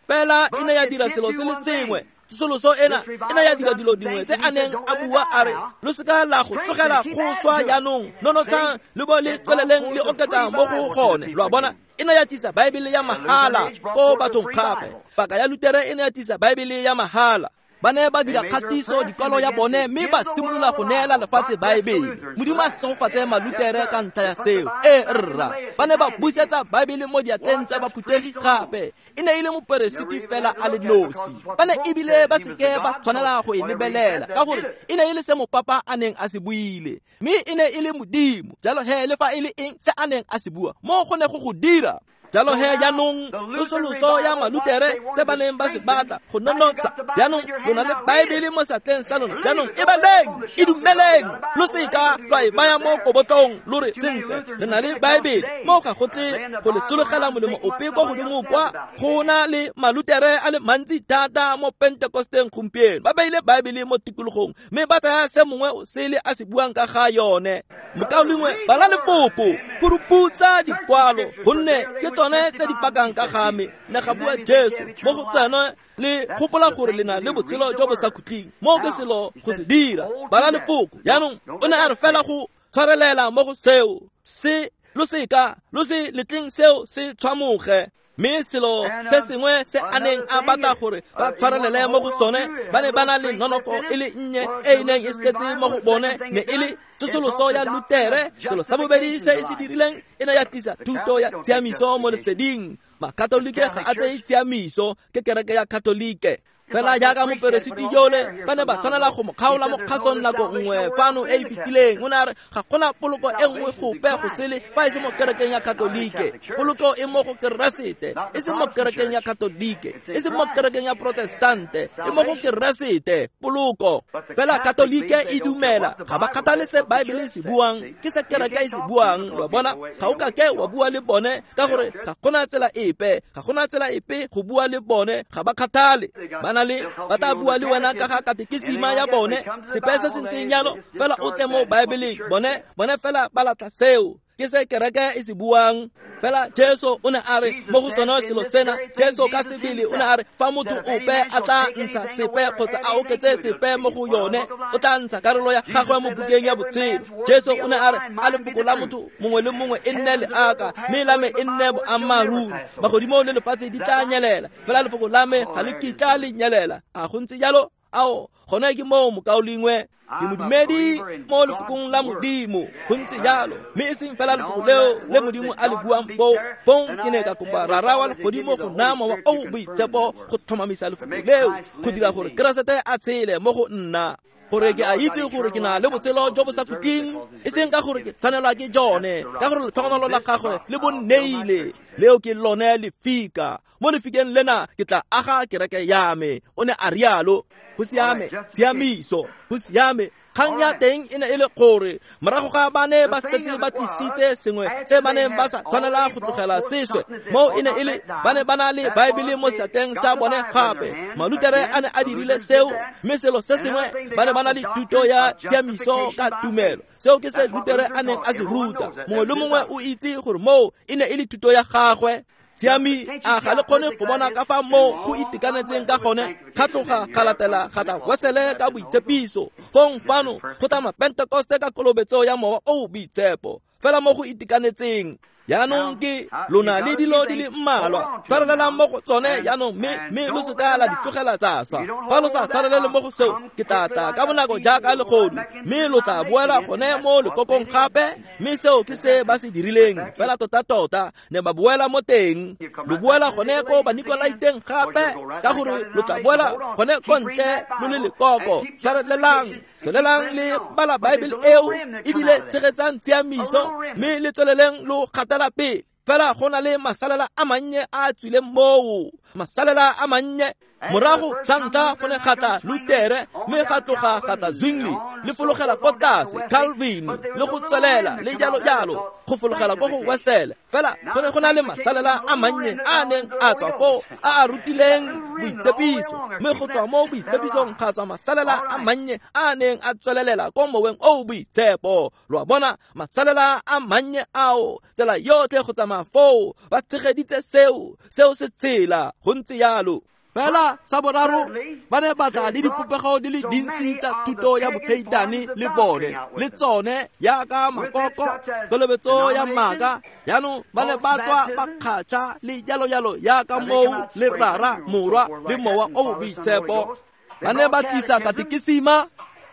Fela e ne ya dira selo se le sengwe. Tsosoloso ena e ne ya dira dilo dingwe tse a neng a bua a re lo seka la go tlogela go swa jaanong, nonotshang le bo le tsweleleng le oketsa mo go gone. Lo a bona, e ne ya tlisa Baebele ya mahala ko bathong gape. Paka ya Lutere e ne ya tlisa Baebele ya mahala. Ba ne ba dira kgatiso dikwalo ya bone mme ba simolola go neela lefatshe Baebele. Modimo a segofatse Malutere ka ntlha ya seo. E rra, ba ne ba busetsa Baebele mo diatleng tsa baphutegi gape. E ne e le moperesiti fela a le nosi. Ba ne ebile ba seke ba tshwanela go e lebelela ka gore e ne e le se mopapa a neng a se buile, mme e ne e le Modimo. Jalo he le fa e le eng se a neng a se bua mo go ne go go dira. Jalo he jaanong tsosoloso ya Malutere se ba neng ba se batla go nonotsa, jaanong lo na le Baebele mo seatleng sa lona, jaanong e baleng, e dumeleng, lo seka lwa e baya mo kobotlong lo re sentle re na le Baebele. Mo ga go tle go le sologela molemo ope ko godimo kwa. Go na le Malutere a le mantsi thata mo Pentekosteng gompieno, ba beile Baebele mo tikologong mme ba tsaya se mongwe o sele a se buang ka ga yone. Mokaulengwe, bala lefoko, puruputsa dikwalo, gonne ke tsone tse di pakang ka ga me, ne ga bua Jesu. Mo go tsone le gopola gore le na le botshelo jo bo sa khutleng, mo ke selo go se dira. Bala lefoko. Jaanong o ne a re fela go tshwarelela mo go seo, se lo seka lo se letleng seo se tshwamoge. Mme selo se sengwe se a neng a batla gore ba tshwarelele mo go sone, ba ne ba na le nonofo e le nnye e e neng e setse mo go bone, ne e le tsosoloso ya Lutere. Selo sa bobedi se e se dirileng e ne ya tlisa thuto ya tshiamiso mo leseding. Makatolike ga a tseye tshiamiso, ke kereke ya Katolike. Fela jaaka moperesiti yole ba ne ba tshwanela go mo kgaola mo kgasong nako nngwe fano e e fetileng, o ne a re ga gona poloko e nngwe gope go sele fa e se mo kerekeng ya Katolike. Poloko e mo go Keresete, e se mo kerekeng ya Katolike, e se mo kerekeng ya Protestante, e mo go Keresete poloko. Fela Katolike e dumela, ga ba kgathale se Baebele e se buang, ke se kereke e se buang. Lo bona, ga o ka ke wa bua le bone ka gore ga gona tsela epe, ga gona tsela epe go bua le bone, ga ba kgathale. Ba le ba tla bua le wena ka ga katekisima ya bone, sepe se se ntseng jalo, fela o tle mo Baebeleng. Bone fela ba latla seo, ke se kereke e se buang. Fela Jesu o ne a re mo go sone selo sena, Jesu ka sebele o ne a re fa motho ope a tla ntsha sepe kgotsa a oketse sepe mo go yone, o tla ntsha karolo ya gagwe mo bukeng ya botshelo. Jesu o ne a re a lefoko la motho mongwe le mongwe e nne leaka, mme la me e nne boammaaruri. Magodimo le lefatshe di tla nyelela, fela lefoko la me ga le kitla le nyelela. A go ntse jalo? Ao, gone ke moo mokaulengwe, ke modumedi mo lefokong la Modimo, go ntse jalo. Mme e seng fela lefoko leo le Modimo a le buang foo, fong ke ne ka kopa Rara wa legodimo go naya Mowa o o Boitshepo go tlhomamisa lefoko leo, go dira gore Keresete a tshele mo go nna, gore ke a itse gore ke na le botshelo jo bo sa khutleng, e seng ka gore ke tshwanelwa ke jone, ka gore letlhogonolo la gagwe le bo nneile. Leo ke lone lefika. Mo lefikeng lena ke tla aga kereke ya me, o ne a rialo. Go siame, tshiamiso, go siame. Kgang ya teng e ne e le gore morago ga ba ne ba setse ba tlisitse sengwe se ba neng ba sa tshwanela go tlogela seswe, moo e ne e le ba ne ba na le Baebele mo seatleng sa bone gape. Malutere a ne a dirile seo, mme selo se sengwe ba ne ba na le thuto ya tshiamiso ka tumelo. Seo ke se Lutere a neng a se ruta. Mongwe le mongwe o itse gore moo e ne e le thuto ya gagwe. Tshiami, a ga le kgone go bona ka fa moo go itekanetseng ka gone? Ga tloga ga latela ga tla Wesele ka boitshepiso, fong fano go tla Mapentekoste ka kolobetso ya Mowa o o Boitshepo, fela mo go itekanetseng. Jaanong ke lona le dilo di le mmalwa, tshwarelelang mo go tsone jaanong, mme lo se ka la di tlogela tsa swa. Fa lo sa tshwarelele mo go seo, ke tla tla ka bonako jaaka legodu, mme lo tla boela gone mo lekokong gape. Mme seo ke se ba se dirileng fela tota-tota, ne ba boela mo teng. Lo boela gone ko Banikolaiteng gape, ka gore lo tla boela gone ko ntle lo le lekoko. Tshwarelelang, tswelelang le bala Baebele eo, ebile tshegetsang tshiamiso, mme le tsweleleng lo gatela pele. Fela go na le masalela a mannye a a tswileng moo, masalela a mannye. Morago sa ntlha go ne ga tla Lutere, mme ga tloga ga tla Zwingli, le fologela ko tlase Calvin, le go tswelela le jalo jalo, go fologela ko go Wesele. Fela go ne go na le masalela a mannye a a neng a tswa foo, a a rutileng boitshepiso, mme go tswa mo boitshepisong ga tswa masalela a mannye a a neng a tswelelela ko moweng o o boitshepo. Lo a bona, masalela a mannye ao, tsela yotlhe go tsamaya foo, ba tshegeditse seo, seo se tsela, go ntse jalo. Fela sa boraro, ba ne ba tla le dipopego di le dintsi tsa thuto ya boheitane le bone, le tsone jaaka makoko, kolobetso ya maaka. Jaanong ba ne ba tswa ba kgatšha le jalo-jalo jaaka moo le Rara, Morwa le Mowa o o Boitshepo. Ba ne ba tlisa katekisima,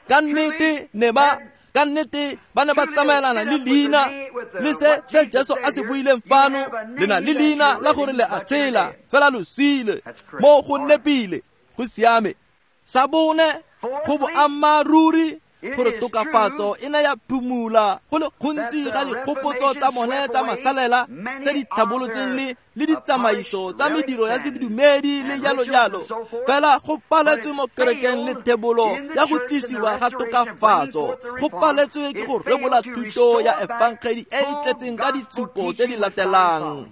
ka nnete ne ba ka nnete ba ne ba tsamaelana le leina le se se Jesu a se buileng fano, le na le leina la gore le a tshela, fela lo sile mo go nepile, go siame. Sa bone, go boammaaruri gore tokafatso e ne ya phumula go le gontsi ga dikgopotso tsa bone tsa masalela tse di tlhabolotsweng le ditsamaiso tsa mediro ya sedumedi le jalo jalo. Fela go paletswe mo kerekeng le thebolo ya go tlisiwa ga tokafatso, go paletswe ke go rebola thuto ya efangedi e e tletseng ka ditshupo tse di latelang.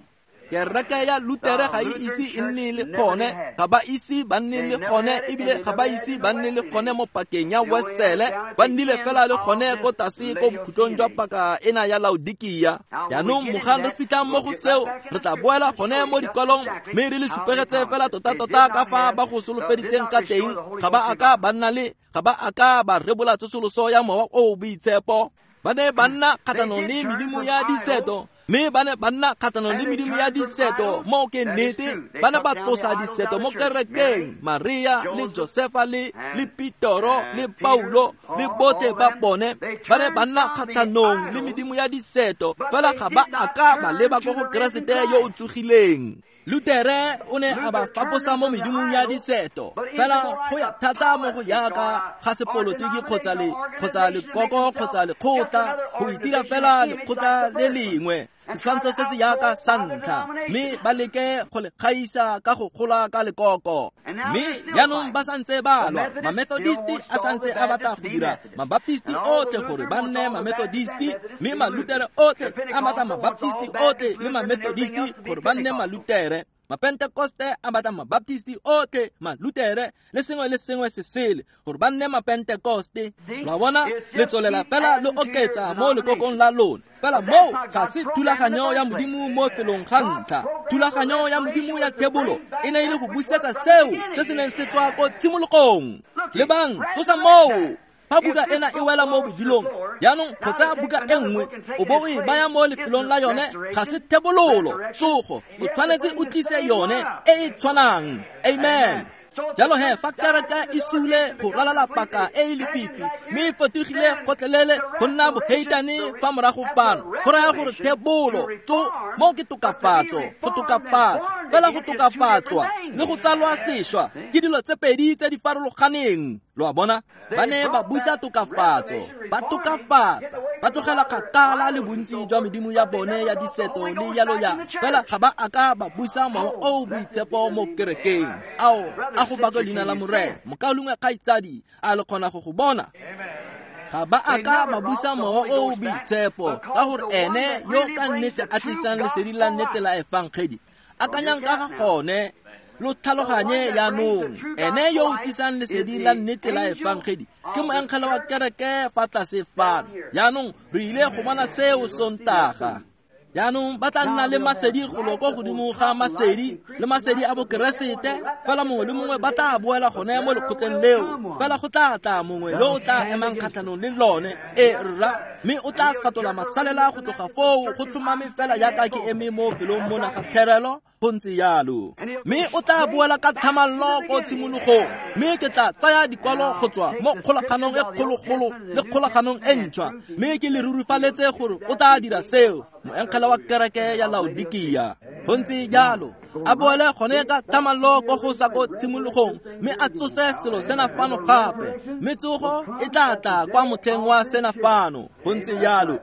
Kereke ya Lutere ga e ise e nne le gone, ga ba ise ba nne le gone, ebile ga ba ise ba nne le gone mo pakeng ya Wesele, ba nnile fela le gone ko tlase ko bokhutlong jwa paka ena ya Laodikia. Jaanong mogang re fitlhang mo go seo, re tla boela gone mo dikwalong, mme re le supegetse fela tota-tota ka fa ba go solofeditseng ka teng. Ga ba a ka ba nna le, ga ba a ka ba rebola tsosoloso ya Mowa o o Boitshepo. Ba ne ba nna kgatlhanong le medimo ya diseto, Mme ba ne ba nna kgatlhanong le medimo ya diseto mo ke nnete, ba ne ba tlosa diseto mo kerekeng, Maria le Josefa le Petoro le Paulo le botlhe ba bone ba ne ba nna kgatlhanong le medimo ya diseto, fela ga ba a ka ba leba ko go Keresete yo o tsogileng. Lutere o ne a ba faposa mo medimong ya diseto, fela go ya thata mo go yaka ga sepolotiki kgotsa lekoko kgotsa lekgotla, go itira fela lekgotla le lengwe, setshwantsho se se yaka sa ntlha, mme ba leke go le gaisa ka go gola ka lekoko. Mme jaanong ba santse ba lwa, Mamethodisti a santse a batla go dira Mabaptisti otlhe gore ba nne Mamethodisti, mme Malutere otlhe a batla Mabaptisti otlhe le Mamethodisti gore ba nne Malutere, Mapentekoste a batla Mabaptisti otlhe, Malutere le sengwe le sengwe se sele gore ba nne Mapentekoste. Lwa bona, le tswelela fela le oketsa mo lekokong la lona. Fela moo ga se thulaganyo ya Modimo mo felong ga ntlha. Thulaganyo ya Modimo ya thebolo e ne e le go busetsa seo se se neng se tswa ko tshimologong. Lebang, tsosa moo. Fa buka ena e wela mo bodilong, jaanong go tsaya buka e nngwe o bo o e baya mo lefelong la yone ga se thebololo, tsogo. O tshwanetse o tlise yone e e tshwanang. Amen. Jalo he, fa kereke e sule go ralala paka e e lefifi, mme e fetogile gotlhelele go nna boheitane fa morago fano, go raya gore thebolo tso mo ke tokafatso, go tokafatsa, fela go tokafatswa le go tsalwa sešwa ke dilo tse pedi tse di farologaneng. Lo a bona, ba ne ba busa tokafatso, ba tokafatsa, ba tlogela kgakala le bontsi jwa medimo ya bone ya diseto le yalo ya, fela ga ba a ka ba busa mowa o o boitshepo mo kerekeng. Ao, a go bakwe leina la Morena. Mokaulengwe kgaitsadi, a le kgona go go bona? Ga ba a ka ba busa mowa o o boitshepo, ka gore ene yo ka nnete a tlisang lesedi la nnete la efangedi. Akanyang ka ga gone, lo tlhaloganye jaanong. Ene yo o tlisang lesedi la nnete la efangedi ke moengele wa kereke fa tlase fano. Jaanong re ile go bona seo Sontaga. Jaanong ba tla nna le masedi golo ko godimo ga masedi le masedi a bokeresete, fela mongwe le mongwe ba tla boela gone mo lekgotleng leo, fela go tla tla mongwe yo o tla emang kgatlhanong le lone, e rra, mme o tla fatola masalela go tloga foo go tlhomame fela jaaka ke eme mo felong mona ga therelo. Go ntse jalo, mme o tla boela ka tlhamallo ko tshimologong, mme ke tla tsaya dikwalo go tswa mo kgolaganong e kgologolo le kgolaganong e ntšhwa, mme ke le rurifaletse gore o tla dira seo, moengele wa kereke ya Laodikia. Go ntse jalo, a boele gone ka tlhamallo ko go sa ko tshimologong, mme a tsose selo sena fano gape, mme tsogo e tla tla kwa motlheng wa sena fano. Go ntse jalo.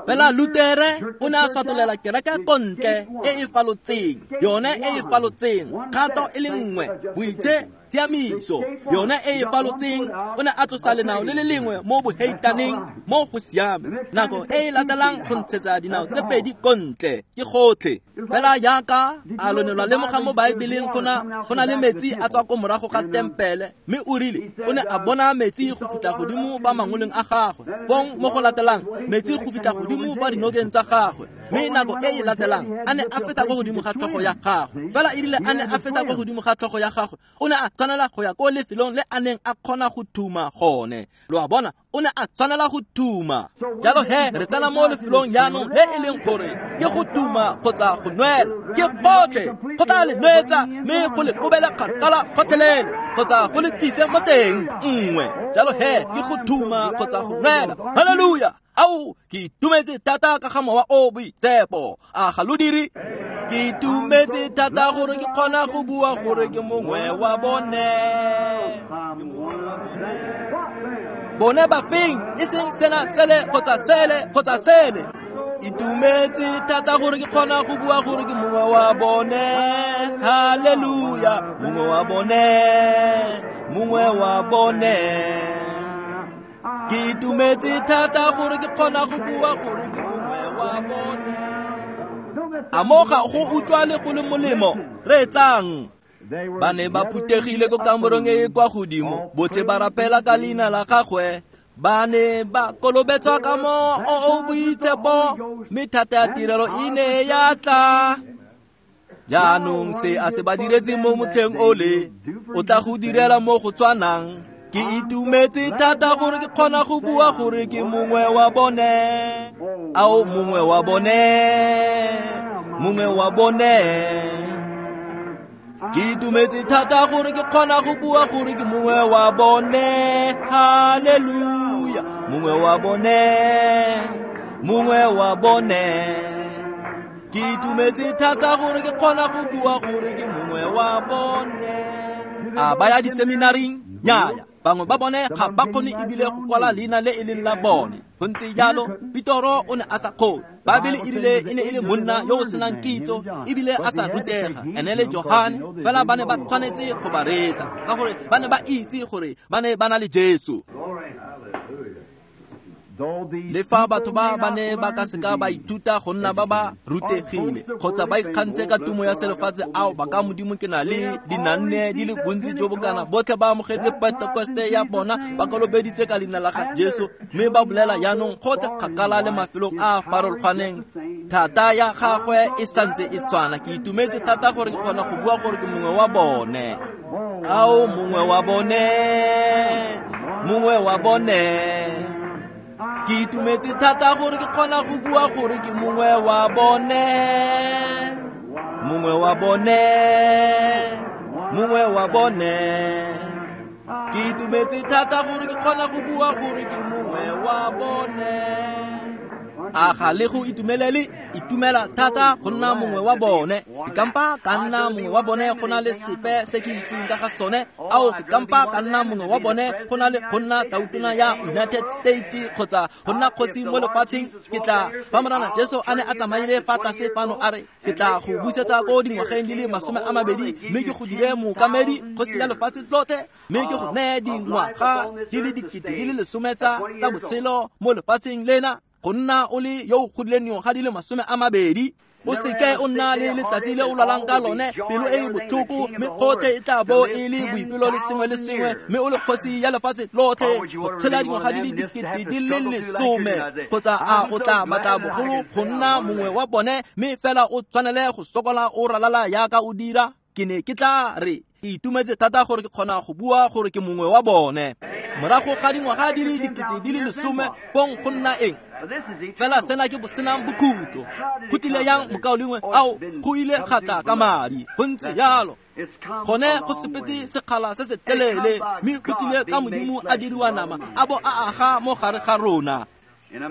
Fela Lutere o ne a swatolela kereke kontle e e falotseng, yone e e falotseng, kgato e le nngwe, boitse tshiamiso, yone e e falotseng. O ne a tlosa lenao le le lengwe mo boheitaneng mo go siame, nako e e latelang go ntshetsa dinao tse pedi kontle, ke gotlhe. Fela jaaka a lo ne lwa lemoga mo Baebeleng, go na le metsi a tswa ko morago ga tempele, mme o rile o ne a bona metsi go fitlha godimo fa mangoleng a gagwe, fong mo go latelang metsi go fitlha godimo fa dinokeng tsa gagwe, mme nako e e latelang a ne a feta ko godimo ga tlhogo ya gagwe. Fela e rile a ne a feta ko godimo ga tlhogo ya gagwe, o ne a tshwanela go ya ko lefelong le a neng a kgona go thuma gone. Lo a bona, o ne a tshwanela go thuma. Jalo he, re tsena mo lefelong jaanong le e leng gore ke go thuma kgotsa go nwela, ke gotlhe, go tla le nwetsa mme go le kobele kgakala gotlhelele, kgotsa go le tlise mo teng nngwe. Jalo he, ke go thuma kgotsa go nwela. Haleluya! Ao, ke itumetse thata ka ga mowa o boitshepo. A ga lo dire? Ke itumetse thata gore ke kgona go bua gore ke mongwe wa bone. Ke mongwe wa bone. Bone ba feng, e seng sena sele kgotsa sele kgotsa sele. Itumetse thata gore ke kgona go bua gore ke mongwe wa bone. Haleluya, mongwe wa bone, mongwe wa bone. Ke itumetse thata gore ke kgona go bua gore ke mongwe wa bone. A mo ga go utlwa le go le molemo, reetsang. Ba ne ba phuthegile ko kamorong e e kwa godimo, botlhe ba rapela ka leina la gagwe. Ba ne ba kolobetswa ka mowa o o boitshepo, mme thata ya tirelo e ne ya tla. Jaanong se a se ba diretseng mo motlheng ole, o tla go direla mo go tshwanang. Ke itumetse thata gore ke kgona go bua gore ke mongwe wa bone. Ao, mongwe wa bone, mongwe wa bone. Ke itumetse thata gore ke kgona go bua gore ke mongwe wa bone. Haleluya, mongwe wa bone, mongwe wa bone. Ke itumetse thata gore ke kgona go bua gore ke mongwe wa bone. A ba ya diseminaring? Nnyaya, bangwe ba bone ga ba kgone ebile go kwala leina le e leng la bone. Go ntse jalo, Petoro o ne a sa kgone. Baebele e rile e ne e le monna yo o senang kitso ebile a sa rutega, ene le Johane fela ba ne ba tshwanetse go ba reetsa ka gore ba ne ba itse gore ba ne ba na le Jesu. Le fa batho ba ba ne ba ka seka ba ithuta go nna ba ba rutegile kgotsa ba ikgantshe ka tumo ya selefatshe, ao ba ka Modimo ke na le dinanne di le bontsi jo bokana, botlhe ba amogetse Pentekoste ya bona, ba kolobeditswe ka leina la ga Jesu, mme ba bolela jaanong gotlhe kgakala le mafelong a a farologaneng. Thata ya gagwe e santse e tshwana. Ke itumetse thata gore ke kgona go bua gore ke mongwe wa bone. Ao, mongwe wa bone, mongwe wa bone. Ke itumetse thata gore ke kgona go bua gore ke mongwe wa bone, mongwe wa bone, mongwe wa bone. Ke itumetse thata gore ke kgona go bua gore ke mongwe wa bone. A ga le go itumelele? Itumela thata go nna mongwe wa bone. Ke kampa ka nna mongwe wa bone go na le sepe se ke itseng ka ga sone. Ao, ke kampa ka nna mongwe wa bone go na le go nna tautona ya United States kgotsa go nna kgosi mo lefatsheng. Ke tla fa Morena Jesu a ne a tsamaile fa tlase fano a re, ke tla go busetsa ko dingwageng di le 20 mme ke go dire mookamedi kgosi ya lefatshe lotlhe, mme ke go neye dingwaga di le 10,000 tsa botshelo mo lefatsheng lena, go nna o le yo o godileng dingwaga di le 20. O seke o nna le letsatsi le o lwalang ka lone, pelo e e botlhoko, mme gotlhe e tla bo e le boipelo le sengwe le sengwe, mme o le kgosi ya lefatshe lotlhe go tshela dingwaga di le 10,000. Kgotsa a o tla batla bogolo go nna mongwe wa bone, mme fela o tshwanele go sokola o ralala yaka o dira? Ke ne ke tla re ke itumetse thata gore ke kgona go bua gore ke mongwe wa bone. Morago ga dingwaga di le 10,000, fong go nna eng? Fela sena ke bosenang bokhutlo. Go tlile yang mokaulengwe? Ao, go ile ga tla ka madi. Go ntse jalo. Gone go sepetse sekgala se se telele, mme go tlile ka Modimo a diriwa nama, a bo a aga mo gare ga rona.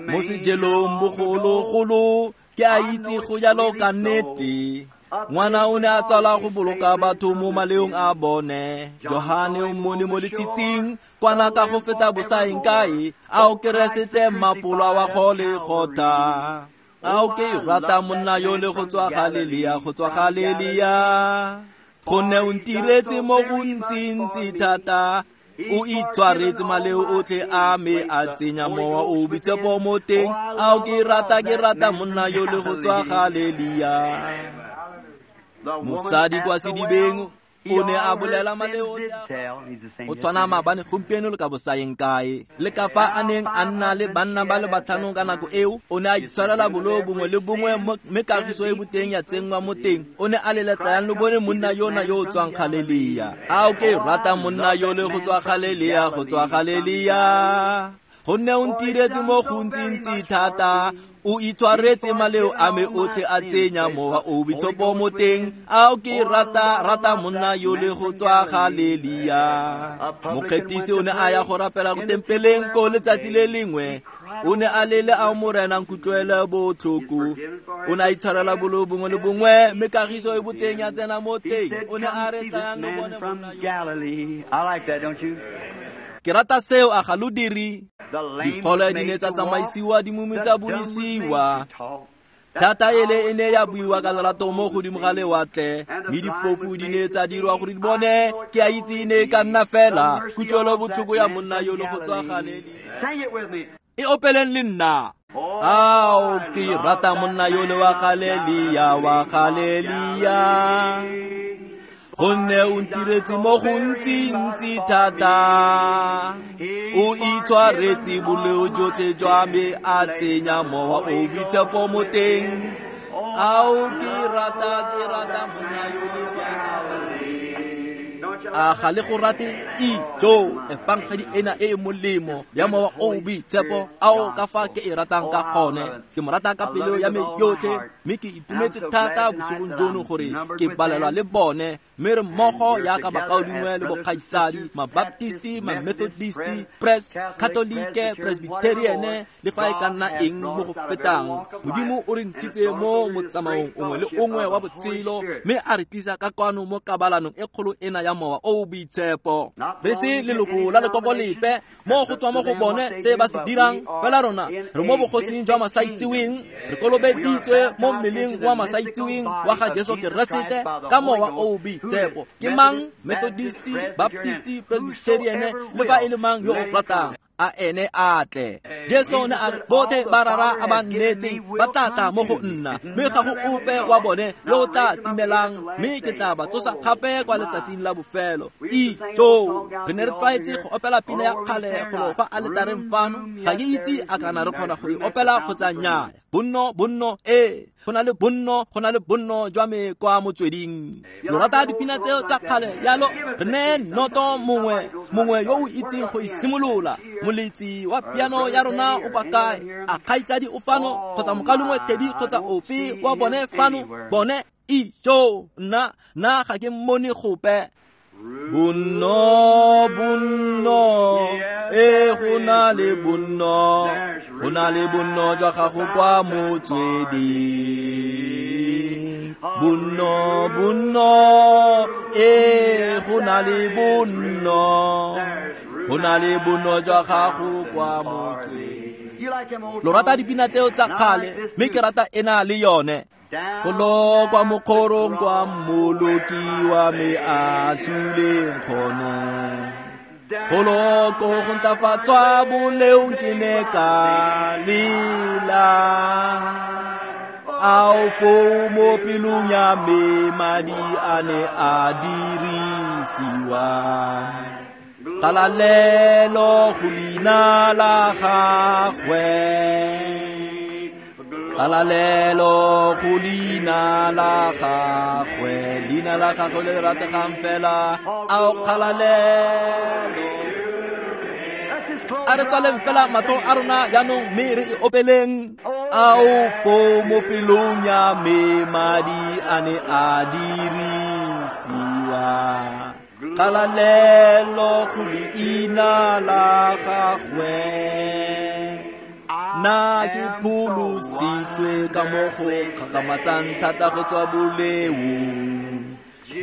Mo sejelong bogologolo, ke a itse go jalo ka nnete. Ngwana o ne a tsala go boloka batho mo maleong a bone. Johane o mmone mo letshitsing, kwana ka go feta bosaeng kae. Ao, Keresete mmapolwa wa Golegotha. Ao, ke rata monna yo le go tswa Galilea, go tswa Galilea. Gonne o ntiretse mo gontsi-ntsi thata. O itshwaretse maleo otlhe a me, a tsenya mowa o boitshepo mo teng. Ao, ke rata monna yo le go tswa Galilea. Mosadi kwa sedibeng o ne a bolela maleo otlhe. O tshwana maabane, gompieno le ka bosaeng kae. Le ka fa a neng a nna le banna ba le batlhano ka nako eo, o ne a itshwarela boleo bongwe le bongwe, mme kagiso e boteng ya tsenngwa mo teng. O ne a le letlayang lo bone monna yona yo o tswang Galilea. Ao, ke rata monna yo le go tswa Galilea, go tswa Galilea. Gonne o ntiretse mo gontsi-ntsi thata. O itshwaretse maleo a me otlhe, a tsenya mowa o boitshepo mo teng. Ao, ke rata monna yo le go tswa Galilea. Mokgethisi o ne a ya go rapela ko tempeleng ko letsatsi le lengwe. O ne a lele a Morena nkutlwele botlhoko. O ne a itshwarela boleo bongwe le bongwe, mme kagiso e boteng ya tsena mo teng. O ne a re tlayang lo bone monna yo. Ke rata seo, a ga lo dire? Dikgolo di ne tsa tsamaisiwa, dimumu tsa buisiwa. Thata ele e ne ya buiwa ka lerato mo godimo ga lewatle, mme difofu di ne tsa dirwa gore di bone. Ke a itse e ne e ka nna fela kutlwelo botlhoko ya monna yo le go tswa Galilea. E opeleng le nna. Ao, ke rata monna yo le wa Galilea, wa Galilea. Gonne o ntiretse mo gontsi-ntsi thata. O itshwaretse boleo jotlhe jwa me, a tsenya mowa o boitshepo mo teng. Ao, ke rata monna yo le wa Galilea. A ga le go rate? Ijo, efangedi ena e e molemo ya Mowa o o Boitshepo, ao ka fa ke e ratang ka gone. Ke mo rata ka pelo ya me yotlhe, mme ke itumetse thata bosigong jono gore ke balelwa le bone, mme re mmogo yaka bakaulengwe le bokgaitsadi, mabaptisti, mamethodisti, press, katolike, presbyteriane, le fa e ka nna eng mo go fetang. Modimo o re ntshitse mo motsamaong ongwe le ongwe wa botshelo, mme a re tlisa ka kwano mo kabalanong e kgolo ena ya Mowa o o Boitshepo. Re se leloko la lekoko lepe, mo go tswa mo go bone se ba se dirang, fela rona re mo bogosing jwa masaitseweng, re kolobeditswe mo mmeleng wa masaitseweng wa ga Jesu Keresete ka Mowa o o Boitshepo. Ke mang? Methodisti, Baptisti, Presbyteriane, le fa e le mang yo o ratang, a ene a tle. Jesu ne a re, botlhe ba Rara a ba nnetseng ba tla tla mo go nna, mme ga go ope wa bone yo o tla timelang, mme ke tla ba tsosa gape kwa letsatsing la bofelo. Ijo, re ne re tlwaetse go opela pina ya kgale golo fa aletareng fano. Ga ke itse a kana re kgona go e opela kgotsa nnyaa. Bonno, bonno, ee, go na le bonno, go na le bonno jwa me kwa motsweding. Lo rata dipina tseo tsa kgale yalo? Re ne noto mongwe, mongwe yo o itseng go e simolola. Moletsi wa piano ya rona o kwa kae? A kgaitsadi o fano, kgotsa mokalengwe Teddy, kgotsa ope wa bone fano? Bone, ijo, nna ga ke mmone gope. Bonno, bonno, e go na le bonno, go na le bonno jwa gago kwa motsweding. Bonno, bonno, e go na le bonno, go na le bonno jwa gago kwa motsweding. Lo rata dipina tseo tsa kgale, mme ke rata ena le yone. Golo kwa mokgorong kwa Mmoloki wa me a suleng gone, golo ko go ntlafatswa boleong ke ne ka lela. Ao foo mo pelong ya me madi a ne a dirisiwa. Kgalalelo go leina la gagwe, kgalalelo go leina la gagwe, leina la gagwe le le rategang fela. Ao kgalalelo. A re tswaleng fela matlho a rona jaanong, mme re e opeleng. Ao foo mo pelong ya me madi a ne a dirisiwa. Kgalalelo go leina la gagwe. Nna ke pholositswe ka mo go kgakgamatsang thata go tswa boleong.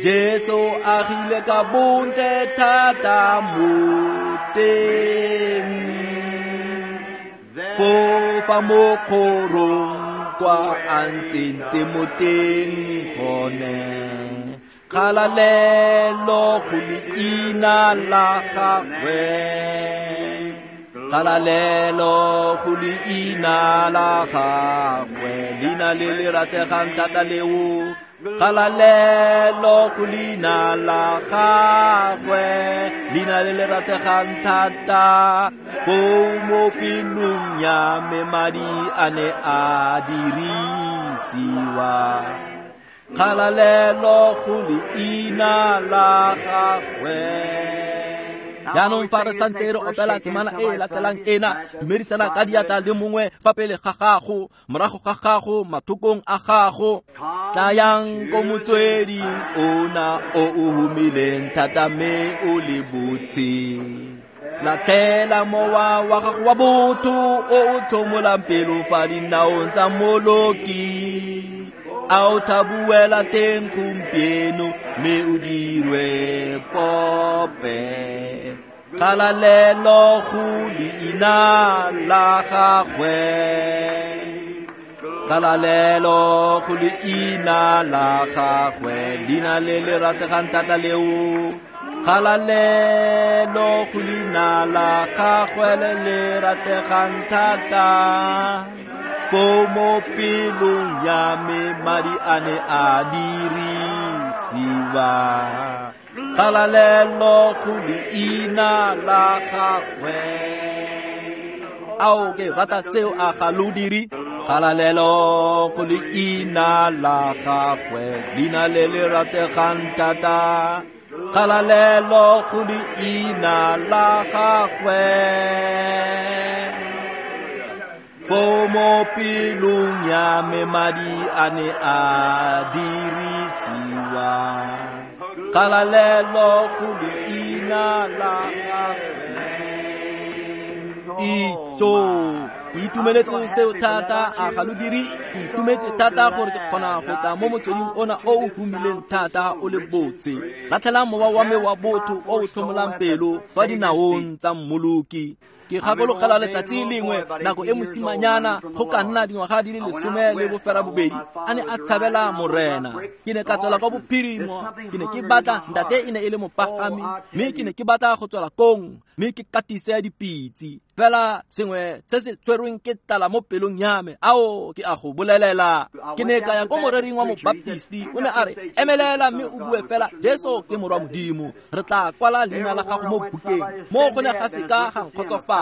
Jesu agile ka bontle thata mo teng. Fofa mo kgorong kwa a ntsentse mo teng gone. Kgalalelo go leina la gagwe, kgalalelo go leina la gagwe, leina le le rategang thata leo. Kgalalelo go leina la gagwe, leina le le rategang thata. Foo mo pelong ya me madi a ne a dirisiwa. Kgalalelo go leina la gagwe. Jaanong fa re santse re opela temana e e latelang ena, dumedisana ka diatla le mongwe fa pele ga gago, morago ga gago, mathokong a gago. Tlayang ko motsweding ona o o humileng thata mme o le botse. Latlhela mowa wa gago wa botho o o tlhomolang pelo fa dinaong tsa Mmoloki. A o thabuela teng gompieno, mme o dirwe pope. Kgalalelo go leina la gagwe, kgalalelo go leina la gagwe, leina le le rategang thata leo. Kgalalelo go leina la gagwe le le rategang thata. Foo mo pelong ya me madi a ne a dirisiwa. Kgalalelo go leina la gagwe. Ao ke rata seo, a ga lo dire? Kgalalelo go leina la gagwe, leina le le rategang thata. Kgalalelo go leina la gagwe. Foo mo pelong ya me madi a ne a dirisiwa. Kgalalelo go leina la gagwe. Itso, itumeletse seo thata a ga lo dire? Ke itumetse thata gore ke kgona go tla mo motsweding ona o o humileng thata o le botse. Latlhela mowa wa me wa botho o o tlhomolang pelo kwa dinaong tsa Mmoloki. Ke gakologela letsatsi lengwe nako e mosimanyana go ka nna dingwaga di le 18 a ne a tshabela Morena. Ke ne ka tswela kwa bophirimo, ke ne ke batla ntate e ne e le mopagami, mme ke ne ke batla go tswela kong mme ke katise dipitse. Fela sengwe se se tshwerweng ke tlala mo pelong ya me, ao ke a go bolelela. Ke ne ka ya ko morering wa mobaptisti, o ne a re, emelela mme o bue fela Jesu ke morwa Modimo, re tla kwala leina la gago mo bukeng. Mo go ne ga seka ga nkgotsofatsa.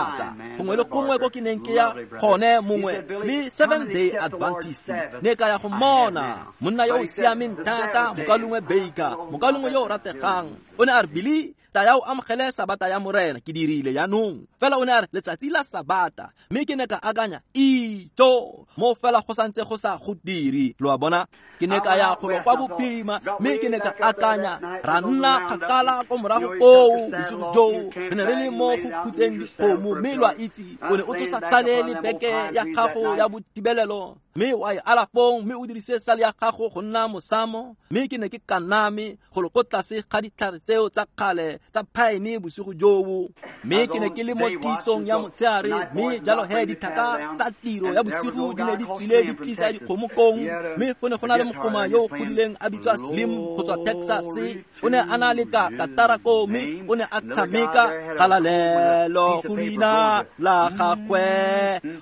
Gongwe le gongwe ko ke neng ke ya gone mongwe le Seventh Day Adventist, ne ka ya go mmona monna yo o siameng thata, mokalongwe Baker, mokalongwe yo o rategang. O ne a re, Billy, tla ya o amogele sabata ya Morena. Ke dirile jaanong. Fela o ne a re, letsatsi la sabata. Mme ke ne ka akanya, itso, mo fela go santse go sa go dire. Lo a bona? Ke ne ka ya golo kwa bophirima, mme ke ne ka akanya, ra nna kgakala ko morago koo bosigo joo. Re ne re le mo go phuteng dikgomo, mme lo a itse, o ne o tlosa sale le beke ya gago ya botibelelo, mme wa e ala fong, mme o dirise sale ya gago go nna mosamo. Mme ke ne ke kaname golo ko tlase ga ditlhare tseo tsa kgale tsa phaene bosigo joo. Mme ke ne ke le mo tisong ya motshegare, mme jalo he dithaka tsa tiro ya bosigo di ne di tswile di tlisa dikgomo kong. Mme go ne go na le mogoma yo o godileng a bitswa Slim go tswa Texas. O ne a na le ka katara koo, mme o ne a tshameka kgalalelo go leina la gagwe.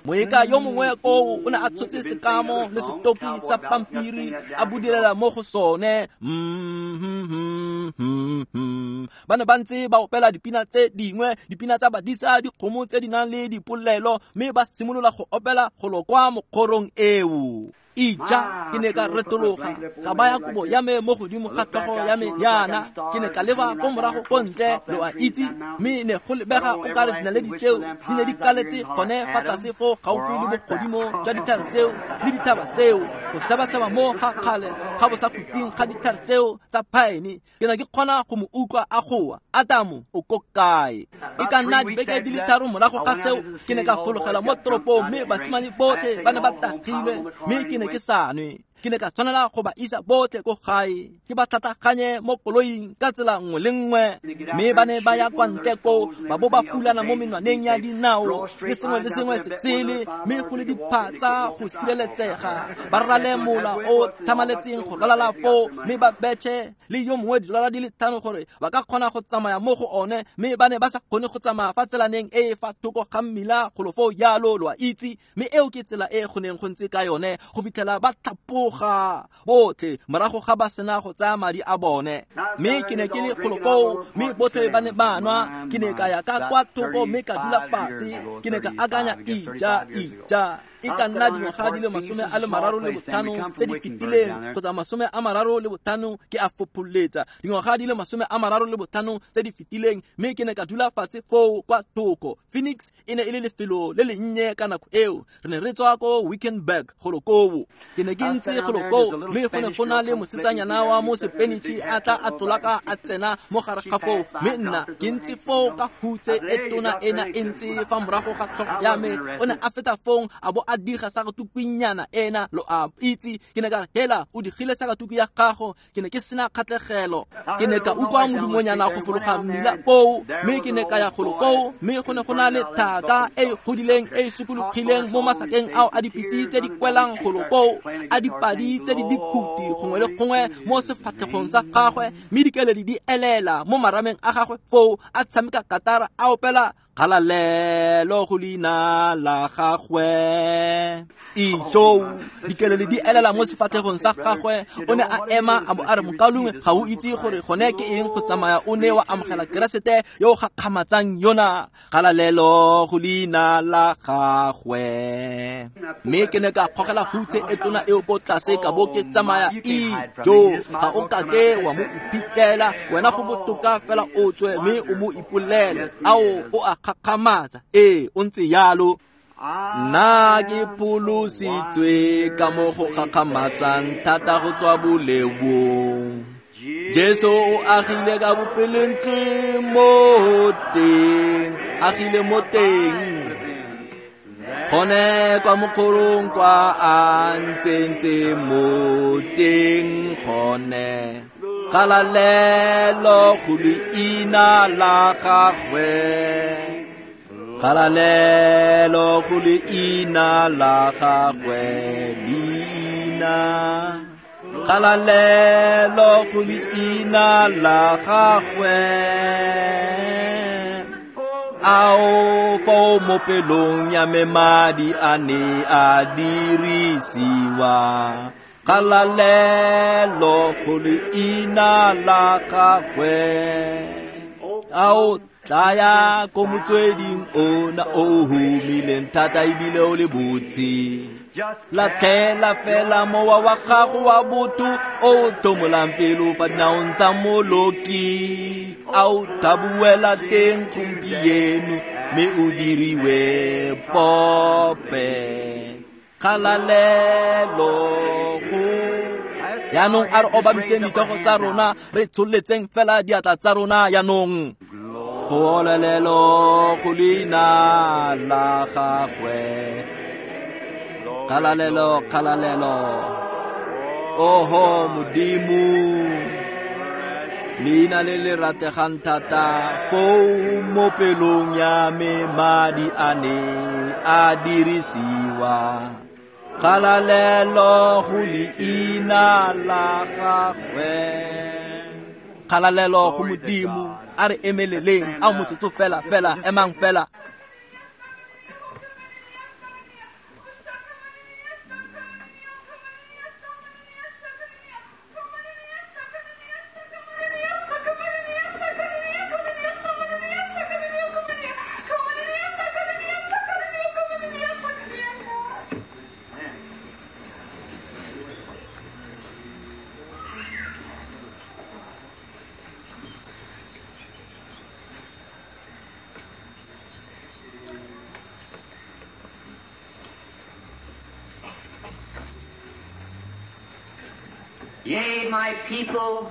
Moeka yo mongwe koo o ne a tshotse sekamo le setoki sa pampiri a budulela mo go sone. Ba ne ba ntse ba opela dipina tse dingwe, dipina tsa badisa dikgomo tse di nang le dipolelo, mme ba simolola go opela golo kwa mokgorong eo. Ija, ke ne ka retologa, ka baya kobo ya me mo godimo ga tlhogo ya me yana. Ke ne ka leba ko morago ko ntle, lo a itse, mme ne go lebega o kare dinaledi tseo di ne di kaletse gone fa tlase fo gaufi le bogodimo jwa ditlhare tseo le dithaba tseo, go sebaseba mo ga kgale ga bo sa khutleng ga ditlhare tseo tsa phaene. Ke ne ke kgona go mo utlwa a goa, Adamo o ko kae? E ka nna dibeke di le 3 morago ga seo, ke ne ka fologela mo toropong, mme basimane botlhe ba ne ba tagilwe, mme ke ne ke sa nwe. Ke ne ka tshwanela go ba isa botlhe ko gae, ke ba tlhatlhaganye mo koloing ka tsela nngwe le nngwe. Mme ba ne ba ya kwa ntle koo, ba bo ba fulana mo menwaneng ya dinao le sengwe le sengwe se sele, mme go le diphatsa go sireletsega. Ba rale mola o thamaletseng go ralala foo, mme ba betšhe le yo mongwe didolara di le 5 gore ba ka kgona go tsamaya mo go one, mme ba ne ba sa kgone go tsamaya fa tselaneng e e fa thoko ga mmila golo foo jalo, lo a itse. Mme eo ke tsela e go neng go ntse ka yone go fitlhela ba tlhapoga botlhe morago ga ba sena go tsaya madi a bone. Mme ke ne ke le golo koo, mme botlhe ba ne ba nwa. Ke ne ka ya ka kwa thoko mme ka dula fatshe. Ke ne ka akanya, ija, ija, e ka nna dingwaga di le 35 tse di fetileng, kgotsa 35, ke a fopholetsa dingwaga di le 35 tse di fetileng. Mme ke ne ka dula fatshe foo kwa thoko. Phoenix e ne e le lefelo le lennye ka nako eo. Re ne re tswa ko Wickenburg golo koo. Ke ne ke ntse golo koo, mme go ne go na le mosetsanyana wa mo Sepenitšhe a tla a tlolaka a tsena mo gare ga foo, mme nna ke ntse foo ka hutse e tona ena e ntse fa morago ga tlhogo ya me. O ne a feta fong a bo a diga sakatukunyana ena, lo a itse. Ke ne ka re, hela, o digile sakatuku ya gago. Ke ne ke sena kgatlhegelo. Ke ne ka utlwa modumonyana go fologa mmila koo, mme ke ne ka ya golo koo, mme go ne go na le thaka e e godileng e e sokologileng mo masakeng ao a dipitse tse di kwelang golo koo, a dipadi tse di dikhuti gongwe le gongwe mo sefatlhegong sa gagwe, mme dikeledi di elela mo marameng a gagwe foo, a tshameka katara a opela kgalalelo go leina la gagwe. Ijo dikelele di elela mo sefatlhegong sa gagwe. O ne a ema a bo a re, mokaulengwe, ga o itse gore gone ke eng go tsamaya o ne wa amogela Keresete yo o gakgamatsang yona. Kgalalelo go leina la gagwe. Mme ke ne ka kgogela hutshe e tona eo ko tlase ka bo ke tsamaya. Ijo ga o kake wa mo iphitlhela wena, go botoka fela o tswe mme o mo ipolele. Ao, o a gakgamatsa. Ee, o ntse yalo. Nna ke pholositswe ka mo go gakgamatsang thata go tswa boleong. Jesu o agile ka bopelentle mo teng, agile mo teng. Gone kwa mokgorong kwa a ntsentse mo teng gone. Kgalalelo go leina la gagwe. Kgalalelo go leina la gagwe, leina. Kgalalelo go leina la gagwe. Ao foo mo pelong ya me madi a ne a dirisiwa. Kgalalelo go leina la gagwe. Ao tlaya ko motsweding ona o humileng thata ebile o le botse. Latlhela fela mowa wa gago wa botho o thomolang pelo fa dinaong tsa moloki. Ao thabuela teng gompieno mme o diriwe pope. Kgalalelo go. Yaanong a re obamiseng ditlhogo tsa rona, re tsholetseng fela diatla tsa rona yaanong. Kgalalelo go leina la gagwe. Kgalalelo, kgalalelo. Oho Modimo, leina le le rategang thata foo mo pelong ya me madi a ne a dirisiwa. Kgalalelo go leina la gagwe. Kgalalelo go Modimo. A re emeleleng, a motsotso fela fela, emang fela. Yea, my people,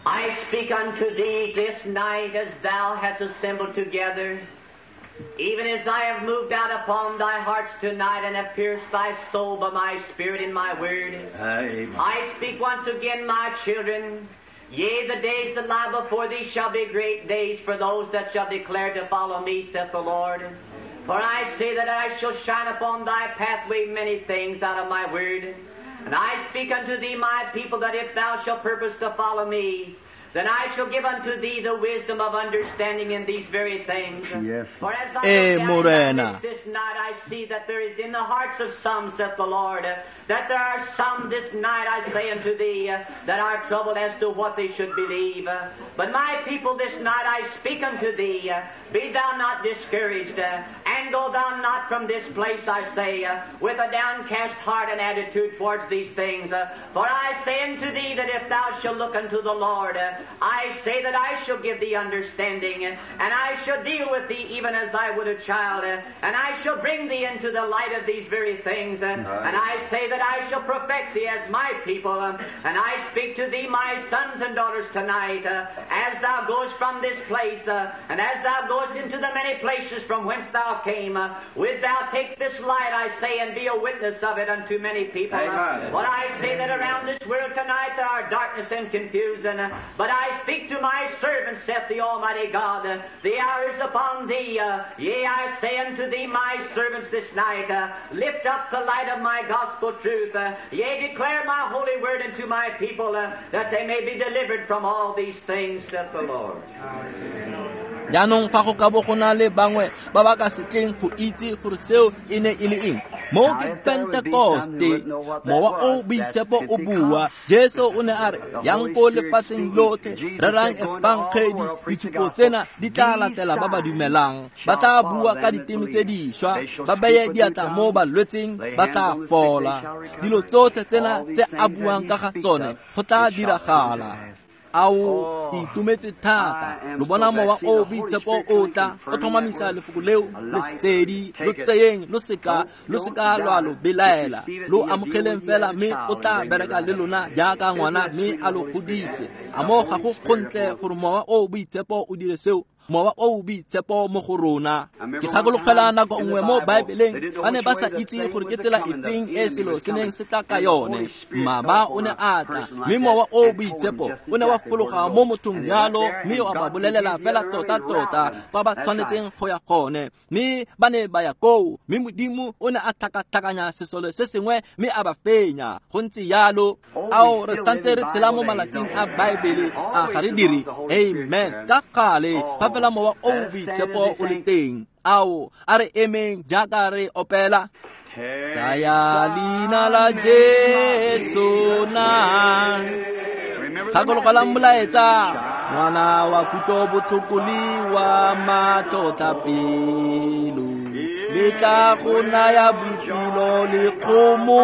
I speak unto thee this night as thou hast assembled together, even as I have moved out upon thy hearts tonight and have pierced thy soul by my spirit and my word. Amen. I speak once again, my children, yea, the days that lie before thee shall be great days for those that shall declare to follow me, saith the Lord. For I say that I shall shine upon thy pathway many things out of my word. And I speak unto thee, my people, that if thou shalt purpose to follow me, then I shall give unto thee the wisdom of understanding in these very things. Yes. For as I look down at this night, I see that there is in the hearts of some, saith the Lord, that there are some this night, I say unto thee, that are troubled as to what they should believe. But my people, this night I speak unto thee, be thou not discouraged, and go thou not from this place, I say, with a downcast heart and attitude towards these things. For I say unto thee that if thou shalt look unto the Lord, I say that I shall give thee understanding, and I shall deal with thee even as I would a child, and I shall bring thee into the light of these very things, and I say that I shall perfect thee as my people, and I speak to thee, my sons and daughters, tonight, as thou goest from this place, and as thou goest into the many places from whence thou came, wilt thou take this light, I say, and be a witness of it unto many people. But I say that around this world tonight there are darkness and confusion, but I speak to my servants, saith the Almighty God, the hour is upon thee. Yea, I say unto thee, my servants, this night, lift up the light of my gospel truth. Yea, declare my holy word unto my people, that they may be delivered from all these things, saith the Lord. Jaanong fa go ka bo go na le bangwe ba ba ka se tleng go itse gore seo e ne e le eng, Mo ke Pentekoste, mowa o boitshepo o bua. Jesu o ne a re, yang ko lefatsheng lotlhe, rerang efangedi, ditshupo tsena di tla latela ba ba dumelang. Ba tla bua ka diteme tse dišwa, ba beye diatla mo balwetseng, ba tla fola. Dilo tsotlhe tsena tse a buang ka ga tsone go tla diragala. Ao, ke itumetse thata. Lo bona mowa o boitshepo o tla o tlhomamisa lefoko leo, lesedi lo tseyeng, lo seka lwa lo belaela. Lo amogeleng fela, mme o tla bereka le lona jaaka ngwana, mme a lo godise. A mo ga go kgontle gore mowa o boitshepo o dire seo? Mowa o boitshepo mo go rona. Ke gakologela nako nngwe mo Baebeleng, ba ne ba sa itse gore ke tsela efeng e selo se neng se tla ka yone. Mmaba o ne a tla, mme mowa o boitshepo o ne wa fologa mo mothong jalo, mme wa ba bolelela fela tota-tota kwa ba tshwanetseng go ya gone. Mme ba ne ba ya koo, mme Modimo o ne a tlhakatlhakanya sesole se sengwe mme a ba fenya. Go ntse jalo. Ao, re santse re tshela mo malatsing a Baebele, a ga re dire? Amen. Ka gale, fa fela mowa o boitshepo o le teng. Ao, a re emeng jaaka re opela. Tsaya leina la Jesu na. Gakologelang molaetsa, ngwana wa kutlo botlhoko le wa matlhotlhapelo, le tla go naya boipelo le kgomotso,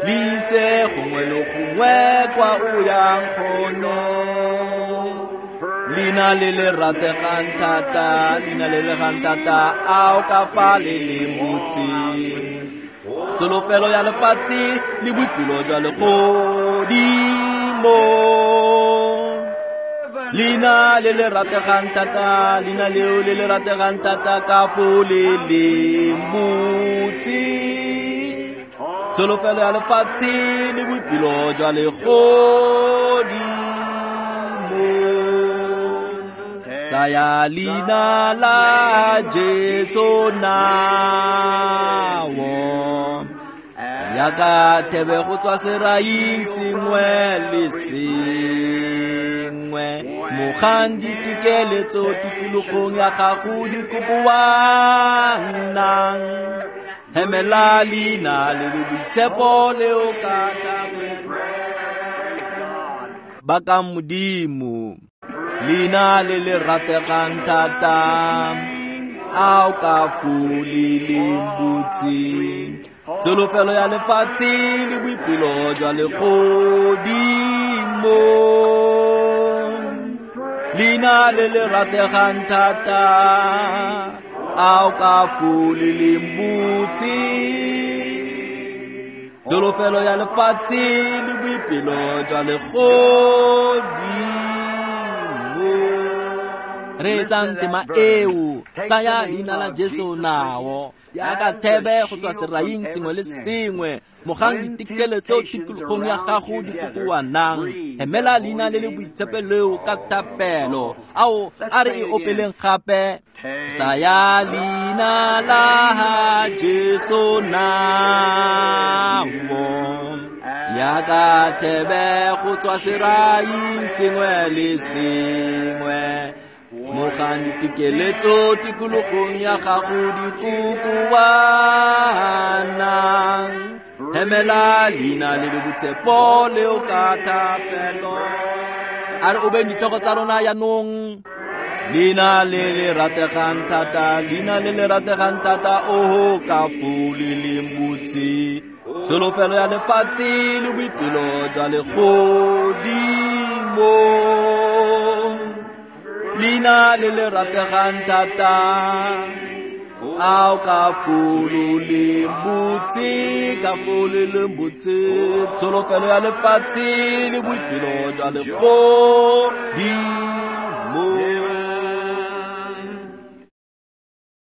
le ise gongwe le gongwe kwa o yang gone. Leina le le rategang thata, leina le le rategang thata, ao ka fa le leng botse. Tsholofelo ya lefatshe le boipelo jwa legodimo. Leina le le rategang thata, leina leo le le rategang thata, ka fo le leng botse. Tsholofelo ya lefatshe le boipelo jwa legodimo. Tsaya leina la Jesu nao, yaka thebe go tswa seraing sengwe le sengwe. Mogang ditekeletso tikologong ya gago di kokoanang, hemela leina le le boitshepo leo ka thapelo. Baka Modimo, leina le le rategang thata, ao ka fo le leng botse. Tsholofelo ya lefatshe le boipelo jwa legodimo. Leina le le rategang thata, ao ka fo le leng botse. Tsholofelo ya lefatshe le boipelo jwa legodimo. Reetsang tema eo, tsaya leina la Jesu nao, jaaka thebe go tswa seraing sengwe le sengwe. Mogang ditekeletso tikologong ya gago di kokoanang, hemela leina le le boitshepo leo ka thapelo. Ao, a re e opeleng gape. Tsaya leina la Jesu nao, jaaka thebe go tswa seraing sengwe le sengwe. Mogang ditekeletso tikologong ya gago di kokoanang, hemela leina le le boitshepo leo ka thapelo. A re obeng ditlhogo tsa rona jaanong. Leina le le rategang thata, leina le le rategang thata, oho ka fo le leng botse. Tsholofelo ya lefatshe le boipelo jwa legodimo. Leina le le rategang thata, ao ka fo lo leng botse, ka fo le leng botse. Tsholofelo ya lefatshe le boipelo jwa legodimo.